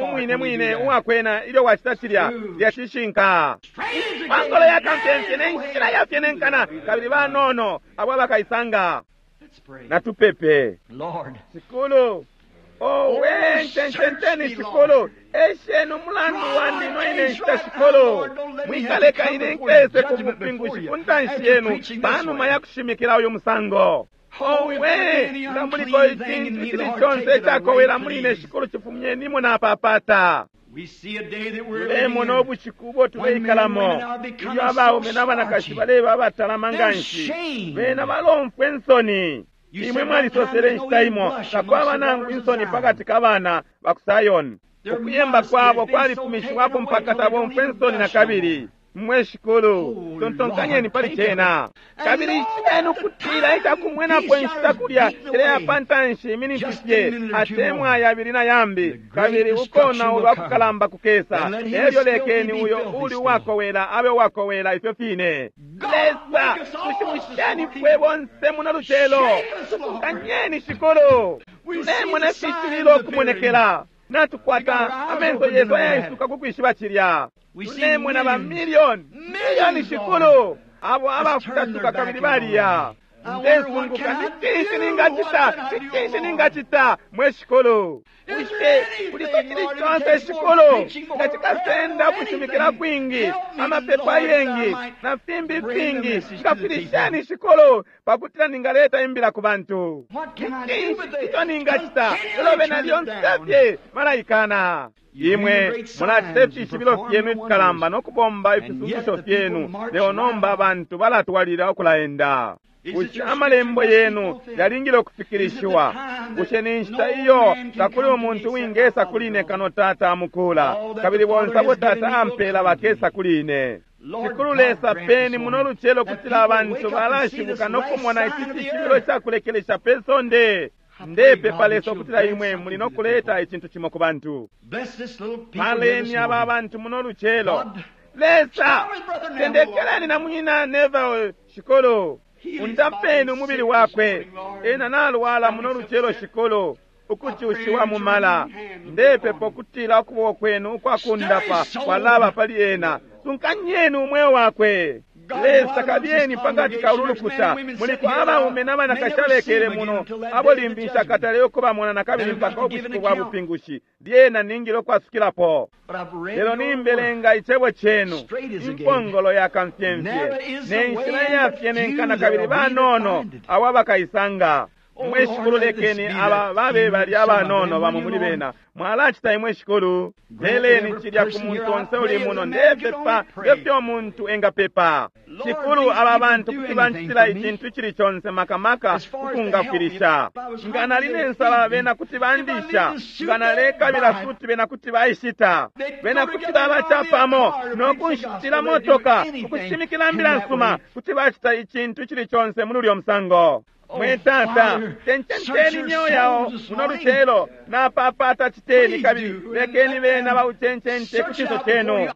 Speaker 1: umwine mwine uwakwena ilyo wacita cilya lya cishinka. Pangolo ya kamfyemfye ne nshila yafyenenkana, kabili banono abo abakaisanga. Natupepe. Shikulu, owe ncencenteni shikulu, esheni umulandu wandi noine nshita shikulu. Mwikaleka ine nkese ku bupingushi ku ntanshi yenu panuma ya kushimikila uyu musango. Owe nga muliko icintu cili conse icakowela muli ine shikulu, chifumyenimo napapata. Tulemona ubushiku ubo tuleikalamo ilyo abaume n'abanakashi baleba abatalama nganshi, bena balomfwa ensoni. Imwe mwalisosele inshita imo takwaba nangu insoni pakati ka bana ba ku Sayoni. Ukuyemba kwabo kwalifumishiwapo mpaka tabomfwa ensoni na kabili. Mwe shikulu, tontonkanyeni pali cena. Kabili ishibeni ukutila icakumwenapo inshita kulya cileya pantanshi iminiti fye atemwa yabili na yambi, kabili ukonaulwa kukalamba kukesa. Elyo lekeni uyo uli uwakowela abe uwakowela ifyo fine. Lesa, tushimusheni fwe bonse muno lucelo. Tusunkanyeni shikulu, tulemona ifishibilo okumonekela. Natukwata amenso yesu ayaisuka kukwishiba cilya. Tulemona ba miliyoni miliyoni shikulu abo abafutatuka kabili baliya. Ndesunguka ni cinshi ningacita, ni cinshi ningacita mwe shikulu? Bushe kuliko cili conse shikulu nga cikasenda ukushimikila kwingi, amapepo ayengi na fimbi fingi? Ngafwilisheni shikulu pakutila ningaleta imbila ku bantu. Ni cinshi ico ningacita? Lelo bena lyonse fye malaikana. Imwe mulacita ifishibilo fyenu ifikalamba nokubomba ifisungusho fyenu, lelo nomba abantu balatwalila ukulaenda. Bushe amalembo yenu yalingile ukufikilishiwa? Bushe ni nshita iyo takuli umuntu wingesa kuli ine kano Tata amukula, kabili bonse abo Tata ampela bakesa kuli ine. Shikulu Lesa, peni muno lucelo kutila abantu balashibuka nokumona ici cishibilo cakulekelesha pe sonde. Ndepepa Lesa ukutila imwe muli nokuleta icintu cimo ku bantu. Paleni aba bantu muno lucelo. Lesa, tendekeleni na munyina Neville shikulu, undapeni umubili wakwe. Ena nalwala muno lucelo shikulu, ukucushiwa mumala. Ndepepa ukutila ukuboko kwenu ukwakundapa kwalaba pali ena. Sunkanyeni umweo wakwe. Lesa, kabyeni pakati ka ululukuta muliko abaume n'abanakashi abekele muno abo limbi nshakatale ukubamona na kabili mpaka ubushiku bwa bupingushi. Lyena ningile ukwasukilapo. Lelo nimbelenga icebo cenu, impongolo ya kamfyemfye ne nshila iyafyenenkana, kabili banono abo abakaisanga. Mwe shikulu, lekeni aba babe bali abanono bamo muli bena. Mwalacita imwe shikulu, peleni cilya ku muntu onse uli muno. Ndepepa ngefyo umuntu engapepa. Shikulu, aba bantu kuti bancitila icintu icili conse, makamaka kukungafwilisha. Nga nali ne nsala, bena kuti bandisha. Nga nalekabila suti, bena kuti baishita. Bena kuti babacapamo nokunshitila motoka, ukushimikila mbila nsuma. Kuti bacita icintu icili conse muli ulyo musango. Mwe Tata, tencenteni imyoyo yao muno lucelo, napapata citeni, kabili lekeni bena baucencente ku cinso cenu.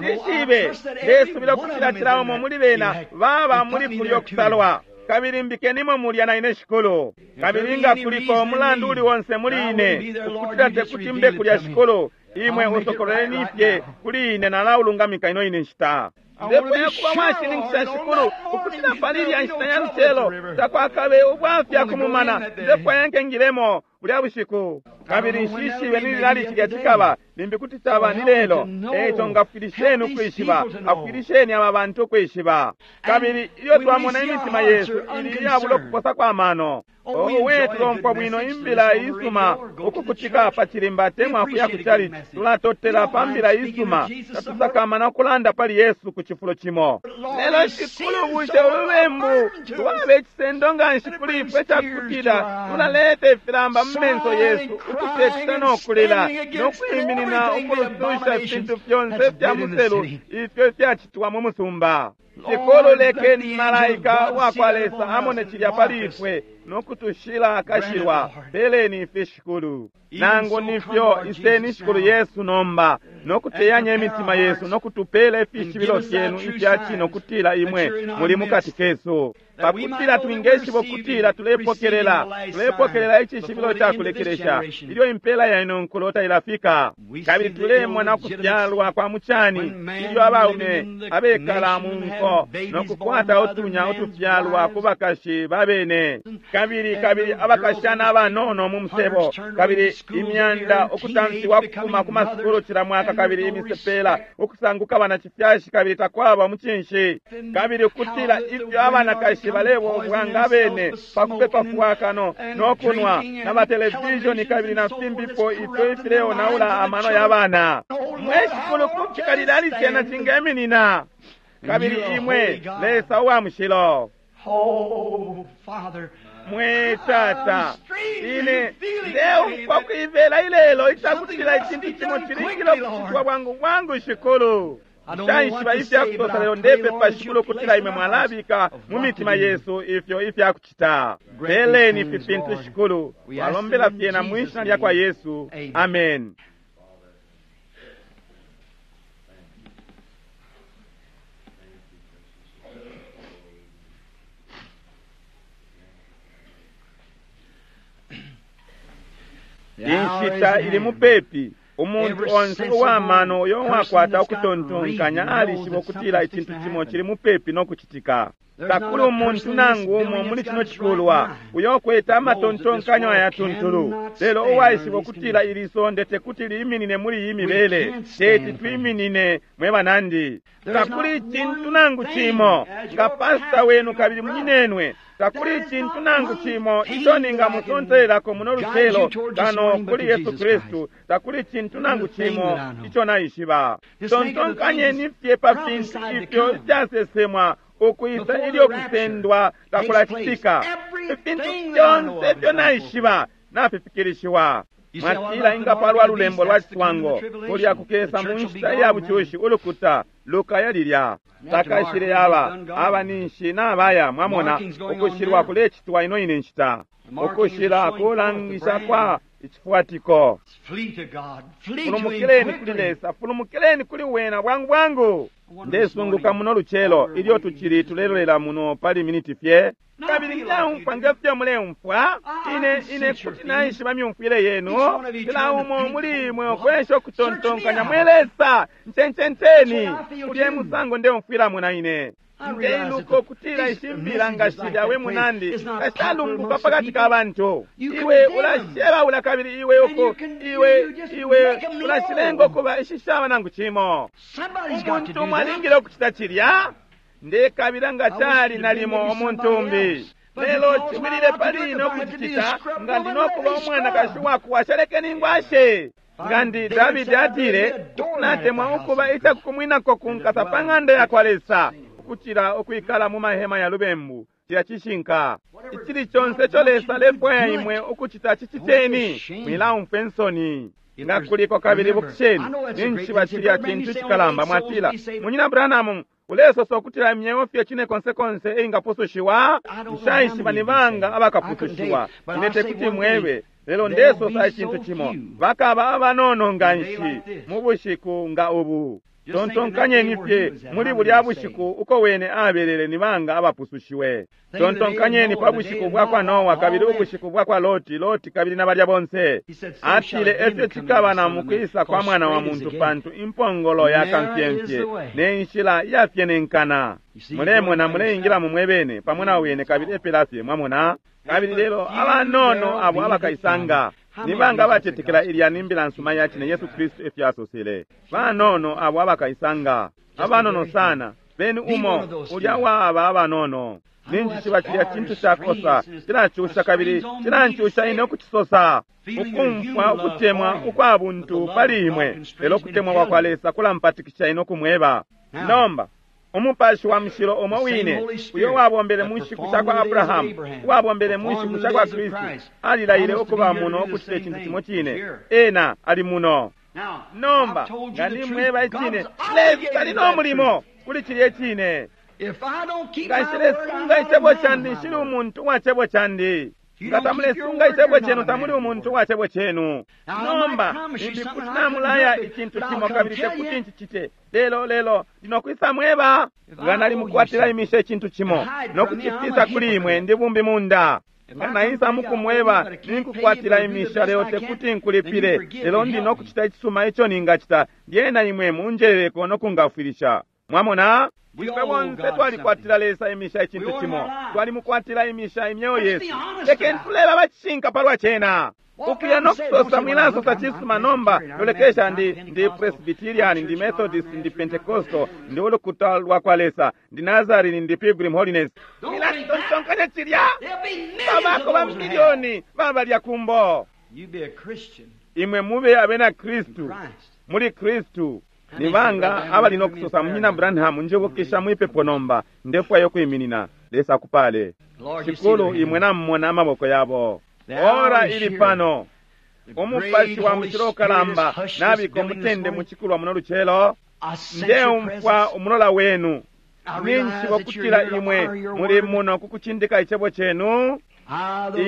Speaker 1: Nshishibe, ndesubila ukutila cila umo muli bena baba muli kulyo kusalwa, kabili mbikenimo mulya na ine shikulu. Kabili nga kuliko umulandu uli onse muli ine ukutila tekuti mbe kulya shikulu, imwe usokololeni fye kuli ine, nalaulungamika ino ine nshita. Ndefwaya kuba washininkisha, Shikulu, ukutila pali ilya nshita ya lucelo takwakabe ubwafya kumumana. Ndefwaya nkengilemo bulya bushiku, kabili nshishibe ni lilali cilya cikaba, limbi kuti caba ni lelo. Eico ngafwilisheni ukwishiba, afwilisheni aba bantu ukwishiba. Kabili ilyo twamona imitima yesu ili iyabula ukuposa kwa mano, owe, tulomfwa bwino imbila isuma ukukutika pa chilimba temwa kuya ku chalichi, tulatotela pa mbila isuma, tatusakamana ukulanda pali Yesu ku chifulo chimo. Lelo Shikulu, bushe ulubembu lwaba icisendo nga nshi kuli ifwe cakutila tulaleta ifilamba mu menso yesu, ukuteta nokulila nokwiminina ukulususha ifintu fyonse fya muselu ifyo ifyacitwa mu musumba. Shikulu, lekeni malaika wakwa Lesa amone cilya pali ifwe nokutushila akashilwa. Peleni ife, Shikulu. Nangu nifyo, iseni Shikulu Yesu nomba nokuteyanya imitima yesu nokutupela ifishibilo fyenu ifya cino kutila imwe muli mukati kesu, pakutila twingeshiba ukutila tulepokelela tulepokelela icishibilo ca kulekelesha ilyo impela ya ino nkulo tailafika. Kabili tulemona ukufyalwa kwa mucani ilyo abaume abekala mu nko nokukwata utunya utufyalwa ku bakashi babene, kabili kabili abakashana abanono mu musebo, kabili imyanda ukutamfiwa kufuma ku masukulu cila mwaka, kabili imisepela ukusanguka banacifyashi, kabili takwaba mucinshi, kabili ukutila ifyo abanakashi balebobwa nga bene pakupepa fwakano nokunwa na batelevishoni kabili na fimbipo ifyo ifileonaula amano ya bana. Mwe Shikulu, kufika lilali cena cingeminina? Kabili imwe Lesa uwa mushilo, mwe Tata, ine ndeumfwa kuivela ilelo icakutila icintu cimo cilingile ukucitwa bwangu bwangu. Shikulu, nshaishiba ifyakusosa, lelo ndepepa, Shikulu, ukutila imwe mwalabika mu mitima yesu ifyo ifyakucita. Peleni ifi fintu, Shikulu, twalombela fyena mwi shina lya kwa Yesu, amen. Inshita ili mupepi. Umuntu onse uwamano uyo wakwata ukutontonkanya alishiba ukutila icintu cimo cili mupepi no kucitika. Takuli umuntu nangu umo muli cino cikulwa uyo ukwete amatontonkanyo ayatuntulu, lelo uwaishiba ukutila ili sonde tekuti liiminine muli iyi mibele. Teti twiminine, mwe banandi. Takuli icintu nangu cimo nga pasita wenu kabili munyinenwe, takuli icintu nangu cimo ico ningamusontelelako muno lucelo kano kuli Yesu Kristu. Takuli icintu nangu cimo ico naishiba. Tontonkanyeni fye pa fintu ifyo ifyasesemwa ukwisa ilyo kusendwa takulacitika. Ifintu fyonse ifyo naishiba nafifikilishiwa. Mwatila ingapalwa lulembo lwa ciswango kulya kukesa mu nshita iya bucushi, ulukuta lukaya lilya takashile yaba aba ninshi nabaya. Mwamona, ukushilwa kulecitwa ino ine nshita, ukushila kulangisha kwa icifuatiko. Fulumukileni kuli Lesa, fulumukileni kuli wena bwangu bwangu. Ndesunguka muno lucelo ilyo tucili tulelolela muno pali miniti fye, kabili ndeumfwa ngefyo muleumfwa. Ine ine kuti naishiba myumfwile yenu, kila umo muli imwe ukwesha ukutontonkanya, mwe Lesa, ncencenteni kulye musango ndeumfwilamo na ine. Ndeiluka ukutila ishimbila nga shilya we munandi kashalumbuka pakati ka bantu. Iwe ulashebaula kabili iwe uko iwe iwe ulashilenga ukuba ishishaba nangu cimo. Umuntu umwe alingile ukucita cilya. Ndekabila nga cali nalimo umuntu umbi, lelo ciwilile pali ine ukucicita. Nga ndinokuba umwanakashi wakuwasha, lekeni ngwashe. Nga ndi Davidi atile, natemwa ukuba icakukumwinako kunkasa pa ng'anda ya kwa Lesa ukucila ukwikala mu mahema ya lubembu. Cilya cishinka. Icili conse ico Lesa alefwaya imwe ukucita, ciciteni, mwilaumfwe nsoni. Nga kuliko kabili bukisheni, ninshi cilya cintu cikalamba. Mwatila, Munyina Branham, ulesosa ukutila imyeo fye cine konse konse eingapusushiwa? Nshaishiba ni banga abakapusushiwa, ine tekuti mwebe, lelo ndesosa icintu cimo, bakaba abanono nga nshi mu bushiku nga ubu. Tontonkanyeni fye muli bulya bushiku uko wene abelele ni banga abapusushiwe. Tontonkanyeni pa bushiku bwa kwa Noa kabili ubushiku bwa kwa Loti, Loti kabili na balya bonse. Atile efyo cikaba na mukwisa kwa mwana wa muntu, pantu impongolo ya kamfyemfye ne nshila iyafyenenkana. Mulemona muleingila mu mwebene pamo na wene kabili epela fye, mwamona. Kabili lelo abanono abo abakaisanga ni banga abacetekela ilya ni mbila nsuma ya cine Yesu Kristu efyo asosele. Banono abo abakaisanga, abanono sana, beni umo ulya wa aba abanono. Ninjishiba cilya cintu cakosa, cilacusha kabili cilancusha ine ukucisosa, ukumfwa ukutemwa ukwa buntu pali imwe, lelo ukutemwa kwa kwa Lesa kulampatikisha ine ukumweba. Nomba Umupashi wa mushilo umo wine uyo wabombele mu nshiku sha kwa Abrahamu, uwabombele mu nshiku sha kwa Kristu, alilaile ukuba muno ukucita icintu cimo cine. Ena ali muno. Nomba nga nimweba icine, Lesa ali no mulimo kuli cilya icine. Nga nshilesunga icebo candi, nshili umuntu uwa cebo candi. Nga tamulesunga icebo cenu, tamuli umuntu uwa cebo cenu. Nomba limbi kuti namulaya icintu cimo kabili tekuti ncicite, lelo lelo ndinokwisa mweba. Nga nalimukwatila imisha icintu cimo nokucifisa kuli imwe, ndi bumbi munda. Nga naisa mukumweba ninkukwatila imisha, lelo tekuti nkulipile, lelo ndi nokucita icisuma ico ningacita, lyena imwe munjeleleko nokungafwilisha. Mwamona? Ifwe bonse twalikwatila Lesa imisha icintu cimo, twalimukwatila imisha imyeo yesu. Lekeni tuleba abacishinka palwa cena. Ukuya nokusosa mwilasosa cisuma nomba, lolekesha, ndi ndi Presbyterian, ndi Methodist, ndi Pentecostal, ndi ulukuta lwa kwa Lesa, ndi Nazarene, ndi Pilgrim Holiness. Mwilatontonkanya cilya. Babako ba milioni babalya kumbo. Imwe mube abena Kristu, muli Kristu. Ni banga abali nokusosa, Munyina Branham, njibukisha mwipepo nomba, ndefwayo kwiminina. Lesa akupale. Shikulu, imwe namumona amaboko yabo. Ora ili pano. Umupashi wa mushilo ukalamba nabika umutende muchikulwa muno lucelo. Ndeumfwa umulola wenu. Ninjishiba ukutila imwe muli muno kukucindika icebo cenu.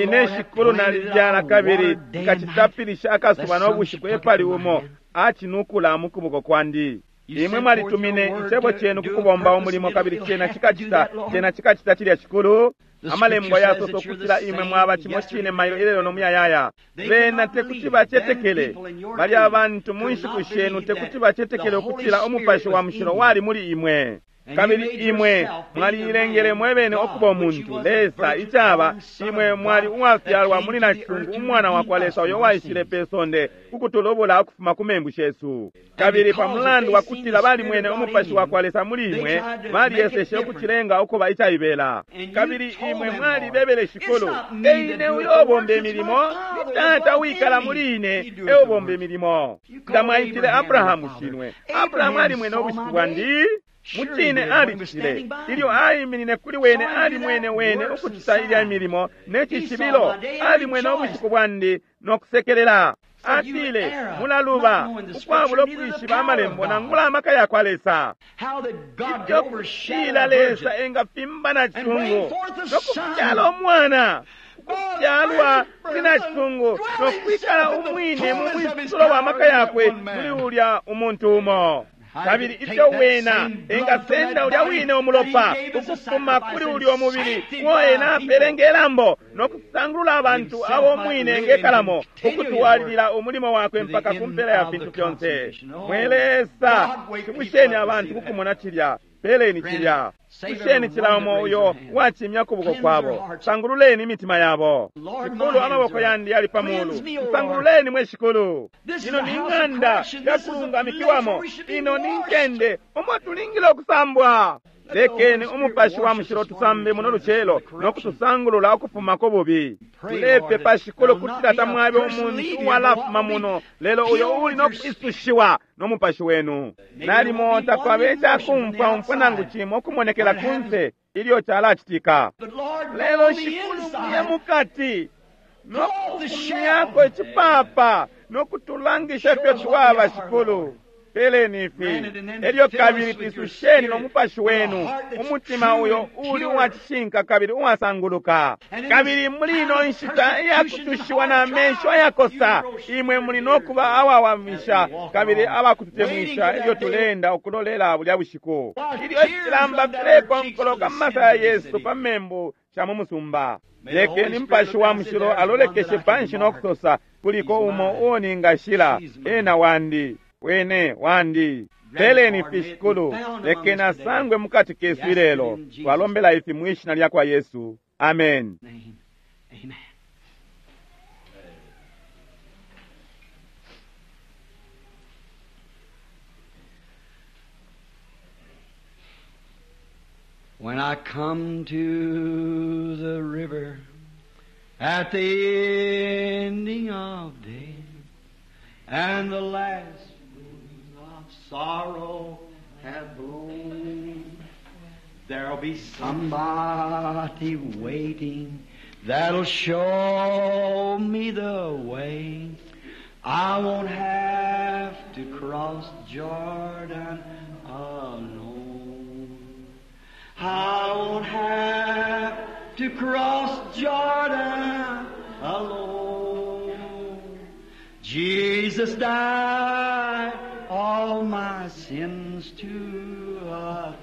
Speaker 1: Ine shikulu nalibyala kabili nkacitapilisha akasuba nobushiku epali umo acinukula mukuboko kwandi. Imwe mwalitumine icebo cenu kukubomba umulimo kabili cena cikacita, cena cikacita cilya shikulu. Amalembo yasosa ukutila imwe mwaba cimo cine mailo ilelo nomuyayaya. Bena tekuti bacetekele, bali abantu mu nshiku shenu tekuti bacetekele ukutila umupashi wa mushilo wali muli imwe. Kabili imwe mwaliilengele mwebene okuba umuntu Lesa icaba imwe mwali uwafyalwa muli nacisungu umwana wa kwa Lesa uyo waishile pe sonde kukutulubula ukufuma ku membu shesu. Kabili pa mulandu wa kutila balimwene umupashi wa kwa Lesa muli imwe, baliyeseshe ukucilenga ukuba icaibela. Kabili imwe mwalibebele shikulu, eine uyo ubomba imilimo, ni Tata uwikala muli ine eubomba imilimo. Nga mwaitile Abrahamu shinwe, Abrahamu alimwene ubushiku bwandi. Mucine alicitile ilyo aiminine kuli wene, alimwene wene ukucita ilya milimo ne cishibilo, alimwene ubushiku bwandi nokusekelela. Atile, mulaluba ukwabula ukwishiba amalembo nangula amaka ya kwa Lesa. Ifyo kutila Lesa engafimba na cisungu nokufyala umwana, ukufyalwa kuli na cisungu nokwikala umwine mu mwisulo wa maka yakwe muli ulya umuntu umo. Kabili ifyo wena engasenda ulya wine umulopa ukufuma kuli ulya umubili uo ena apele ngelambo nokusangulula abantu abo mwine ngekalamo ukutwalilila umulimo wakwe mpaka ku mpela ya fintu fyonse. Mwe Lesa, shibusheni abantu kukumona cilya, peleni cilya. Kusheni cila umo uyo wacimya kuboko kwabo, sangululeni imitima yabo. Shikulu, amaboko yandi yali pa mulu, sangululeni mwe shikulu. Ino ni ng'anda yakulungamikiwamo, ino ni ncende umo tulingile ukusambwa. Lekeni umupashi wa mushilo tusambe muno lucelo nokutusangulula ukufuma ku bubi. Tulepepa shikulu kutila tamwabe umuntu uwalafuma muno, lelo uyo uli nokuisushiwa no mupashi wenu. Nalimo takwabe icakumfwa umfwa nangu cimo ukumonekela kunse ilyo calacitika, lelo shikulu muye mukati nokufumyako icipapa nokutulangisha ifyo twaba shikulu. Peleni ifi. Elyo kabili twisusheni no Mupashi wenu, umutima uyo uli uwacishinka kabili uwasanguluka. Kabili muli ino nshita iyakutushiwa na mesho ayakosa, imwe muli no kuba awawamisha kabili abakututemwisha ilyo tuleenda ukulolela bulya bushiku. Ilyo ifilamba filekonkoloka mu masaya yesu pa membu sha mu musumba. Lekeni Mupashi wa Mushilo alolekeshe panshi no kusosa, kuliko umo uo ningashila, ena wandi, wene wandi. Peleni ifi Shikulu, lekeni asangwe mukati kesu ilelo. Twalombela ifi mwishina lya kwa Yesu. Amen.
Speaker 2: Amen. When I come to the river at the ending of day, and the last winds of sorrow have blown, there'll be somebody waiting that'll show me the way. I won't have to cross Jordan alone. I won't have to cross Jordan alone. Jesus died all my sins to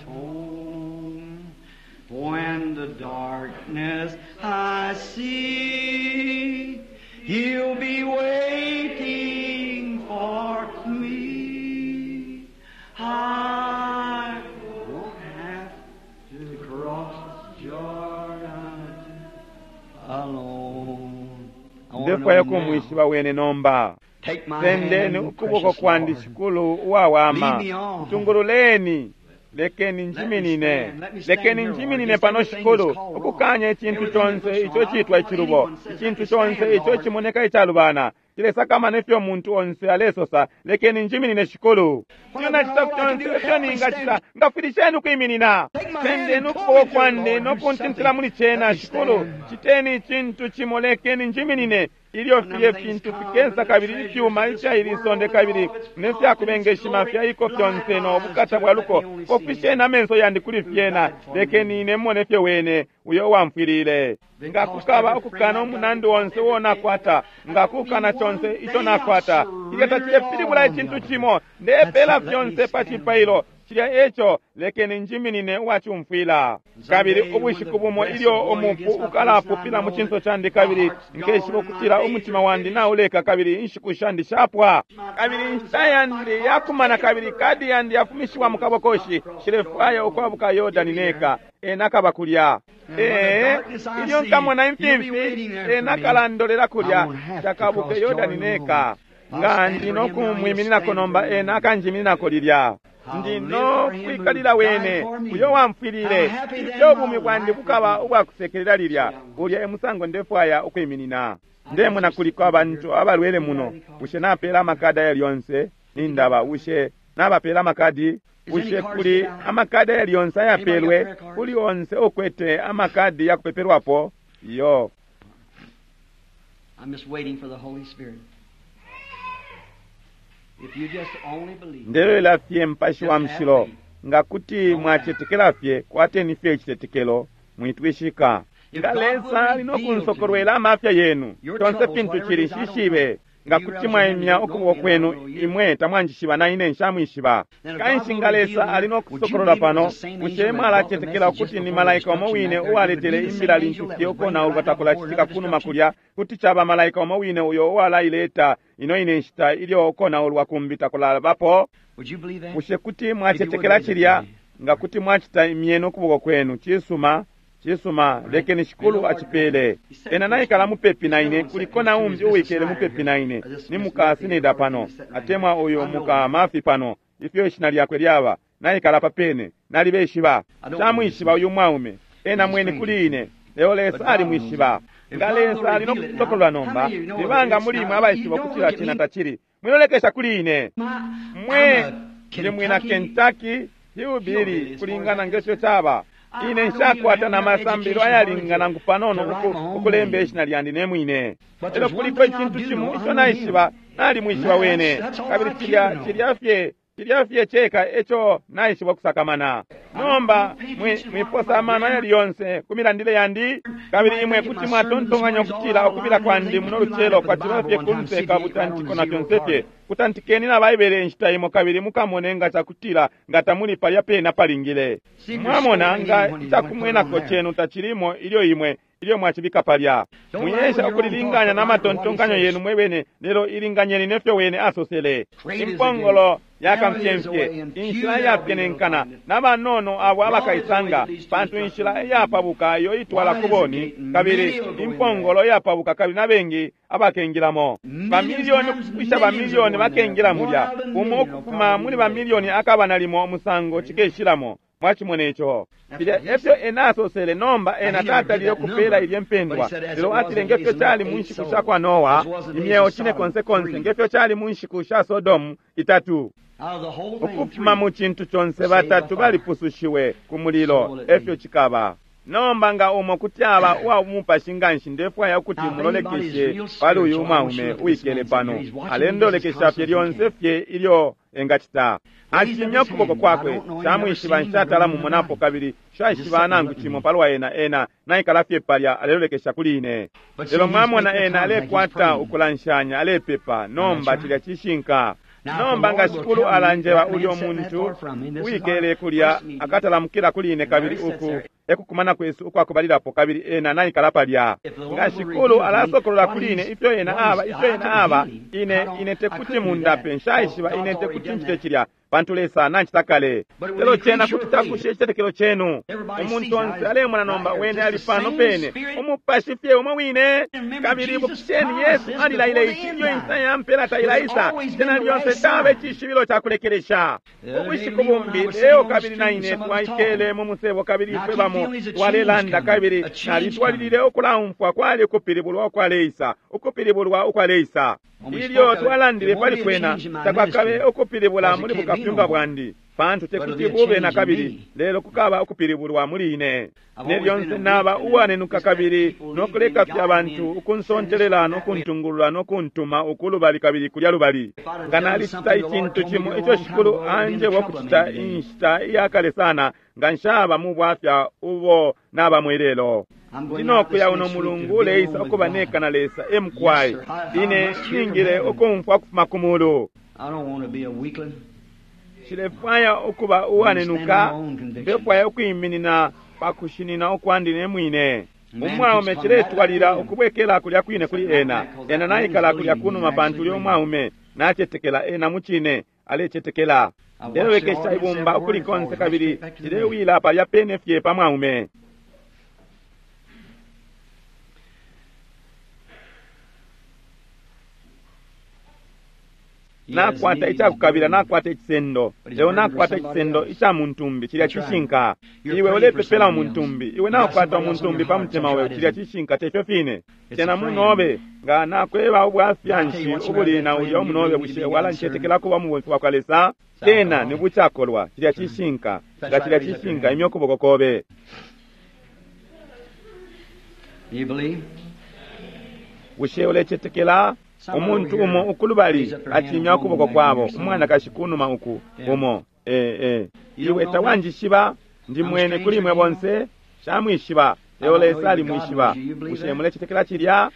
Speaker 2: atone. When the darkness I see, He'll be waiting for me. I won't have to cross Jordan alone. I wanna
Speaker 1: Ndefwaya
Speaker 2: know now.
Speaker 1: kumwishiba wene nomba.
Speaker 2: Take my
Speaker 1: Sendeni
Speaker 2: hand,
Speaker 1: ukuboko
Speaker 2: precious
Speaker 1: kwandi
Speaker 2: Lord.
Speaker 1: Shikulu uwawama.
Speaker 2: Lead me on.
Speaker 1: Tungululeni. Lekeni njiminine. Lekeni njiminine pano Shikulu, ukukanya icintu conse ico citwa icilubo, icintu conse ico cimoneka icalubana. Cilesakamana ifyo muntu onse alesosa, lekeni njiminine Shikulu. Iyo nacita fyonse ifyo ningacita, ngafwilisheni ukwiminina. Sendeni ukuboko kwandi no kuntintila muli cena Shikulu. Citeni icintu cimo, lekeni njiminine. Ilyo filye fintu fikesa kabili ifyuma ifya ili sonde kabili nefyakubengeshima fyaiko fyonse no bukata bwa luko, kofisheni amenso yandi kuli fyena, lekeni ine mone fye wene uyo wamfwilile. Nga kukaba ukukana umunandi onse uo nakwata, nga kukana conse ico nakwata, ilyo tacilepilibula icintu cimo, ndepela fyonse pa cipailo. Cilya eco lekeni njiminine uwacumfwila. Kabili ubushiku bumo ilyo umupu ukalapupila mu cinso candi kabili nkeshiba ukutila umutima wandi nauleka kabili inshiku shandi shapwa. Kabili inshita yandi yakumana kabili kadi yandi yafumishiwa mu kabokoshi, nshilefwaya ukwabuka Yordani neka. Ena akaba kulya. Ee, ilyo nkamona imfimfi, ena akalandolela kulya, nshakabuke Yordani neka. Nga ndi no kumwimininako nomba, ena akanjimininako lilya. Ndi no kwikalila wene uyo wamfwilile. Ifyo ubumi bwandi bukaba ubwakusekelela lilya. Ulya e musango ndefwaya ukwiminina. Ndemona kuliko abantu abalwele muno. Bushe napela amakadi ayali yonse? Nindaba, bushe nabapela amakadi? Bushe kuli amakadi ayali yonse ayapelwe? Kuli onse ukwete amakadi yakupepelwapo? Iyo.
Speaker 2: I'm just waiting for the Holy Spirit. If you just only believe.
Speaker 1: Ndelolela fye Mupashi wa Mushilo. Nga kuti mwacetekela fye, kwateni fye icitetekelo, mwitwishika. Nga Lesa ali no kunsokolwela amafya yenu, tonse fintu cili nshishibe. Nga kuti mwaimya ukuboko kwenu, imwe tamwanjishiba na ine nshamwishiba. Kanshi nga Lesa ali no kusokolola pano, bushe mwalacetekela ukuti ni malaika umo wine uwaletele imbila lintu fye ukonaulwa takulacitika kunuma kulya, kuti caba malaika umo wine uyo uwalaileta ino ine nshita ilyo ukonaulwa kumbi takulabapo?
Speaker 2: Would you believe that?
Speaker 1: Bushe kuti mwacetekela cilya? Nga kuti mwacita imyeni ukuboko kwenu, cisuma, cisuma, lekeni Shikulu acipele. Ena naikala mupepi na ine, kuliko na umbi uwikele mupepi na ine, ni muka Sinida pano, atemwa uyu muka Mafi pano, ifyo ishina lyakwe lyaba, naikala papene, nalibeshiba. Nshamwishiba uyu mwaume, ena mwene kuli ine, lelo Lesa alimwishiba. Nga Lesa ali no kusokolola nomba, nibanga muli imwe abaishiba ukutila cena tacili, mwilolekesha kuli ine. Mwe ndi mwina Kentucky hillbilly kulingana ngefyo caba. Ine nshakwata na masambilo ayalingana nangu panono uku, ukulemba ishina lyandi ne mwine. Lelo kuliko icintu cimo ico naishiba, nalimwishiba wene. Kabili cilya cilya fye Cilya fye ceka eco naishiba kusakamana. Nomba mwiposa amano ayali yonse ku milandile yandi, kabili imwe kuti mwatontonkanya ukutila ukubila kwandi muno lucelo kwaciba fye kunse ka butantiko na fyonse fye. Kutantikeni na Baibele inshita imo kabili mukamone nga cakutila nga tamuli palya pena palingile. Mwamona nga icakumwenako chenu tachilimo ilyo imwe ilyo mwachibika palya. Mwiesha ukulilinganya na matontonkanyo yenu mwebene, lelo ilinganyeni nefyo wene asosele. Impongolo yakamfyemfye, inshila iyapyenenkana, n'abanono abo abakaisanga, pantu inshila iyapabuka iyo itwala ku boni, kabili impongolo iyapabuka kabili n'abengi abakengilamo. Bamilioni ukupwisha bamilioni bakengila mulya, umo ukufuma muli bamilioni akaba nalimo umusango cikeshilamo. Mwachimone ico. Filya efyo ena asosele. Nomba ena tatalile ukupela ilye mpendwa, lelo atile ngefyo cali mu nshiku sha kwa Noa imyeo cine konse konse, ngefyo cali mu nshiku sha Sodomu itatu. Ukufuma mu cintu conse batatu balipusushiwe ku mulilo, efyo cikaba. Nomba nga umo kuti aba uwa mupashi nganshi, ndefwaya ukuti mulolekeshe pali uyu mwaume uwikele pano. Alendolekesha fye lyonse fye ilyo engacita. Acimya ukuboko kwakwe, shamwishiba, nshatala mumonapo kabili shaishiba nangu cimo palwa ena. Ena naikala fye palya alelolekesha kuli ine. Lelo mwamona ena alekwata ukulanshanya, alepepa. Nomba cilya cishinka. Nomba nga Shikulu alanjeba ulyo muntu wikele kulya akatalamukila kuli ine, kabili uku ekukumana kwesu ukwakubalilapo, kabili ena naikala palya. Nga Shikulu alasokolola kuli ine ifyo ena aba, ifyo ena aba, ine ine tekuti mundape, nshaishiba, ine tekuti ncite cilya, pantu Lesa nancita kale. Lelo cena kuti takushe icitetekelo chenu. Umuntu onse alemona nomba wene ali pano pene, umupashi fye umo wine. Kabili ibukisheni, Yesu alilaile ici ilyo inshita ya mpela tailaisa. Cena lyonse caba icishibilo ca kulekelesha. Ubushiku bumbi leo kabili na ine twaikele mu musebo, kabili ifwe bamo twalelanda, kabili nalitwalilile ukulaumfwa kwali ukupilibulwa ukwaleisa, ukupilibulwa ukwaleisa. Ilyo twalandile pali kwena, takwakabe ukupilibula muli bukapyunga bwandi, pantu tekuti bube na kabili, lelo kukaba ukupilibulwa muli ine. Ne lyonse naba uwanenuka kabili nokuleka fye abantu ukunsontelela nokuntungulula nokuntuma uku lubali kabili kulya lubali. Nga nalicita icintu cimo ico Shikulu anjeba ukucita inshita iyakale sana, nga nshaba mu bwafya ubo naba mwilelo. Ndinokuya uno mulungu uleisa ukuba neka na Lesa emukwai. Ine ningile ukumfwa ukufuma ku mulu. Nshilefwaya ukuba uwanenuka, ndefwaya ukwiminina pakushinina ukwandi ne mwine. Umwaume ciletwalila ukubwekela kulya kwine kuli ena. Ena naikala kulya kunuma pantu ulyo mwaume nacetekela ena mucine alecetekela. Ndelolekesha ibumba ukuli konse kabili cilewila palya pene fye pa mwaume. Nakwata icakukabila, nakwata icisendo, lelo nakwata icisendo ica muntumbi. Cilya cishinka. Iwe ulepepela umuntumbi, iwe nakwata umuntumbi pa mutima wewe. Cilya cishinka, tefyo fine. Cena munobe nga nakweba ubwafya nshi ubuli na ulya umunobe, bushe walancetekela kuba mubomfi wa kwa Lesa? Tena ni bucakolwa. Cilya cishinka. Nga cilya cishinka, imya ukuboko kobe. Bushe ulecetekela? Umuntu umo ukulubali acimya ukuboko kwabo, umwanakashi kunuma uku umo. Eh eh, iwe tawanjishiba, ndi mwene kuli mwe bonse, shamwishiba, lelo Lesa alimwishiba. Bushe mulecetekela cilya?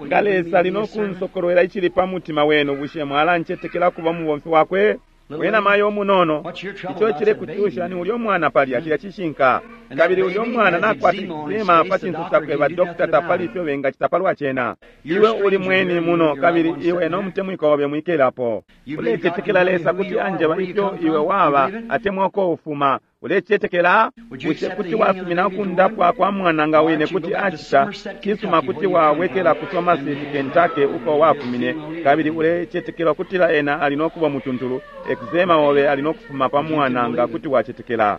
Speaker 1: Nga Lesa ali nokunsokolwela icili pa mutima wenu, bushe mwalancetekela kuba mubomfi wakwe? Wena mayo umunono, ico cilekucusha ni ulyo mwana palya. Cilya cishinka. Kabili ulyo mwana nakwata eczema pa cinso cakwe, ba dokita tapali ifyo bengacita palwa cena. Iwe uli mweni muno, kabili iwe no mutemwiko obe mwikelapo. Ulecetekela Lesa kuti anjeba ifyo iwe waba atemwa uko ufuma? Ulecetekela? Bushe kuti wasumina ukundapwa kwa mwana nga wene kuti acita cisuma? Kuti wawekela ku Somerset, Kentucky, uko wafumine, kabili ulecetekela ukutila ena ali nokuba mutuntulu? Eczema obe ali nokufuma pa mwana nga kuti wacetekela.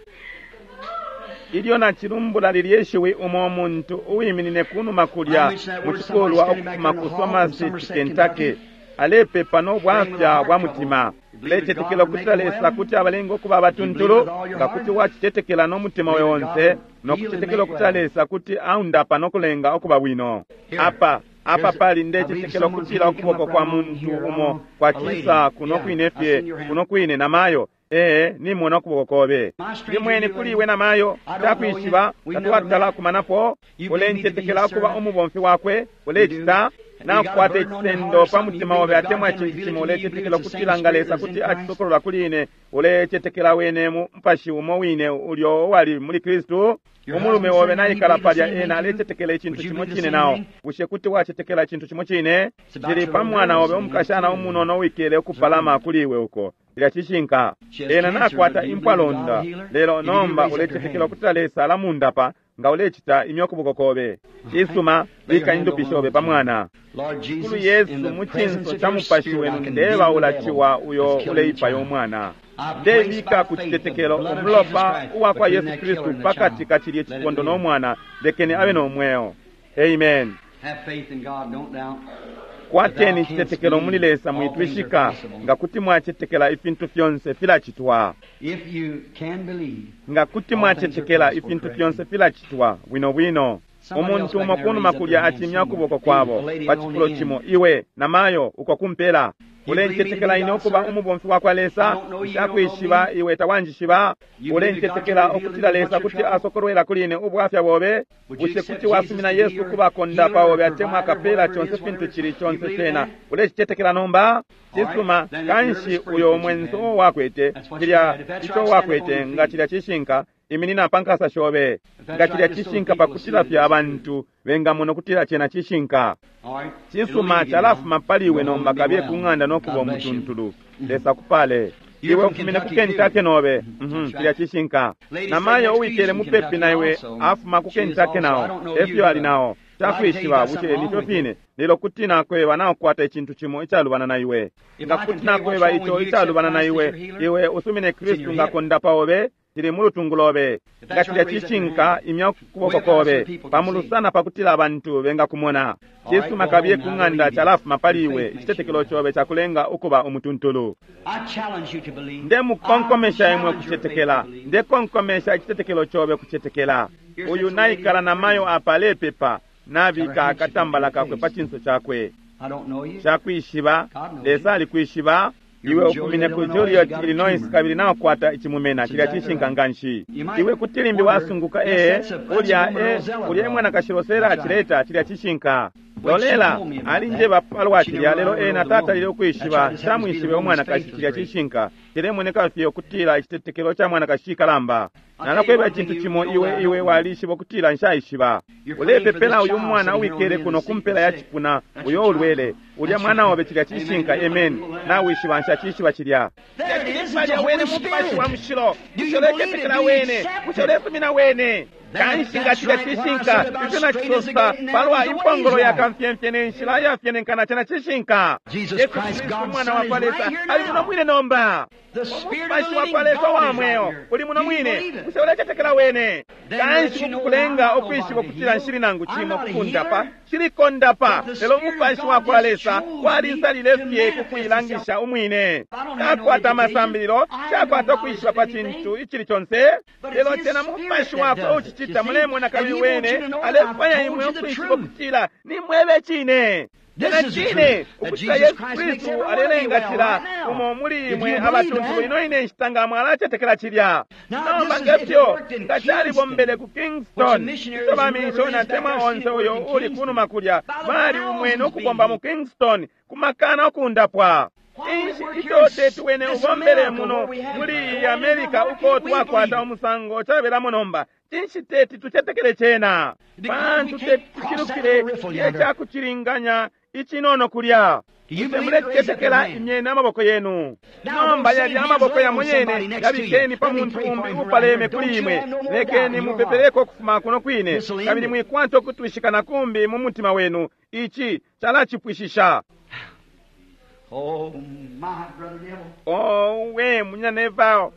Speaker 1: Ilyo nacilumbula lilye shiwi, umo muntu uwiminine kunuma kulya mu cikulwa ukufuma ku Somerset, Kentucky, alepepa no bwafya bwa mutima. Ulecetekela ukutila Lesa kuti abalenga ukuba abatuntulu? Nga kuti wacicetekela no mutima we onse, no kucetekela ukutila Lesa kuti aundapa no kulenga ukuba bwino. Apa Apa pali ndecetekela ukutila ukuboko kwa muntu umo kwacisa kuno kwine fye, kuno kwine namayo. Ee, nimona ukuboko kobe. Ndimweni kuli iwe namayo, takwishiba, tatwatala kumanapo. Ulencetekela ukuba umubomfi wakwe, ulecita nakukwata icisendo pa mutima obe atemwa icintu cimo, ulecetekela ukutila nga Lesa kuti acisokolola kuli ine, ulecetekela wene mu mupashi umo wine ulyo uwali muli Kristu. Umulume obe naikala palya, ena alecetekela icintu cimo cine nao. Bushe kuti wacetekela icintu cimo cine? Cili pa mwana obe umukashana umunono wikele ukupalama kuli iwe uko. Cilya cishinka. Ena nakwata impwalonda, lelo nomba ulecetekela ukutila Lesa alamundapa. Nga ulecita imya ukuboko kobe. Cisuma, bika indupi shobe pa mwana. Kulu Yesu, mu cinso ca mupashi wenu ndeba ulaciwa uyo uleipaya umwana. Ndebika ku citetekelo umulopa uwa kwa Yesu Kristu pakati ka cilye cipondo no mwana, lekeni abe no mweo. Amen. Kwateni icitetekelo muli Lesa, mwitwishika. Nga kuti mwacetekela, ifintu fyonse filacitwa. Nga kuti mwacetekela, ifintu fyonse filacitwa bwino bwino. Umuntu umo kunuma kulya acimya ukuboko kwabo pa cifulo cimo, iwe namayo uko kumpela. Ulencetekela ine ukuba umubomfi wa kwa Lesa? Nshakwishiba iwe, tawanjishiba. Ulencetekela ukutila Lesa kuti asokolwela kuli ine ubwafya bobe? Bushe kuti wasumina Yesu kuba kondapa obe atemwa akapela conse fintu cili conse cena? Ulecicetekela nomba? Cisuma, kanshi uyo mwenso wakwete cilya ico wakwete, nga cilya cishinka, iminina pa nkasa shobe. Nga cilya cishinka, pakutila fye abantu bengamona ukutila cena cishinka. Cisuma, calafuma pali iwe nomba, kabiye ku ng'anda no kuba umutuntulu. Lesa kupale. Iwe ufumine ku Kentucky nobe. Mhm, cilya cishinka. Namayo uwikele mupepi na iwe afuma ku Kentucky nao. Efyo ali nao. Takwishiba, bushe nifyo fine? Lelo kuti nakweba nakukwata icintu cimo icalubana na iwe. Nga kuti nakweba ico icalubana na iwe, iwe usumine Kristu nga kondapa obe, cili mulutungu lobe. Nga cilya cishinka, imya ukuboko kobe pamulusana pakutila abantu bengakumona. Cisuma, kabiye ku ng'anda, calafuma pali iwe. Icitetekelo cobe cakulenga ukuba umutuntulu. Ndemukonkomesha imwe kucetekela. Ndekonkomesha icitetekelo cobe kucetekela. Uyu naikala namayo apa alepepa, nabika akatambala kakwe pa cinso cakwe. Cakwishiba, Lesa alikwishiba. Iwe ufumine ku Joliet, Illinois, kabili nakukwata icimumena. Cilya cishinka nganshi. Iwe kuti limbi wasunguka, ee, ulya e ulya emwanakashi Rosella acileta. Cilya cishinka. Lolela alinjeba palwa cilya, lelo ena tatalile ukwishiba. Nshamwishibe umwanakashi. Cilya cishinka. Cilemoneka fye ukutila icitetekelo ca mwanakashi cikalamba. Nalakweba icintu cimo, iwe iwe walishiba ukutila nshaishiba. Ulepepela uyu mwana uwikele kuno kumpela ya cipuna, uyo ulwele. Ulya mwana obe. Cilya cishinka. Amen. Nawishiba nshacishiba cilya. Palya wene mupashi wa mushilo. Bushe uletetekela wene? Bushe ulesumina wene? Kanshi nga cilya cishinka, ifyo nacisosa palwa impongolo ya kamfyemfye ne nshila yafyenenkana, cena cishinka. Yesu Kristu umwana wa kwa Lesa ali muno mwine nomba. Umupashi wa kwa Lesa wa mweo uli muno mwine. Bushe ulecetekela wene? Kanshi kukulenga ukwishiba ukutila nshili nangu cimo kukundapa, shilikondapa, lelo umupashi wa kwa Lesa walinsalile fye kukuilangisha umwine. Takwata amasambililo, takwata ukwishiba pa cintu icili conse, lelo cena mupashi wakwe ucicita. Mulemona, kabili wene alefwaya imwe ukwishiba ukutila nimwebe cine. Cena cine ukutila Yesu Kristu alelenga cila umo muli imwe abatuntulu ino ine nshita nga mwalacetekela cilya. Nomba ngefyo nga calibombele ku Kingston, ico bamishoni atemwa onse uyo uli kunuma kulya bali umwene ukubomba mu Kingston kumakana ukundapwa. Inshi ico teti wene ubombele muno muli iyi America uko twakwata umusango cabelamo nomba? Cinshi teti tucetekele cena? Pantu teti tucilukile icakucilinganya icinono kulya. Bushe mulecetekela? Imyeni amaboko yenu nomba. Yali amaboko yamo yene yabikeni pa muntu umbi upaleme kuli imwe. Lekeni mupepeleko kufuma kuno kwine, kabili mwikwata ukutwishika na kumbi mu mutima wenu. Ici calacipwishisha.
Speaker 2: Oh, my brother Neville.
Speaker 1: Oh, we munyina Neville,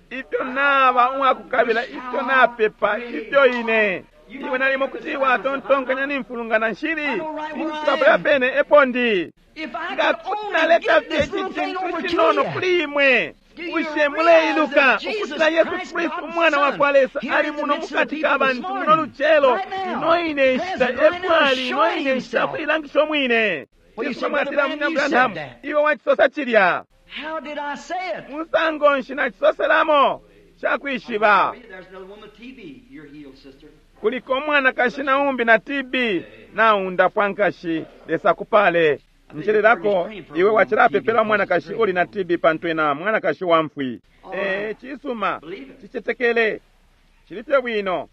Speaker 1: ifyo naba uwakukabila, ifyo napepa, ifyo ine iwe nalimo kuti watontonkanya nimfulungana, nshili ninshikapula pene epo ndi.
Speaker 2: If I
Speaker 1: Nga
Speaker 2: could
Speaker 1: kuti
Speaker 2: only
Speaker 1: naleta
Speaker 2: get
Speaker 1: fye
Speaker 2: this little thing
Speaker 1: ici
Speaker 2: over
Speaker 1: cintu
Speaker 2: to
Speaker 1: cinono
Speaker 2: you.
Speaker 1: kuli imwe. Bushe muleiluka ukutila Yesu Kristu umwana wa kwa Lesa ali muno mukati ka bantu muno lucelo, ino ine nshita epwali, ino ine nshita kuilangisha umwine. Yesu mwatila munya Branham, iwe wacisosa cilya. Musango nshi nacisoselamo? Shakwishiba. Kuliko umwanakashi na umbi na T B naundapwa nkashi, Lesa kupale. Njelelako iwe wacilapepela umwanakashi uli na T B pantu ena mwanakashi wa mfwi. Eh, cisuma, cicetekele, cilifye bwino.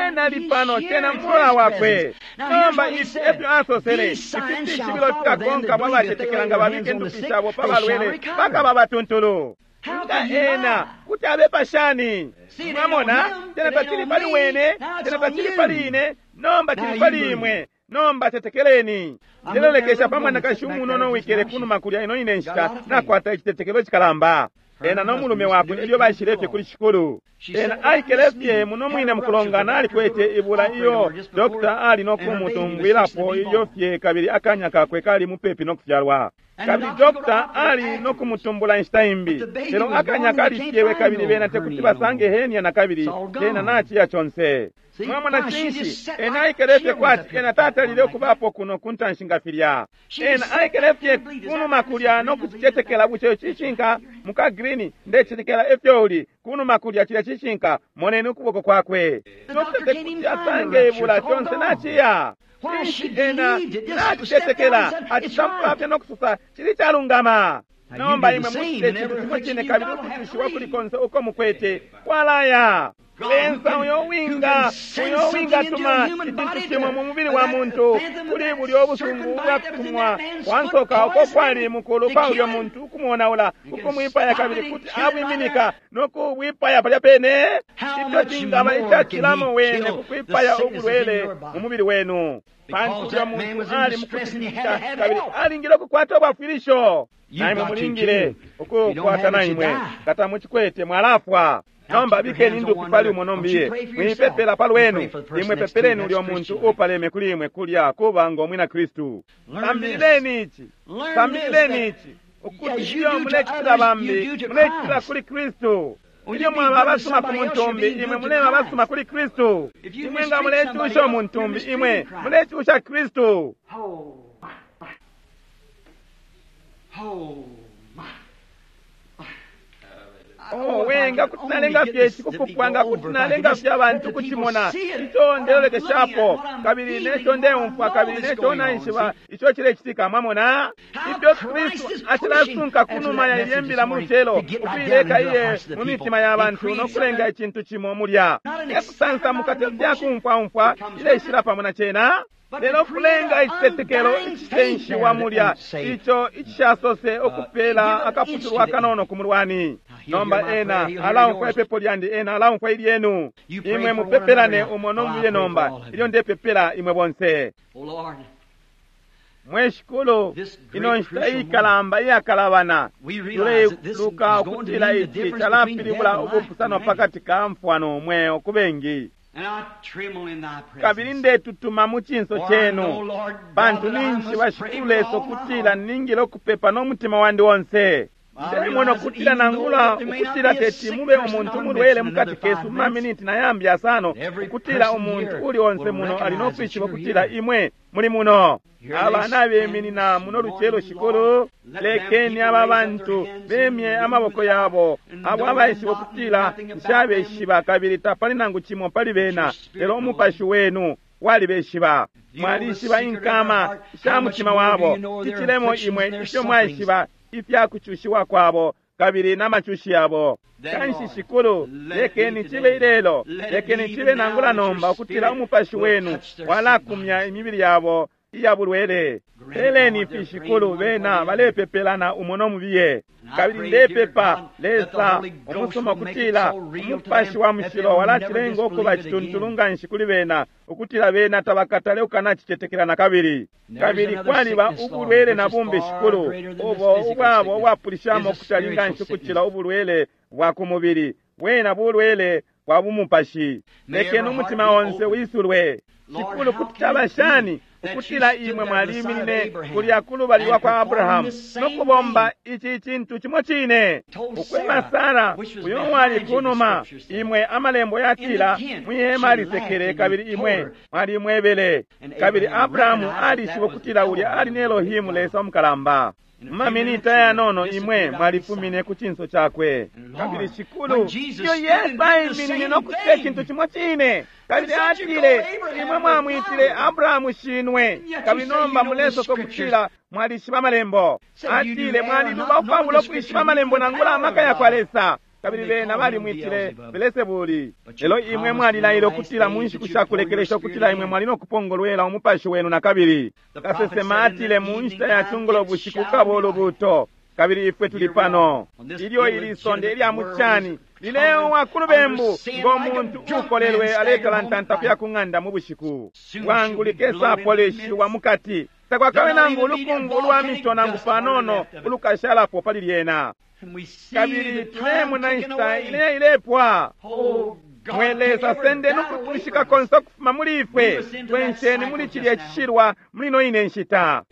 Speaker 1: Ena lipano tena mfula wakwe. Nomba ifi efyo asosele, ifi fishibilo fikakonka bwa bacetekela nga babike ndupi shabo pa balwele bakaba batuntulu. Nga ena kuti abepa shani? Mwamona, tena tacili pali wene, tena tacili pali ine, nomba cili pali imwe. Nomba tetekeleni. Ndelolekesha pa mwanakashi umunono wikele kunuma kulya ino ine nshita nakwata icitetekelo cikalamba. Ena no mulume wakwe elyo baishile kuli shikulu. Ena aikele fye muno mwine mukulongana alikwete ibula iyo dokta ali no kumutumbwilapo ilyo fye kabili akanya kakwe kali mupepi no kufyalwa. Kabili dokta ali no kumutumbula inshita imbi, lelo akanya kalifyewe kabili bena tekuti basange henia na kabili tena nachiya chonse. Mwamona cinshi ena aikele fye kwati ena tatalile okubapo kuno kuntanshi nga filya. Ena aikele fye kunuma kulya no kucicetekela bucheyo cishinka muka green ndecitekela efyo uli kunuma kulya cilya cishinka moneni ukuboko kwakwe. Dokta tekuti asange ibula chonse nachiya. Ena nacicetekela atisampa fye nokusosa cili calungama. Nomba imwe mucite cintu cimo cine kabili ukucushiwa kuli konse uko mukwete kwalaya. Lesa uyo winga uyo winga tuma icintu cimwe mu mubili wa muntu kuli buli obusungu ubwakutumwa wansoka uko kwali mukulu kwa ulyo muntu ukumuonaula ukumwipaya kabili kuti abwiminika nokubwipaya palya pene. Ifyo cingaba icacilamo wene kukwipaya ubulwele mu mubili wenu, pantu ulyo muntu ali mukutitikisha kabili alingile ukukwata ubwafwilisho. Naimwe mulingile ukukwata naimwe kata mucikwete mwalafwa. Nomba bikeni ndupi pali umo nombiye mwipepela palwenu, imwe pepeleni ulyo muntu upaleme kuli imwe kulya kuba ngo mwina Kristu. Sambilileni ici, sambilileni ici ukuti iyo mulecitila bambi mulecitila kuli Kristu. Ilyo mwaba abasuma ku muntu umbi, imwe muleba abasuma kuli Kristu. Imwe nga mulecusha umuntu umbi, imwe mulecusha Kristu. Oh, wenga kuti nalenga fye cikupupwa nga kuti nalenga fye abantu kucimona ico ndelolekeshapo kabili neco ndeumfwa kabili neco naishiba ico cilecitika. Mwamona ifyo Kristu acilasunka kunuma ya ilye mbila mu lucelo ukuileka iye mu mitima ya bantu nokulenga icintu cimo mulya ekusansamuka tefyakumfwaumfwa ileshila pamo na cena, lelo kulenga icitetekelo icitenshiwa mulya ico icishasose okupela akaputulwa kanono ku mulwani. Nomba ena alaumfwa ipepo lyandi, ena alaumfwa ilyenu. Imwe mupepelane umo nomuye nomba ilyo ndepepela imwe bonse. Mwe shikulu, ino nshita ikalamba iyakalabana tuleiluka ukutila ici calapilibula ubupusano pakati ka mfwa nomweo ku bengi. Kabili ndetutuma mu cinso cenu pantu ninshi bashikulu Lesa ukutila ningile okupepa n'omutima wandi wonse. Ndemona ukutila nangula ukutila teti mube umuntu mulwele mukati kesu mumaminiti na yambi asano, ukutila umuntu uli onse muno ali nokwishiba ukutila imwe muli muno. Abana beminina muno lucelo shikulu, lekeni aba bantu bemye amaboko yabo abo abaishiba ukutila nshabeshiba kabili tapali nangu cimo pali bena, lelo umupashi wenu walibeshiba. Mwalishiba inkama sha mutima wabo, cicilemo imwe ifyo mwaishiba ifyakucushiwa kwabo kabili n'amacushi yabo. Kanshi shikulu, lekeni cibe ilelo, lekeni cibe nangula nomba ukutila umupashi wenu walakumya imibili yabo iya bulwele. Peleni fi shikulu, bena balepepelana umo nomubiye. Kabili ndepepa Lesa umusuma ukutila umupashi wa mushilo walacilenga ukuba cituntulu nganshi kuli bena ukutila bena tabakatale ukanacicetekela na kabili. Kabili kwaliba ubulwele na bumbi shikulu ubo ubwabo ubwapulishamo ukutali nganshi ukucila ubulwele bwa ku mubili, bwena bulwele bwa bumupashi. Lekeni umutima onse wisulwe shikulu, kuti caba shani Ukutila imwe mwaliminine kulya kulubali lwa kwa Abrahamu no kubomba ici cintu cimo cine. Ukweba Sara uyo wali kunuma, imwe amalembo yatila mwihema alisekele, kabili imwe mwalimwebele. Kabili Abrahamu alishiba ukutila ulya ali ni Elohimu, Lesa umukalamba. Mumaminita yanono imwe mwalifumine ku cinso cakwe. Kabili Shikulu, iyo Yesu aiminine no kucita icintu cimo cine, kabili atile imwe mwamwitile Abrahamu shinwe, kabili nomba mulesosa ukutila mwalishiba amalembo. Atile mwaliluba ukwabula ukwishiba amalembo nangula amaka ya kwa Lesa. Kabili bena balimwitile Belesebuli. Lelo imwe mwalilaile ukutila mu nshiku shakulekelesha ukutila imwe mwali no kupongolwela umupashi wenu na kabili. Kasesema atile mu nshita ya cungulo bushiku kukaba ulubuuto, kabili ifwe tuli pano. Ilyo ili sonde ilya mucani lileowa ku lubembu ngo muntu ukolelwe aletalantanta kuya ku ng'anda mu bushiku. Bwangu likesapolishiwa mukati, takwakabe nangu ulukungu ulwa mito nangu panono ulukashalapo pali lyena. Kabili tulemona inshita ile ilepwa. Mwe Lesa, sendeni ukutwishika konse ukufuma muli ifwe, twensheni muli cilya cishilwa muli ino ine nshita.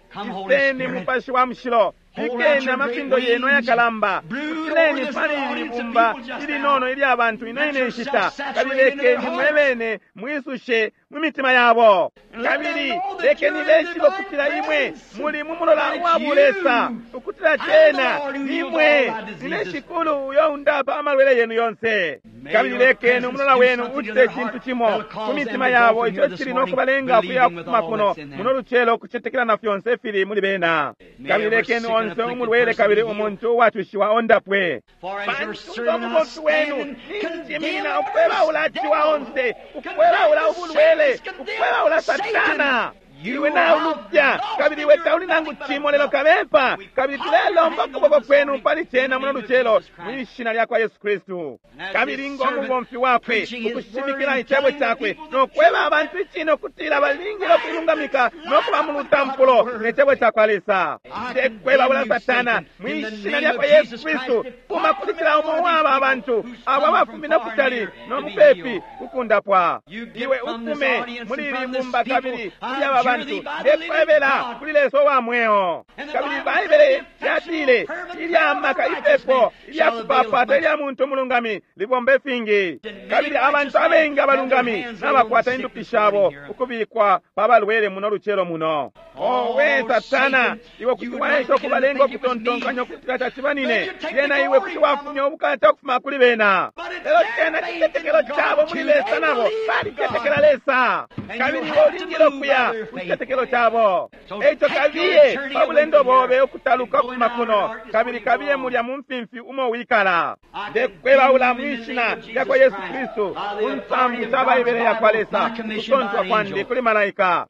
Speaker 1: Iseni Mupashi wa Mushilo, bikeni amapindo yenu ayakalamba, kutileni pali ili bumba ilinono ilya bantu ino ine nshita, kabili lekeni mwe bene mwisushe mu mitima yabo. Kabili lekeni beshibe ukutila imwe muli mu mulola wa bulesa, ukutila cena imwe nine Shikulu uyo undapa amalwele yenu yonse. Kabili lekeni umulola wenu ucite icintu cimo ku mitima yabo ico cili no kubalenga ukuya kufuma kuno muno lucelo ukucetekela na fyonse fili muli bena. Kabili lekeni onse umulwele kabili umuntu uwacushiwa ondapwe. Pantu ngo mubomfi wenu ninjiminina ukwebaula ciwa onse, ukwebaula ubulwele, ukwebaula Satana. Iwe naulupya kabili iwe tauli nangu cimo lelo kabepa. Kabili tulelomba ukuboko kwenu pali cena muno lucelo mwishina lya kwa Yesu Kristu. Kabili ngo mubomfi wakwe ukushimikila icebo cakwe no kweba abantu icine ukutila balingile ukuilungamika no kuba mu lutampulo ne cebo ca kwa Lesa. Ndekwebaula Satana mwishina lya kwa Yesu Kristu, fuma kuli cila umo waba abantu abo abafumine kutali no mupepi kukundapwa. Iwe ufume muli ili bumba kabili kuli aba bantu, ndekwebela kuli Lesa wa mweo. Kabili Baibele yatile ilya maka ipepo ilya kupapata ilya muntu umulungami libombe fingi. Kabili abantu abengi abalungami nabakwata indupi shabo ukubikwa pa balwele muno lucelo muno. Owe Satana, iwe kuti waesha ukubalenga ukutontonkanya ukutila tacibanine, lyena iwe kuti wafumya ubukata ukufuma kuli bena. Lelo cena citetekelo cabo muli Lesa, nabo balitetekela Lesa. Kabili iwe ulingile ukuya ku citetekelo cabo. Eico kabiye pa bulendo bobe ukutaluka ukufuma kuno, kabili kabiye mulya mu mfimfi umo wikala. Ndekwebaula mwishina lya kwa Yesu Kristu, ku nsambu sha Baibele ya kwa Lesa, kusontwa kwandi kuli malaika.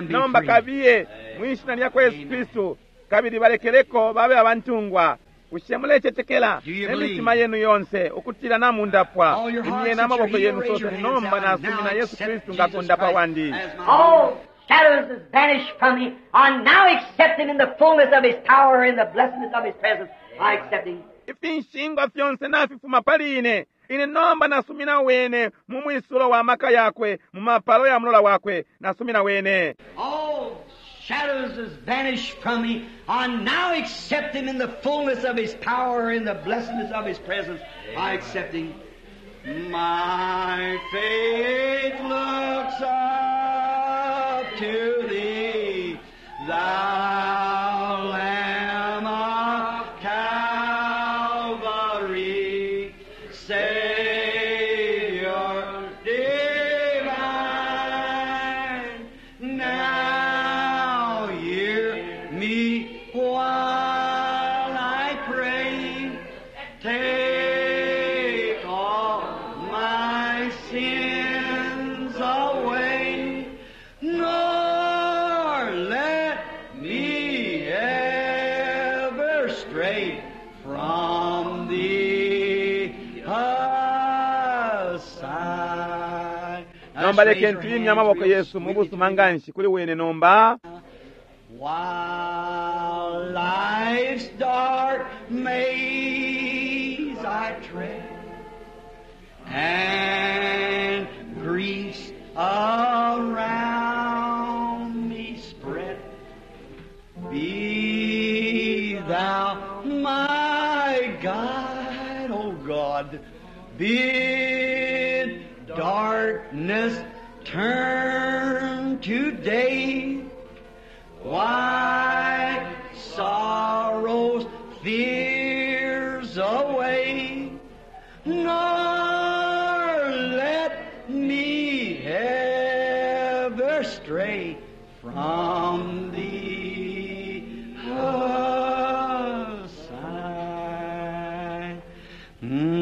Speaker 1: Nomba kabiye mwishina lya kwa Yesu Kristu, kabili balekeleko babe abantungwa. Bushe mulecetekela ne mitima yenu yonse ukutila namundapwa? Imyeni amaboko yenu sose, nomba nasumina Yesu Kristu nga kundapa wandi.
Speaker 3: All shadows has vanished from me. I now accept him in the fullness of his power, in the blessedness of his presence. I accept him.
Speaker 1: Ifinshingwa fyonse nafifuma pali ine. Ine nomba nasumina wene mu mwisulo wa maka yakwe, mu mapalo ya mulola wakwe, nasumina wene.
Speaker 2: All shadows has vanished from me. I now accept him in the fullness of his power, in the blessedness of his presence. I accept him. My faith looks up to thee, thou Lamb of Calvary, Savior divine. Now hear me while I pray. Take all my sins away, nor let me ever stray from thee aside.
Speaker 1: Nomba lekeni tuimye amaboko yesu mu busuma nganshi kuli wene nomba.
Speaker 2: While life's dark maze I tread, and griefs around me spread. Be thou my guide, O God. Bid darkness turn to day. Why sorrows, fears away, nor let me ever stray from thee aside. Mm.